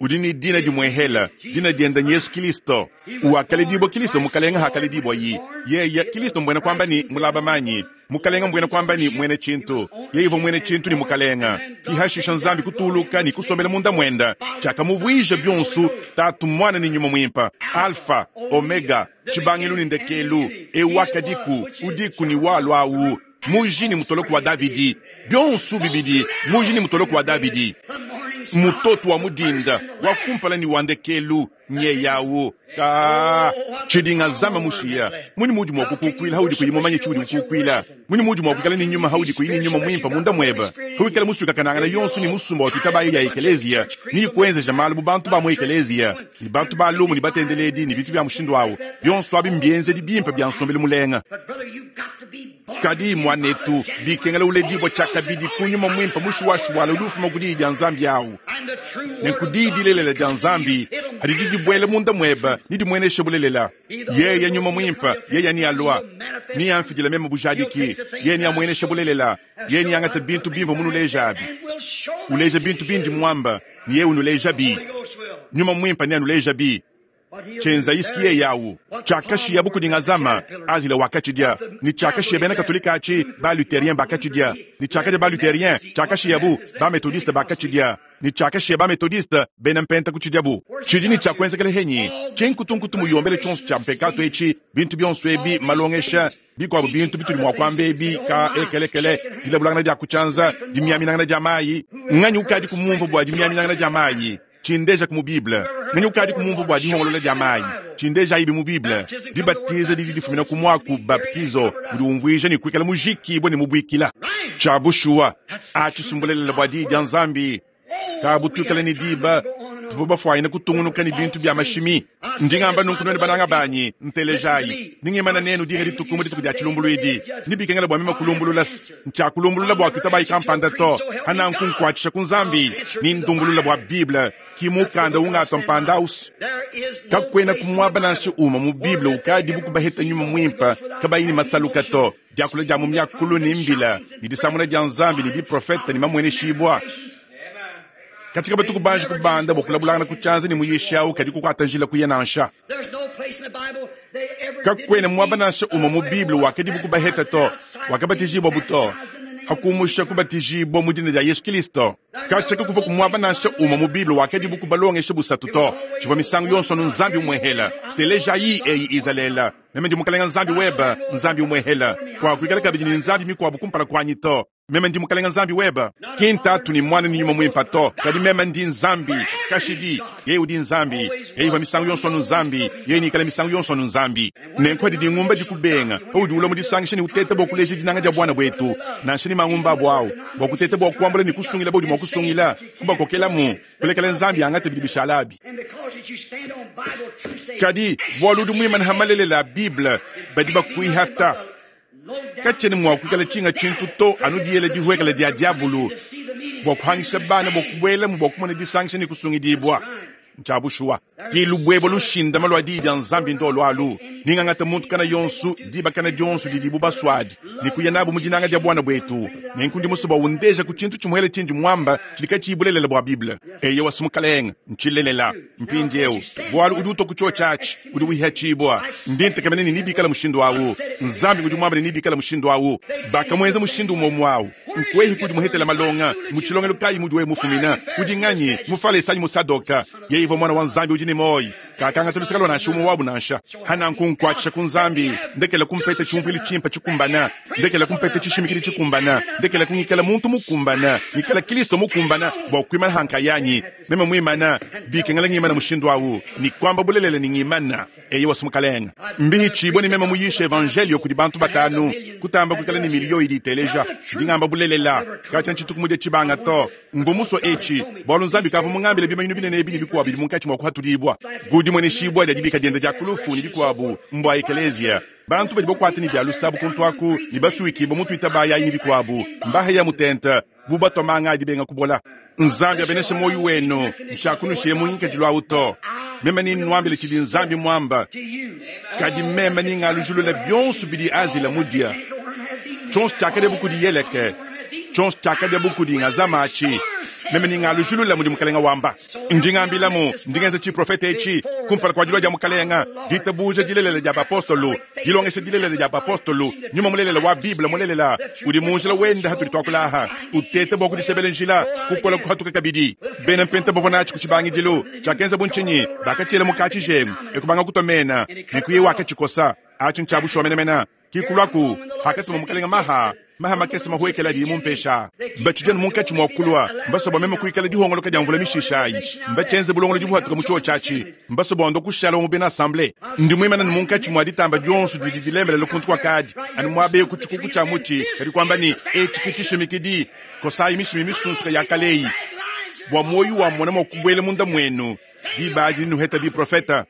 udi ni dina dimwehela dina dienda Yesu Kilisto uwakaledibwa Kilisto mukalenga hakaledibwa yi yeye Kilisto mbwena kwamba ni mulaba manyi mukalenga mbwena kwamba ni mwene chintu yeye ivo mwene chintu ni mukalenga kihashisha Nzambi kutuluka ni kusomela munda mwenda chakamuvwija byonsu Tatu Mwana ni Nyuma Mwimpe Alfa Omega chibangilu ni ndekelu ewakadiku udiku ni walwawu muji ni mutoloko wa Davidi byonsu bibidi muji ni mutoloko wa Davidi mutoto wa mudinda wa kumpala ni wandekelu nyeyawu ka chidinga zama mushiya muni mudi mwa kukukwila haudi kuyimomanya chiudi kukukwila muni mudi mwa kukala ni nyuma haudi kuyini nyuma mwimpa munda mweba huikala musuka kanangana yonsu ni musumba wa tutabayo ya ekelezia ni kuenza jamalu bu bantu ba mu ekelezia ni bantu ba lumu ni batendeledi ni bitu bya mushindu wawo byonsu abi mbienze di bimpe bya nsombele mulenga Kadi mwanetu bikengela uledibwa tshiakabidi ku nyuma mwimpe mushuwashuwala udi ufuma ku diyi dia Nzambi awu. Nenku diyi dilelela dia Nzambi hadidi dibuela munda mweba ni dimwenesha bulelela. Yeye nyuma mwimpe, yeye ni alwa ni amfidila meme bujadiki, yeye ni amwenesha bulelela, yeye ni angata bintu bimva munulejabi. Uleja bintu bindi mwamba, ni yeye unulejabi. Nyuma mwimpe ni anulejabi. Chenza isikie yawu chakashiya buku dingazama azila wakachidia ni chakashiya bena katolika achi ba luthérien bakachidia ni chakaja ba luthérien chakashiya bu ba methodiste bakachidia ni chakashiya ba methodiste bena mpenta kuchidia bu chidi ni chakwenzekele henyi chenkutunkutu muyombele chonso cha mpekato echi bintu byonso ebi malongesha bikwabo bintu bituli mwa kwamba ebi ka ekelekele dilabulangana dia kuchanza dimyaminangana dia mayi nganyi ukadi kumumva bwa dimyaminangana dia mayi chindeja ku mu Bible nganyi ukadi kumumva bwa dihongolola dia mayi chindeja ibi mu Bible dibatiza didi difumina ku mwaku baptizo udi umvuija ni kuikala mujikibwe ni mubwikila cha bushuwa achisumbulelela bwa diyi dia Nzambi kabutukala ni diba tuvo bafwayina kutungunuka ni bintu bya mashimi ndingamba nunku none bananga banyi ntelejayi ningimana nenu dinga ditukumu dituku dia chilumbuluidi nibikengela bwa mima kulumbulula nchakulumbulula bwa kutabayi kampanda to hananku nkwatshisha ku Nzambi nindumbulula bwa Bible kimukanda ungatwa mpanda usu kakwena kumwaba nansha uma mu Bible ukadi bukubaheta nyuma mwimpa kabayi ni masaluka to diakula dia mu myakulu ni mbila ni disamuna dia Nzambi ni biprofeta ni mamweneshibwa katika batuku banji kubanda bokulabulangana kuchanza ni muyishawu kadi kukwata njila kuya nansha kakwena mwaba nansha uma mu Bible wakadi bukubaheta to wakabatijibwa buto hakumusha kubatijibwa mu dina dia Yesu Kristo kachaka kuva kumwaba nansha uma mu Bible wakadi bukubalongesha busatu to chivwa misangu yonso nu Nzambi umwehela telejayi eyi Izalela meme ndi mukalenga Nzambi weba Nzambi umwehela kwa kuikala kabidi ni Nzambi mikwabu kumpala kwanyi to meme ndi mukalenga Nzambi weba kintatu ni mwana ni nyuma mwimpa to kadi meme ndi Nzambi kashidi yeye udi Nzambi yeye misangu yonso nu Nzambi yeye nikala misangu yonso nu Nzambi nenko didi ngumba dikubenga paudi ula mudisangisha ni utete bwa kuleja dinanga dia bwana bwetu nansha ni mangumba bwao bwa kutete bwa kuambula ni kusungila bodi mwa kusungila kubakokelamu kulekela Nzambi angate bidi bishalabi kadi bwaludu mwimana hamalelela Bible badi bakuihata kachene mwa kuikala chinga chintu to anu diyela dihwekela dia diabulu bwa kuhangisha bana bwa kubwela mu bwa kumona disangisha ni kusungidibwa nchabushuwa kilubwebo lushindama lwa diyi dia Nzambi ndo lwalu ningangata muntu kana yonsu diba kana dionsu didibu baswadi nikuya nabo mu dinanga dia bwana bwetu nenkundi musoba undeja ku chintu chimuhele chindi mwamba chilika chibulelela bwa Bible eye wasumukalenga nchilelela mpindieu bwalu udi utoku cho chachi udi wiha chibwa ndintekamene ni nibikala mushindu awu Nzambi udi mwamba ni nibikala mushindu awu bakamwenza mushindu umwe awu nkwehi kudi muhetela malonga muchilongelo kayi mudi we mufumina kudi nganyi mufalesanyi musadoka yeye mwana wa Nzambi udi ni moyi kakanga tulusakalo nansha umwe wabu nansha hananku nkwatshisha ku Nzambi ndekela kumpeta chumvili chimpa chikumbana ndekela kumpeta chishimikili chikumbana ndekela kunyikala muntu mukumbana nyikala Kristo mukumbana bwa kuimana hankayanyi meme mwimana bikengela ngimana mushindu awu ni kwamba bulelele ni ngimana eye wasumukalenga mbihi chibwe ni meme muyisha evangelio kudi bantu batanu kutamba kukala ni miliyo idi iteleja ndingamba bulelela kacha nchituku chibanga to mvumuso echi bwalu Nzambi kavu mungambile bimanyinu binene ebi ni bikuwa bidi munkachi mwa kuhatulibwa gudi mwene shibwa dia dibika dienda dia kulufu ni bikuabu mbwa ekelezia bantu badi bokwata ni bya lusabu kuntwaku ni basuikibo mutu itabaya ni bikuabu mbahe ya mutenta bubatomanga adibenga kubola Nzambi abeneshe moyo wenu nchakunushiye munyikadilwa uto meme ni nwambile chidi Nzambi mwamba kadi meme ni ngalujulula byonso bidi azila mudia chonso chakade bukudi yeleke chonso chakade bukudi ngazamachi meme ni ngalujulula mudi mukalenga wamba ndingambilamu ndingenza chiprofeta echi kumpala kwa dilwa dia mukalenga ditabuja dilelela dia bapostolo dilongesha dilelela dia bapostolo nyuma mulelela wa Bible mulelela udi munjila wenda hatuli twakulaha utete bwa kudisebele njila kukola kuhatuka kabidi bena mpenta bovona achi kuchibangidilo chakenza bunchinyi bakachela mukachi jemu ekubanga kutomena nikuye wakachikosa achi nchabushomenemena kikulwaku hakatuma mukalenga maha maha makese mahuekela di mumpesha bachijana munkachi mwakulwa mbasobwa meme kuikala dihongoloka dia mvula mishishayi mbachenze bulongolo dibuhatuka mu chuo chachi mbasobwa ndo kushala mu bena assemblée ndi mwimana ni munkachi mwa ditamba dionso didi dilembelela kuntu kwa kadi ani mwabe ku chikuku cha muti kadi kwamba ni echikitishimikidi kosayi mishimi misunsuka ya kaleyi bwa moyo wa mona mwakubwela munda mwenu diba adi nuheta biprofeta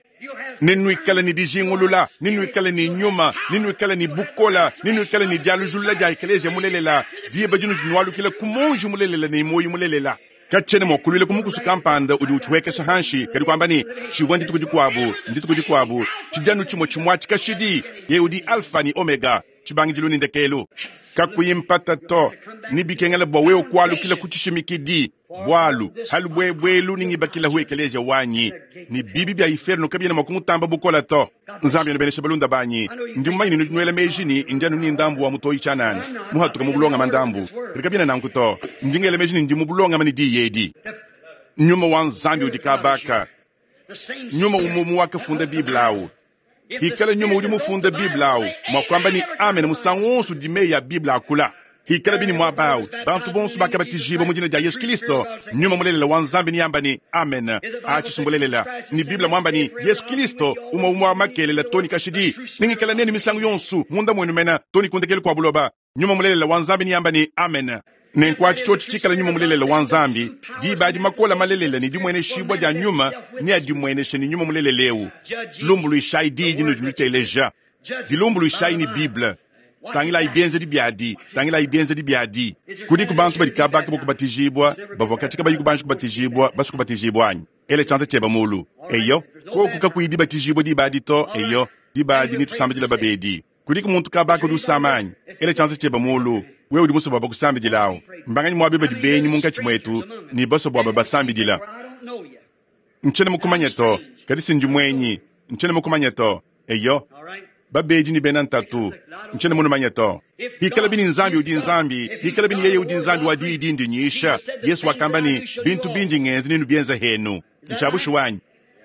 Nenuikale ne dijingulula, nenuikale ne nyuma, nenuikale ne bukola, nenuikale ne dialujulula dia ekeleziya mulelela, diba dinudi nualukila ku monji mulelela ne muoyo mulelela. Katshiena mua kuluila ku mukusu kampanda udi utshihuekesha hanshi, kadi kuamba ne tshivua ndituku dikuabu, ndituku dikuabu, tshidianu tshimue tshimuatshi kashidi. Yeye udi Alfa ne Omega, tshibangidilu ne ndekelu. Kakuyi mpata to, ne bikengela bua wewe kualukila ku tshishimikidi, bwalu halu bwebwelu ningibakilahu ekeleziya wanyi, ne bibi bia inferno kabiena mua kumutamba bukola to. Nzambi anubeneshe balunda banyi, ndi mumanye ne nuela meji ni ndi anu ni ndambu wa mutoyi tshianana, muhatuka mu bulongama ndambu, kadi kabiena nanku to. Ndi ngela meji ni ndi mu bulongama ne diyi edi. Nyuma wa Nzambi udi kabaka, nyuma umwe wakafunda Bible awu. Hikala nyuma udi mufunda Bible awu, mwa kwamba ni amen musangu wonso udi meyi ya Bible akula. Hikala bini mwabao, bantu bonso bakabatijibwa mu dina dia Yesu Kristo, nyuma mulelela wa Nzambi ni amba ni amen. Achi sumbulelela ni Bible mwamba ni Yesu Kristo umwe umwe wa makelela toni kashidi, ningikala neni misangu yonso munda mwenu mena toni kundekele kwa buloba. Nyuma mulelela wa Nzambi ni amba ni amen. Nenkwachi chochi chikala nyuma mulelela wa Nzambi, diba di makola malelela ni dimwene shibwa dia nyuma ni adimweneshe ni nyuma muleleleu. Lumbuluishai di dinu dinuteleja. Dilumbuluishai ni Bible. Tangila ibienze di biadi, tangila ibienze di biadi. Kudi ku bantu badi kabaka bokubatijibwa, bavua katika bayi kubanji kubatijibwa, basu kubatijibwa anyi. Ele chanza cheba mulu. Eyo, koku kakuyi dibatijibwa dibadi to, eyo, dibadi ni tusambidila babedi. Kudi ku muntu kabaka udi usama anyi. Ele chanza cheba mulu. Wewe udi muso bwa bakusambidilao. Mbanganyi mwabe badi benyi munkatshi mwetu, ni baso bwa babasambidila. Nchene mukumanya to, kadi sindi mwenyi. Nchene mukumanya to, eyo. Babedi ni bena ntatu, nchene munumanya to. Hikala bini Nzambi udi Nzambi, hikala bini yeye udi Nzambi wa diyi dindi nyisha. Yesu wakamba ni bintu bindi ngenzi ninu bienza henu. Nchabushu wanyi.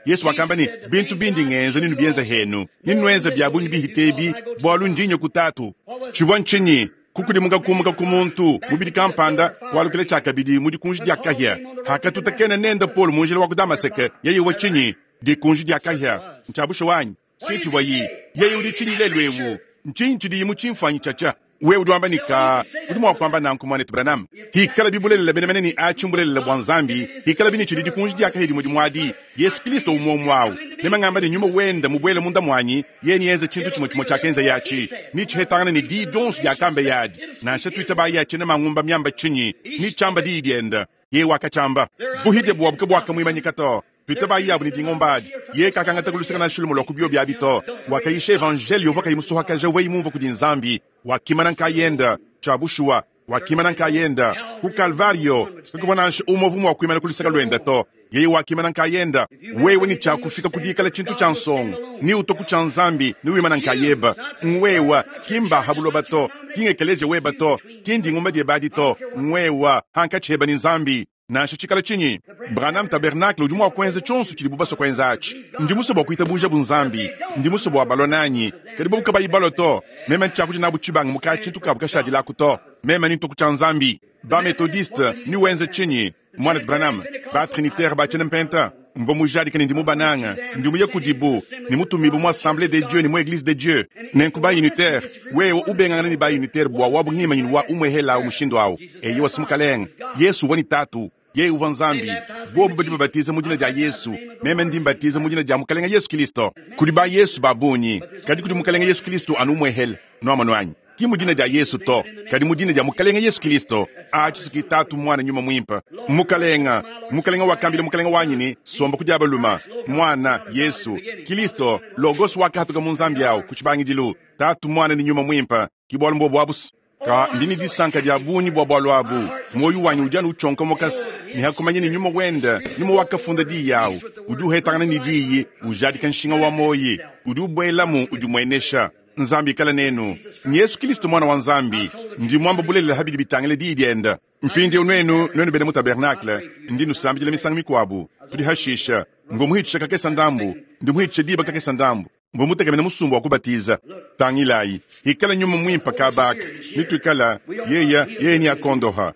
Yesu wakamba ni bintu bindi ngenzi ninu bienza henu. Ninwenza bya bunyi bihitebi, bwalu ndinyo kutatu. Chivwa nchinyi, kukudimuka kumuka ku muntu, mubidi kampanda, walukile chakabidi mudi kunji dia kahia. Hakatutakena nenda Paul munjila wa ku Damaseke, yeye wa chinyi, dikunji dia kahia. Nchabushu wanyi. Sketch wayi, yeye udi chinyi lelu ewu. Nchinyi chidi mu chimfanyi chacha. Wewe udi wamba nika, udi mwa kwamba nanku mwanetu Branham. Hikala bibulelela bene mene ni achimbulelele bwa Nzambi, hikala bini chidi dikunji dia kahia dimwe dimwadi. Yesu Kristo umwe mwawu. Nema ngamba ni nyuma wenda mubwele munda mwanyi, ye nienze chintu chimwe chimwe chakenza yachi. Ni chihetangana ni di donsu dia kambe yadi. Nansha tuita ba yachi na mangumba miamba chinyi, ni chamba di dienda. Ye wakachamba. Buhide bwa buka bwa kamwimanyika to. Tuita ba yabu ni dingombadi. Ye kakanga takulusika na shulumo lwa kubyo bya bito. Wakaisha evangelio vaka imusuha kaja weyi mumvo kudi Nzambi. Wakimana nkayenda, chabushua. Wakimana nkayenda ku Calvario. Kakubona nsha umovu mwa kuimana kulusika lwenda to. Yeye wakimana nkayenda. Wewe ni chakufika kudikala chintu cha nsongo. Ni utoku cha Nzambi, ni wimana nkayeba. Ngwewa, kimba habuloba to. Kingekeleze weba to. Kindi ngumba die badi to. Ngwewa, hanka cheba ni Nzambi. Nansha chikala chinyi. Branham Tabernacle udi mwa kwenza chonso chili bubaso kwenza achi. Ndi muso bwa kuita buja bunzambi. Ndi muso bwa balonanyi. Kadi buka bayi baloto. Mema nchakuji nabu chibanga muka chintu kabu kashadila kuto. Mema ni ntoku cha Nzambi. Ba methodiste ni wenza chinyi. Mwana Branham, ba trinitaire ba chene mpenta. Mvo mujadi kani ndi mubananga, ndi muye kudibu, ni mutumibu mu assemblée de Dieu ni mu église de Dieu. Nenku ba unitaire, wewe ubengana ni ba unitaire bwa wabu ngima nyinu wa umwehela umushindo awo. Eyi wasimukalenga, Yesu wani tatu. Yeye uva Nzambi, bobu badi babatiza mu dina dia Yesu, meme ndi mbatiza mu dina dia Mukalenga Yesu Kristo. Kudi ba Yesu babunyi, kadi kudi Mukalenga Yesu Kristo anu umwehele, nwama nwanyi. Ki mu dina dia Yesu to, kadi mu dina dia Mukalenga Yesu Kristo. Achi tatu mwana nyuma mwimpa. Mukalenga, Mukalenga wakambila Mukalenga wanyi ni somba kudia baluma. Mwana Yesu Kristo, logos wakahatuka mu Nzambi yawo kuchibangidilu. Tatu mwana ni nyuma mwimpa, kibwalu mbo bwabus. Ka ndini disanka dia bunyi bwa bwalu abu. Moyo wanyi udi anu uchonka mokasi. Ni hakumanya ni nyuma wenda, nyuma wakafunda di yawo. Udi uhetangana ni diyi, ujadika nshinga wa moyi. Udi ubwelamu udi mwenesha. Nzambi kala nenu. Ni Yesu Kristo mwana wa Nzambi. Ndi mwamba bulelela habidi bitangile diyi dienda. Mpindi nwenu, nwenu bene mu tabernacle. Ndi nusambidila misangu mikwabu. Tudi hashisha. Mvo muhitisha kakesa ndambu. Ndi muhitisha diba kakesa ndambu. Mvo mutekemena musumbu wa kubatiza. Tangilayi. Hikala nyuma mwimpa kabaka. Nituikala, yeya, yeye ni akondoha.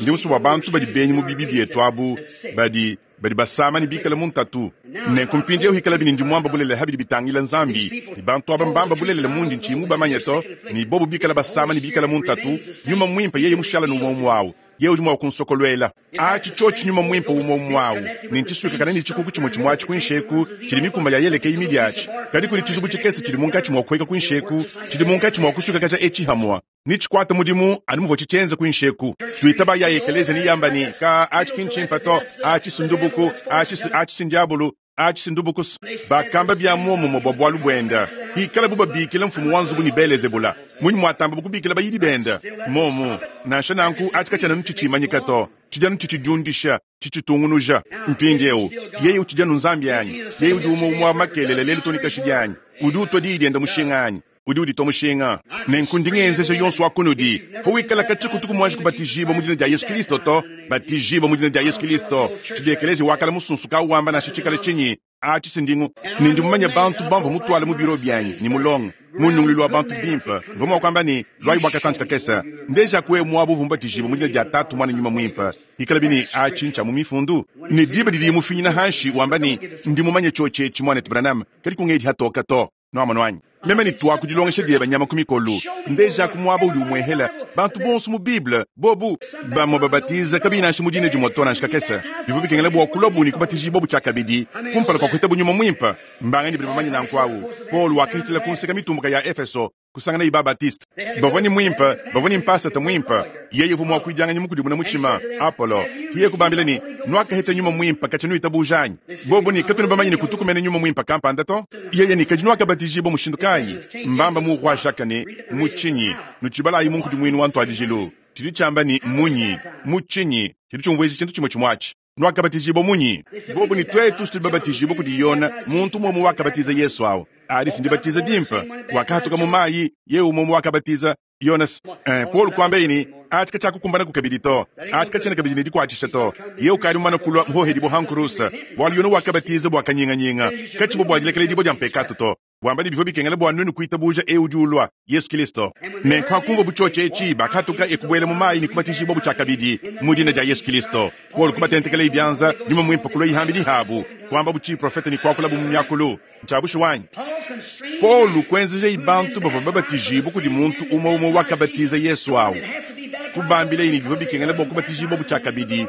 Ndi musumbu wa bantu badi benyi mu bibi bietu abu, badi, badi basama ni bikala mu ntatu. Nenku mpindi hikala bini ndi mwamba bulelela habidi bitangila Nzambi. Ni bantu aba mbamba bulelela mundi nchi mu bamanya to, ni bobu bikala basama ni bikala mu ntatu. Nyuma mwimpa yeye mushala nu mwomu wawo. Yeye udi mua kunsokoluela. Atshi tshiotshi nyuma muimpe umue umue awu, ne ntshisuikakane ne tshikuku tshimue tshimue atshi kuinshi eku, tshidi mikuma ya yeleke imidi atshi. Kadi kudi tshizubu tshikese tshidi munkatshi mua kuheka kuinshi eku, tshidi munkatshi mua kusuikakaja etshi hamua. Nitshikwata mudimu anu muvua tshitshienza kuinshi eku. Tuitaba ya ekelezia ne yamba ne, ka atshi ki ntshimpe to, atshi si ndubuku, atshi si, atshi si ndiabulu, atshi si ndubuku. Bakamba bia muomumue bua bualu buenda. Hikala bu babikila mfumu wa nzubu ne Belezebula, munyi muatamba bukubikila bayidi benda? Momu, nansha nanku atshi katshiena nutshitshimanyika to, tshidi anu tshitshidiundisha, tshitshitungunuja. Mpindieu yeye utshidi anu Nzambi anyi? Yeye udi umue umue wa makelele lelu to ne kashidi anyi? Udi utua diyi dienda mushinga anyi? Udi uditua mushinga. Nenku ndi ngenzeja yonso wa kunudi, pawikala katshikutu kumuanji kubatijibua mu dina dia Yesu Kristo to, batijibua mu dina dia Yesu Kristo. Tshidi ekelezia wakala musunsuka wamba nansha tshikala tshinyi, atshi si ndingu. Ne ndi mumanye bantu bamvua mutuale mu biro bianyi ne mulongo mu nyunguluilu wa bantu bimpe, mvua mua kuamba ne, luayi bua katantshi kakese, ndeja kuwe muabu uvua mubatijibua mu dina dia Tatu, Muana, Nyuma Muimpe. Ikala bini atshi ntshia mu mifundu. Ne diba didi mufinyina hanshi wamba ne, ndi mumanye tshiotshi etshi muanetu Branham, kadi kungedi hatoka to. Nuamonu anyi? Meme ne tuaku dilongesha dieba nyama ku mikolu, ndeja ku muaba udi umuehela bantu bonso mu Bible, bobu bamue babatiza kabiyi nansha mu dina dimue to nansha kakese. Bivua bikengela bua kulua bu ne kubatijibua bu tshiakabidi kumpala kua kuheta bu nyuma muimpe. Mbanganyi badi bamanye nanku awu? Paul wakahitshila ku nseka mitumbuka ya Efeso, kusangana iba Baptiste. Bavua ne muimpe, bavua ne mpasata muimpe. Yeye uvua mua kuidianganya mukudimuna mutshima, Apollo. Hiye kubambila ne, nuakaheta nyuma muimpe katshia nuitabuja anyi? Bobu ne katuena bamanye ne kutukumena nyuma muimpe kampanda to. Yeye ne kadi nuakabatijibua mushindu kayi? Mbamba mu roi Jacques ne mu tshinyi? Nutshibalayi mu nkudimuinu wa ntuadijilu. Tshidi tshiamba ne munyi? Mu tshinyi? Tshidi tshiumvuija tshintu tshimue tshimue atshi. Nuakabatijibua munyi? Bobu ne tuetu tudi babatijibua kudi Yona, muntu umue wakabatiza Yesu awu. Adi si ndibatiza dimpe, wakahatuka mu mayi, yeye umue wakabatiza Yonas. Eh, Paul kuamba ne, atshi katshiakukumbana kukabidi to, atshi katshiena kabidi ne dikuatshisha to. Yeye ukadi mumane kulua muhohedi bua hankurusa, bualu Yona wakabatiza bua kanyinganyinga, katshivua bua dilekela dia mpekatu to. Wamba ne bivua bikengela bua nuenu kuitabuja eu udi ulua, Yesu Kristo. Nenku hakumvua butshiotshi etshi, bakahatuka ekubuela mu mayi ne kubatijibua butshiakabidi mu dina dia Yesu Kristo. Paul kubatentekela ibianza, nyuma muimpe kulua ihambidi habu, kuamba butshi profeta ne kuakula bu mu miakulu. Ntshiabushu wanyi. Paul kuenzeja ibantu bavua babatijibua kudi muntu umue umue wakabatiza Yesu awu. Kubambila ne bivua bikengela bua kubatijibua butshiakabidi,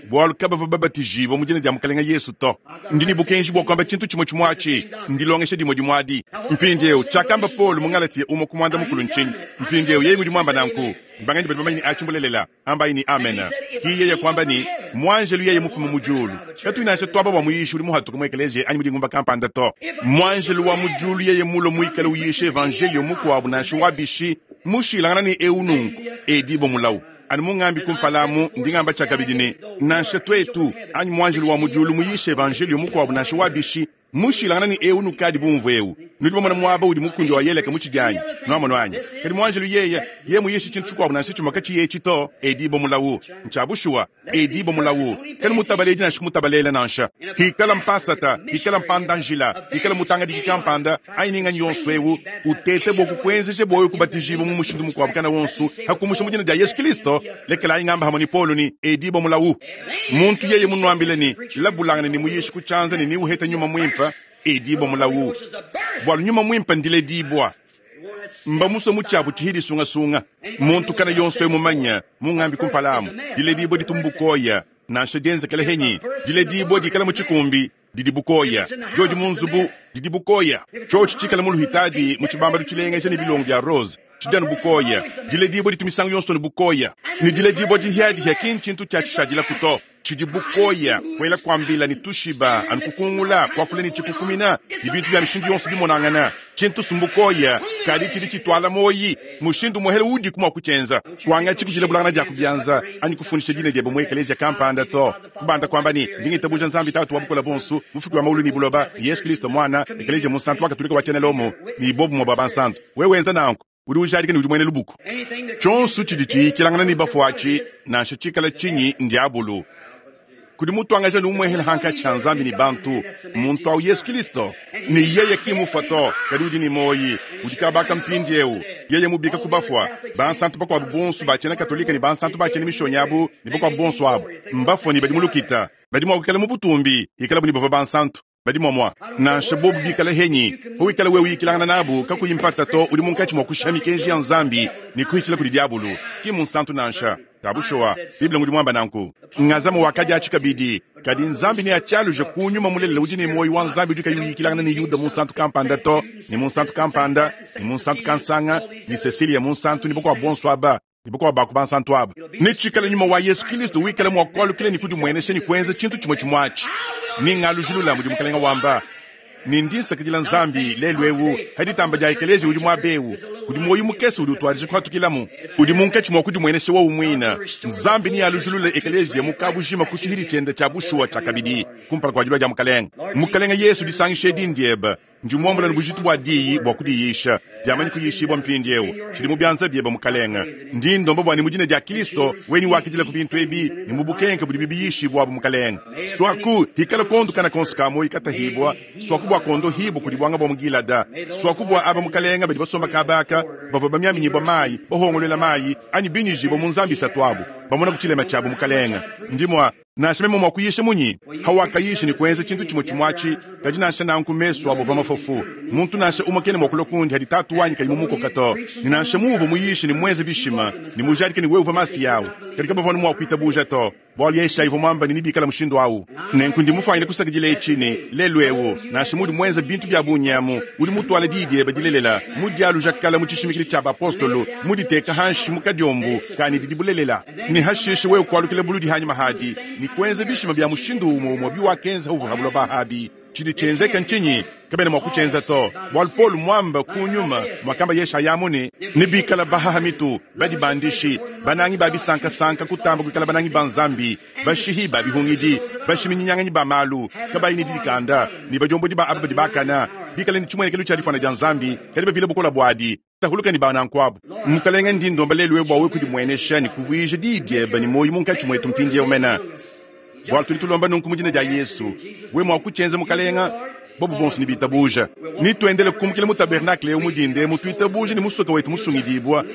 bualu kabavua babatijibua mu dina dia Mukalenga Yesu to. Ndi ne bukenji bua kuamba tshintu tshimue tshimue atshi, ndilongesha dimue dimue adi. Mpindieu tshiakamba Paul mu Galatia umue ku muanda mukulu ntshinyi? Mpindieu yeye udi muamba nanku, mbanganyi badi bamanye ne atshi mbulelela, ambayi ne amen. Ki yeye kuamba ne, muanjelu yeye mufume mu diulu. Katuyi nansha tuamba bua muyishi udi muhatuka mu ekelezia anyi mu dingumba kampanda to. Muanjelu wa mu diulu yeye mulo muikale uyisha evangelio mukuabu nansha wabishi, mushilangana ne eu nunku, edibo mulawu. Anu mungambi kumpalamu ndi ngamba tshiakabidi ne, nansha tuetu anyi muanjelu wa mu diulu muyisha evangelio mukuabu nansha wabishi, mushilangana ne eu nukadi bumvu eu. Nudi bamona muaba udi mukundi wa yeleka mu tshidianyi, nuamono anyi? Kadi muanjelu yeye, yeye muyisha tshintu tshikuabu nansha tshimue katshiyi etshi to, edibo mulawu. Ntshiabushuwa, edibo mulawu. Kadi mutabaledi nansha kumutabalela nansha. Hikala mpasata, hikala mpandanjila, hikala mutangadiki kampanda, anyi ninganyi yonso eu, utete bua kukuenzeja bua wewe kubatijibua mu mushindu mukuabu kana wonso, hakumusha mu dina dia Yesu Kristo. Lekela ingamba hamwe ni Paulo ni edibo mulawu. Muntu yeye munuambile ni labulangana ni muyishi kutshianza ni niuheta nyuma muimpe, edibo mulawu. Bualu nyuma muimpe ndile dibwa. Mba muso mutshiabu tshihidi sungasunga. Muntu kana yonso emumanya, mungambi kumpalamu, dile dibwa ditumbukoya, nansha dienzekele henyi, dile dibwa dikala mu tshikumbi, didi bukoya. Jodi munzubu, didi bukoya. Tshiotshi tshikala mu luhitadi, mu tshibambalu tshilengeja ne bilongo bia rose, tshidi anu bukoya. Dile dibwa ditumisango yonso ne bukoya. Ne dile dibwa dihiadihia ki ntshintu tshia tshishadila kuto. Tshidi bukoya, kwela kuambila ne tushiba, anu kukungula, kuakula ne tshikukumina, ne bintu bia mishindu yonso bimonangana. Tshintu sumbukoya, kadi tshidi tshitwala moyi, mushindu muhele udi kumua kutshienza. Kuangatshi kudila bulangana dia kubianza, anyi kufundisha dina diebe mu ekelezia kampanda to. Kubanda kuamba ne, ndi ngitabuja Nzambi Tatu wa bukola bonso, mufuki wa maulu ne buloba, Yesu Kristo Mwana, ekelezia munsantu wa Katolika wa tshiena Lomo, ne bobu mwa bua bansantu. Wewe wenza nanku, udi ujadika ne udi muena lubuku. Tshionso tshidi tshiyikilangana ne bafuatshi, nansha tshikala tshinyi ndiabulu. Kudi mutuangaja ne umuehela hankatshi ha Nzambi ne bantu, muntu awu Yesu Kristo. Ne yeye ki mufa to, kadi udi ne moyi, udi kabaka mpindieu. Yeye mubika ku bafua, bansantu bakuabu bonso ba tshiena Katolika ne bansantu ba tshiena mishonyi abu ne bakuabu bonso abu, mbafua ne badi mu lukita, badi mua kuikala mu butumbi, ikala bu ne bavua bansantu. Badi mwamwa nansha bobu bikala henyi pawikala wewe uyikilangana nabu kakuyi mpata to udi munkatshi mua kushiha mikenji ya Nzambi ne kuhitshila kudi diabulu. Ki munsantu nansha. Kabushowa Biblia ngudi mwamba nanku. Ngazama wakadi achi kabidi kadi Nzambi ne achaluja kunyuma mulelela udi ne moyo wa Nzambi udi kayi uyikilangana ne Yuda munsantu kampanda to ne munsantu kampanda ne munsantu kansanga ne Cecilia munsantu ne bokwa bonso aba ne bokwa baku bansantu aba. Ne tshikala nyuma wa Yesu Kristo wikala mwa kwalukila ne kudimwenesha ne kuenza tshintu chimwe chimwachi. Ningalujulula mudi mukalenga wamba. Ni ndi nsakidila Nzambi lelu ewu haditamba dia ekeleziya udi muabewu udi moyo mukese udi utwadija kuhatukilamu udi munkatshi mwa kudimwenesha wowu mwina. Nzambi ni alujulula ekeleziya mukabujima ku tshihidi tshiende tshia bushuwa tshia kabidi kumpala kua dilua dia mukalenga. Mukalenga Yesu disangisha edi ndieba ndi muambula ne bujitu bua diyi bua kudiyisha diamanyi kuyishibwa mpindiewu tshidi mu bianza biebe mukalenga. Ndi ndomba bua ne mu dina dia Kristo weni wakidila ku bintu ebi ne mu bukenke budi bibiyishibwa bu mukalenga. Swaku hikala kondu kana konso ka moyi katahibwa swaku bua kondo hibu kudi bwanga bwa mugilada swaku bua aba mukalenga badi basomba kabaka bavua bamyaminyibwa mayi bahongolela mayi anyi binyijibwa mu Nzambi isatu abu bamona kutshilema tshiabu mukalenga. Ndi mwa nansha meme mwa kuyisha munyi hawakayisha ni kuenza tshintu chimwe chimwachi kadi nansha nanku mesu abo va mafofu muntu nansha umakene mwa kulwa kundi hadi tatu wanyi kayi mumukoka to ni nansha muvu muyisha ni mwenze bishima ni mujadike ni wewe masi yawo kadi kabavona mwa kuitabuja to bwali yesha ivo mwamba ni nibikala mushindu awu nenku ndi mufanyile kusakidila etshini lelu ewu nansha mudi mwenza bintu bya bunyamu udi mutwala diyi badilelela mudialuja kala mu tshishimikili tshia bapostolo muditeka hanshi mu kadiombu kani didi bulelela ni hashishe wewe kwalukila buludi hanyuma hadi ni kuenza bishima bya mushindu umwe umwe biwakenza uvu habulo bahabi chidi chenzeka nchinyi kabene mwa kuchenza to bwali Paul mwamba kunyuma mwakamba yesha yamune nibikala bahaha mitu badi bandishi banangi babisankasanka kutamba kuikala banangi banzambi bashihi babihungidi bashiminyanganyi ba malu kabayi ni didikanda ni bajombodi ba aba badi bakana bikala ni chimwenekelo cha difana dia Nzambi kadi bavile bukola bwadi tahuluka ni bana nkwabu mukalenga ndi ndomba lelu bwa we kudimwenesha ni kuvuija didieba ni moyo munkatshi mwetu mpindiewu omena bwali tudi tulomba nunku mu dina dia Yesu we mwa kuchenza mukalenga bobu bonso ni bitabuja ni tuendele kukumukila mu tabernakle eu mudinde mutuitabuja ni musoka wetu musungidibwa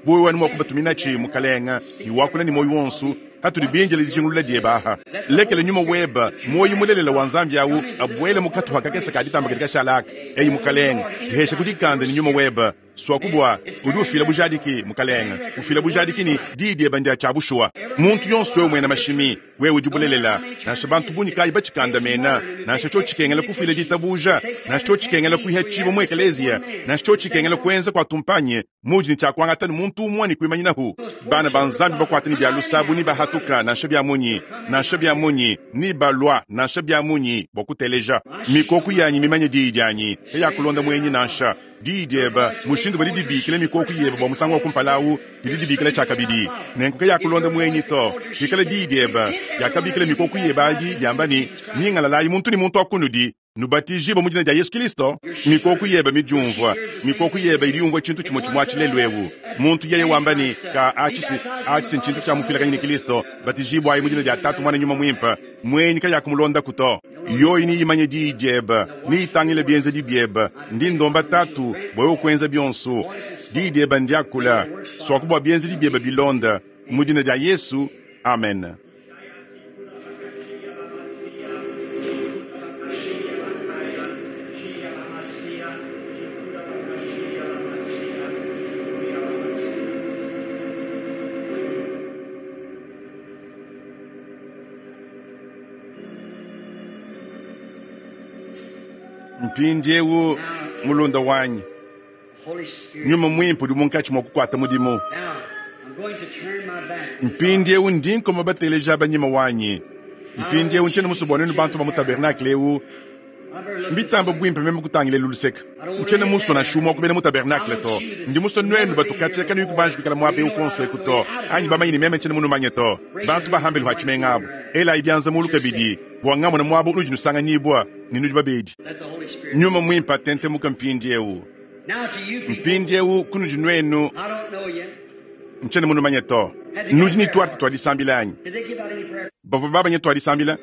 buwe wanu mwa kubatumina chi mukalenga ni wakula ni moyo wonso hatuli binjele dijingulula diebaha lekele nyuma weba moyo mulelela wa Nzambi awu abwele mukatu hakakesa kaditamba katika shalaka eyi mukalenga dihesha kudikanda ni nyuma weba swakubwa udi ufila bujadiki mukalenga ufila bujadiki ni didieba ndia tshia bushuwa muntu yonso wewe mwena mashimi wewe udi bulelela nansha bantu bunyi kayi batshikanda mena nansha tsho tshikengela kufila ditabuja nansha tsho tshikengela kuiha tshibo mu ekeleziya nansha tsho tshikengela kuenza kwa tumpanye mudi ni tshia kuangata ni muntu umwe ni kuimanyinahu bana ba Nzambi bakwata ni bya lusabu ni bahatuka nansha bya munyi nansha bya munyi ni balwa nansha bya munyi bwa kuteleja mikoku yanyi mimanye diyi dianyi eyakulonda mwenyi nansha didieba mushindu badi dibikile mikoku yeba bwa musango wa kumpalawu didi dibikile tshakabidi nenkuke yakulonda mwenyi to dikale didieba yakabikile mikoku yeba adi diamba ni ningalalayi muntu ni muntu akunudi nubatijibwa mu dina dia Yesu Kristo mikoku yeba midiumvwa mikoku yeba iliumvwa tshintu chimwe chimwe atshilelu ewu muntu yeye wamba ni ka atshisi atshisi ntshintu tshia mufilakanyini Kristo batijibwayi mu dina dia Tatu Mwana Nyuma Mwimpa mwenyi kayakumulonda kuto yoyi niyimanye diyi dieba niyitangile bienzedi bieba ndi ndomba Tatu bwa wewe kuenza bionso diyi dieba ndiakula swakubwa bienzedi bieba bilonda mu dina dia Yesu amen. Mpindiewu mulunda wanyi nyuma mwimpe udi munkatshi mwa kukwata mudimu mpindiewu ndi nkoma bateleja banyima wanyi mpindiewu ntshene musobo nenu bantu ba mu tabernakle ewu mbitamba bwimpe meme kutangile luluseka ntshene muso na shumwa kubena mu tabernakle to ndi muso nwenu batukatseka nuyi kubanji kuikala muaba ewu konso eku to anyi bamanyi ni meme ntshene munumanye to bantu bahambele hwatshimenga abu elayi bianza mulu kabidi bwa ngamona muaba unudi nusanganyibwa ni nudi babedi nyuma mwimpe atentemuka mpindiewu mpindiewu kunudi nwenu ntshene munumanye to nudi ni twarte twadisambila anyi bavua babanye twadisambila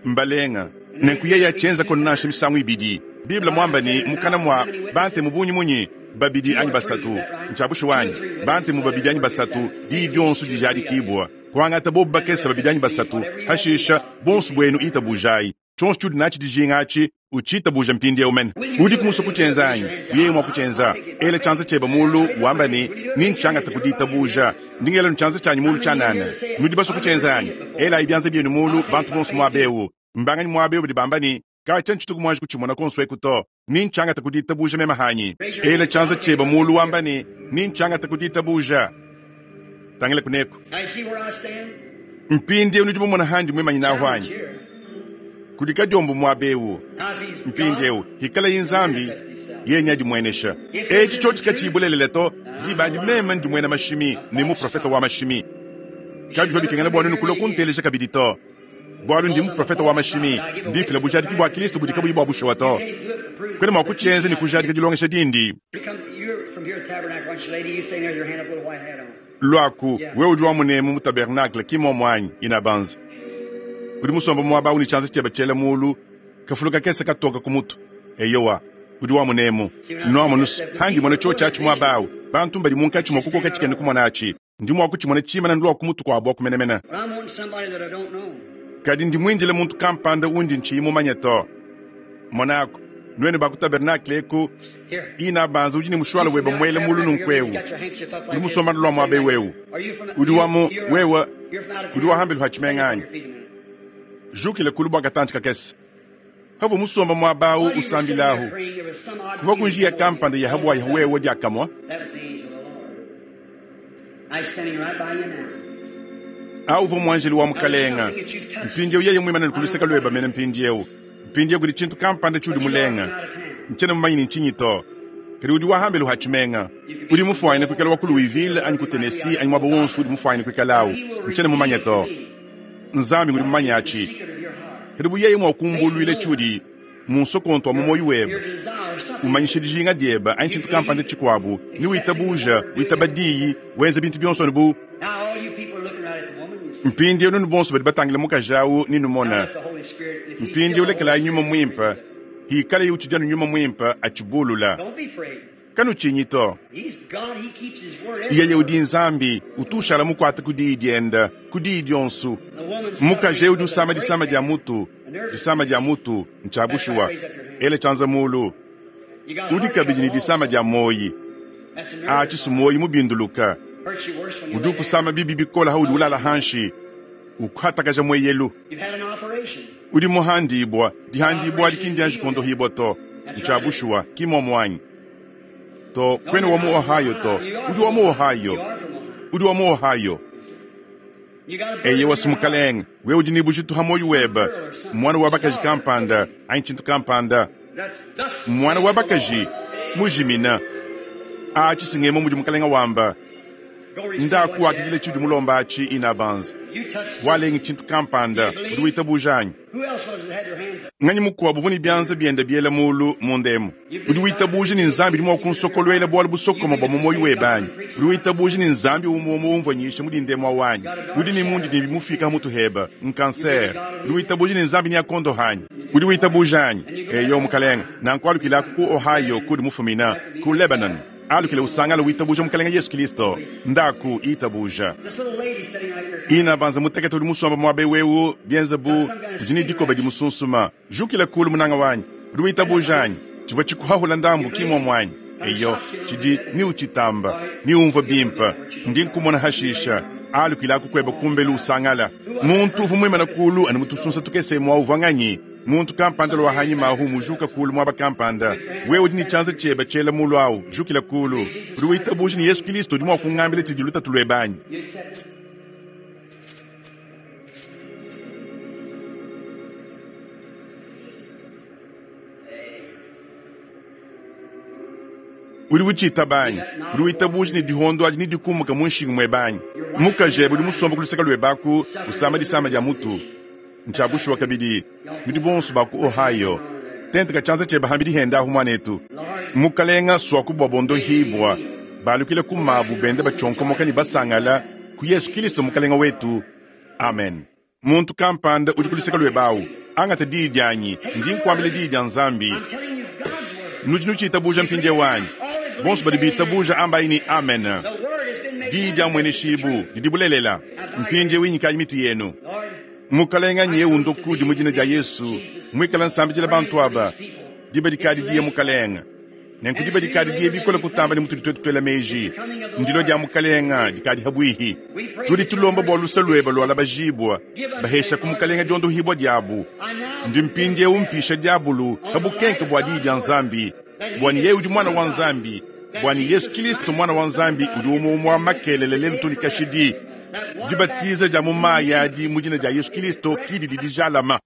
mbalenga nenku yeye achenza kono nansha misangu ibidi Biblia mwamba ni mukana mwa bante mubunyi munyi babidi anyi basatu ntshabushu wanyi bante mu babidi anyi basatu diyi dionso dijadikibwa kuangata bobu bakesa babidi anyi basatu hashisha bonso bwenu itabujayi Tshionso tshiudi natshi dijinga atshi, utshitabuja mpindieu mene. Udiku musue kutshienza anyi? Yeye mua kutshienza. Ela tshianza tshiebe mulu, wamba ne, Nintshangate ku ditabuja. Ndi ngela tshianza tshianyi mulu tshianana. Nudi basue kutshienza anyi? Elayi bianza bienu mulu, bantu bonso muaba eu. Mbanganyi muaba eu badi bamba ne, Katshia ntshituku muanji kutshimona konso eku to. Nintshangate ku ditabuja meme hanyi. Ela tshianza tshiebe mulu, wamba ne, Nintshangate ku ditabuja. Tangila kuneku. Now you see where I stand? Mpindieu nudi mumona handi mwimanyinaho anyi? Kudi kadiombo muaba eu. Now if he's God, Mpindieu hikalayi Nzambi yeye adimuenesha. Etshi tshiotshi katshiyi to, diba adi meme ndi muena mashimi ne muprofeta wa mashimi. Kabivua bikengela bua nuenu kulua kunteleja kabidi to. Bualu ndi muprofeta wa mashimi, ndi mfila bujadiki bua Kristo budi kabuyi bua bushuwa to. can't do it to prove Kwena mua kutshienza ne kujadika dilongesha dindi. You come, you're from here at Tabernacle, aren't you, lady? You sitting there with your hand up, little white hat on. Lwaku, wewe udi wa munemu mu tabernacle kimomo anyi inabanza. Udi musomba muaba awu ne tshianza tshiebe tshiela mulu, kafulu kakese katoka ku mutu. Eyowa, udi wa munemu. Nuamonu handi mona tshiotshi atshi muaba awu. Bantu mbadi munkatshi mua kukoka tshikene kumona atshi. Ndi mua kutshimona tshimana ndulua ku mutu kuabo kumenemene. But I'm wanting somebody that I don't know. Kadi ndi muindile muntu kampanda undi ntshiyi mumanye to. Monako, nuenu ba ku tabernacle eku, Here. inabanza udi ne mushwala webe mwele mulu nunku eu. Got your handkerchief up like Udi this. musomba ndulua muaba ewu. Are you from Udi wa mu you're- wewe you're from out of udi town? wa hambelu ha tshimenga anyi? Your feet a minute. Jukile kulu bua katantshi kakese. Havo musomba muaba awu While you were sitting there usambilahu. praying, there was some odd Kuva ku njiya feeling kampanda ya habwa ya wewe diakamwa. That was the angel of the Lord. Now he's standing right by you now. Awu muanjeli wa mukalenga. Mpindieu yeye mwimana kuluseka lweba mene mpindieu. Mpindieu kudi tshintu kampanda tshiudi But you are from mulenga. out of town. Ntshiena mumanyi ni ntshinyi to. Kadi udi wahambelu ha tshimenga. Udi mufuanyine kuikala wa ku Louisville anyi ku Tennessee anyi muaba wonso udi mufuanyine kuikalawu. He will Ntshiena mumanye to. reveal to me Nzambi udi mumanye the atshi. secret of your heart. Kadi bu yeye mua kumbuluila tshiudi munsokonto wa mu moyo webe. Your desire, something. Umanyishe dijinga diebe anyi tshintu kampanda tshikuabu ni witabuja witaba diyi wenza bintu bionso anu bu Now all you people are looking right at the woman. You see. mpindieu nunu bonso badi batangila mukaji awu Now ninumona let the Holy Spirit, if he's still mpindieu the Holy lekelayi nyuma Spirit, muimpe hikale utshidi anu nyuma muimpe atshibulula Don't be afraid. kanutshinyi to He's God. He keeps His word. every yeye udi word. nzambi utu ushala mukuate ku diyi dienda ku diyi dionso The woman mukaji suffering eu udi with a usama disama dia breakdown. mutu disama dia mutu ntshia bushuwa ele tshianza mulu You got udi heart kabidi ne trouble disama also. dia moyi That's a nerve atshi sumoyi mubinduluka Hurts you worse when you udi lay down. ukusama bibi bikola haudi ulala hanshi ukhatakaja mweyelu You've had an operation. udi muhandibwa dihandibwa dikindi kondohibwa to ntshia bushuwa kimomo anyi to kwene wa mu Ohio to udi wa mu Ohio You are from Ohio. udi wa mu Ohio You got a burden eye in your heart. wasimukalenga we udi ni bujitu ha moyo webe mwana wa bakaji kampanda anyi tshintu kampanda That's thus mwana wa saith the bakaji Lord. mujimina atshi singemo mudi mukalenga wamba Go receive what you ndakuwakidile asked tshiudi for. mulomba atshi inabanza You touch walengi tshintu kampanda udi witabuja anyi Who else was it that had their hands up? nganyi mukuabu vuni byanza byenda byela mulu mundemu udi witabuja ni nzambi udi mua kunsokolwela bualu busokoma bua mu moyo webe anyi udi witabuja ni nzambi umwe umvanyisha mudi ndemu awanyi udi ni mundi ni bimufika mutu heba nkanser udi witabuja ni nzambi ni akondo hanyi udi witabuja anyi eyo mukalenga nanku alukilaku ku Ohio kudi mufumina ku Lebanon alukile usangala witabuja mukalenga Yesu Kristo ndaku itabuja This little lady sitting right here. ina banza mutekete udi musomba muaba wewu bienza bu udi ne dikoba dimusunsuma jukila kulu munanga wanyi udi witabuja anyi tshivua tshikuhahula ndambu kimwa mwanyi eyo tshidi ni utshitamba ni umvua bimpa ndi nkumona hashisha alukilaku kueba kumbelu usangala muntu uvua muimana kulu ani mutusunsa tukese mua uvua nganyi muntu kampanda lwa hanyima ahu mujuka kulu muaba kampanda wewe udi ne tshianza tshiebe tshiela mulu awu jukila kulu udi witabuja ni Yesu Kristo udi mua kungambila tshidi lutatu luebe anyi You accept it. Udi utshitaba anyi udi witabuja ne dihondo adi ne dikumuka mu nshingu muebe anyi mukajebe udi musomba ku luseke luebe aku usama disama dia mutu ntshia bushuwa kabidi nudi bonso ba ku Ohio tenteka tshianza tshiebe hambi dihenda ahu muanetu mukalenga swaku bua bondohibwa balukile ku mabu bende batshonkomoka ne basangala ku Yesu Kristo mukalenga wetu amen muntu kampanda udi ku luseke luebe awu angata diyi dianyi ndi nkuambila diyi dia nzambi I'm telling you God's word. nudi nutshitabuja mpindieu wanyi bonso badi bitabuja ambayi ni amen The word has been made diyi dia manifest. mweneshibu didi bulelela mpindieu inyikayi mitu yenu Lord, mukalenga nye undoku di mu dina dia Yesu Mwikala nsambidila bantu aba, diba dikadi diye Mukalenge. Nenku diba dikadi diye bikole kutamba ne mutudi twetu twela meji. Ndilwa dya Mukalenge dikadi habwihi. Tudi tulomba bwa luse lwebe lwalabajibwa, bahesha ku Mukalenge dyondohibwa dyabu. Ndi mpindieu mpisha dyabulu pa bukenke bwa diyi dya Nzambi, bwa ne yeye udi Mwana wa Nzambi, bwa ne Yesu Kilisto Mwana wa Nzambi udi umwe umwe wa makelele lelu too ne kashidi. Dibatiza dya mu mayi adi mu dina dya Yesu Kilisto ki didi dijalama.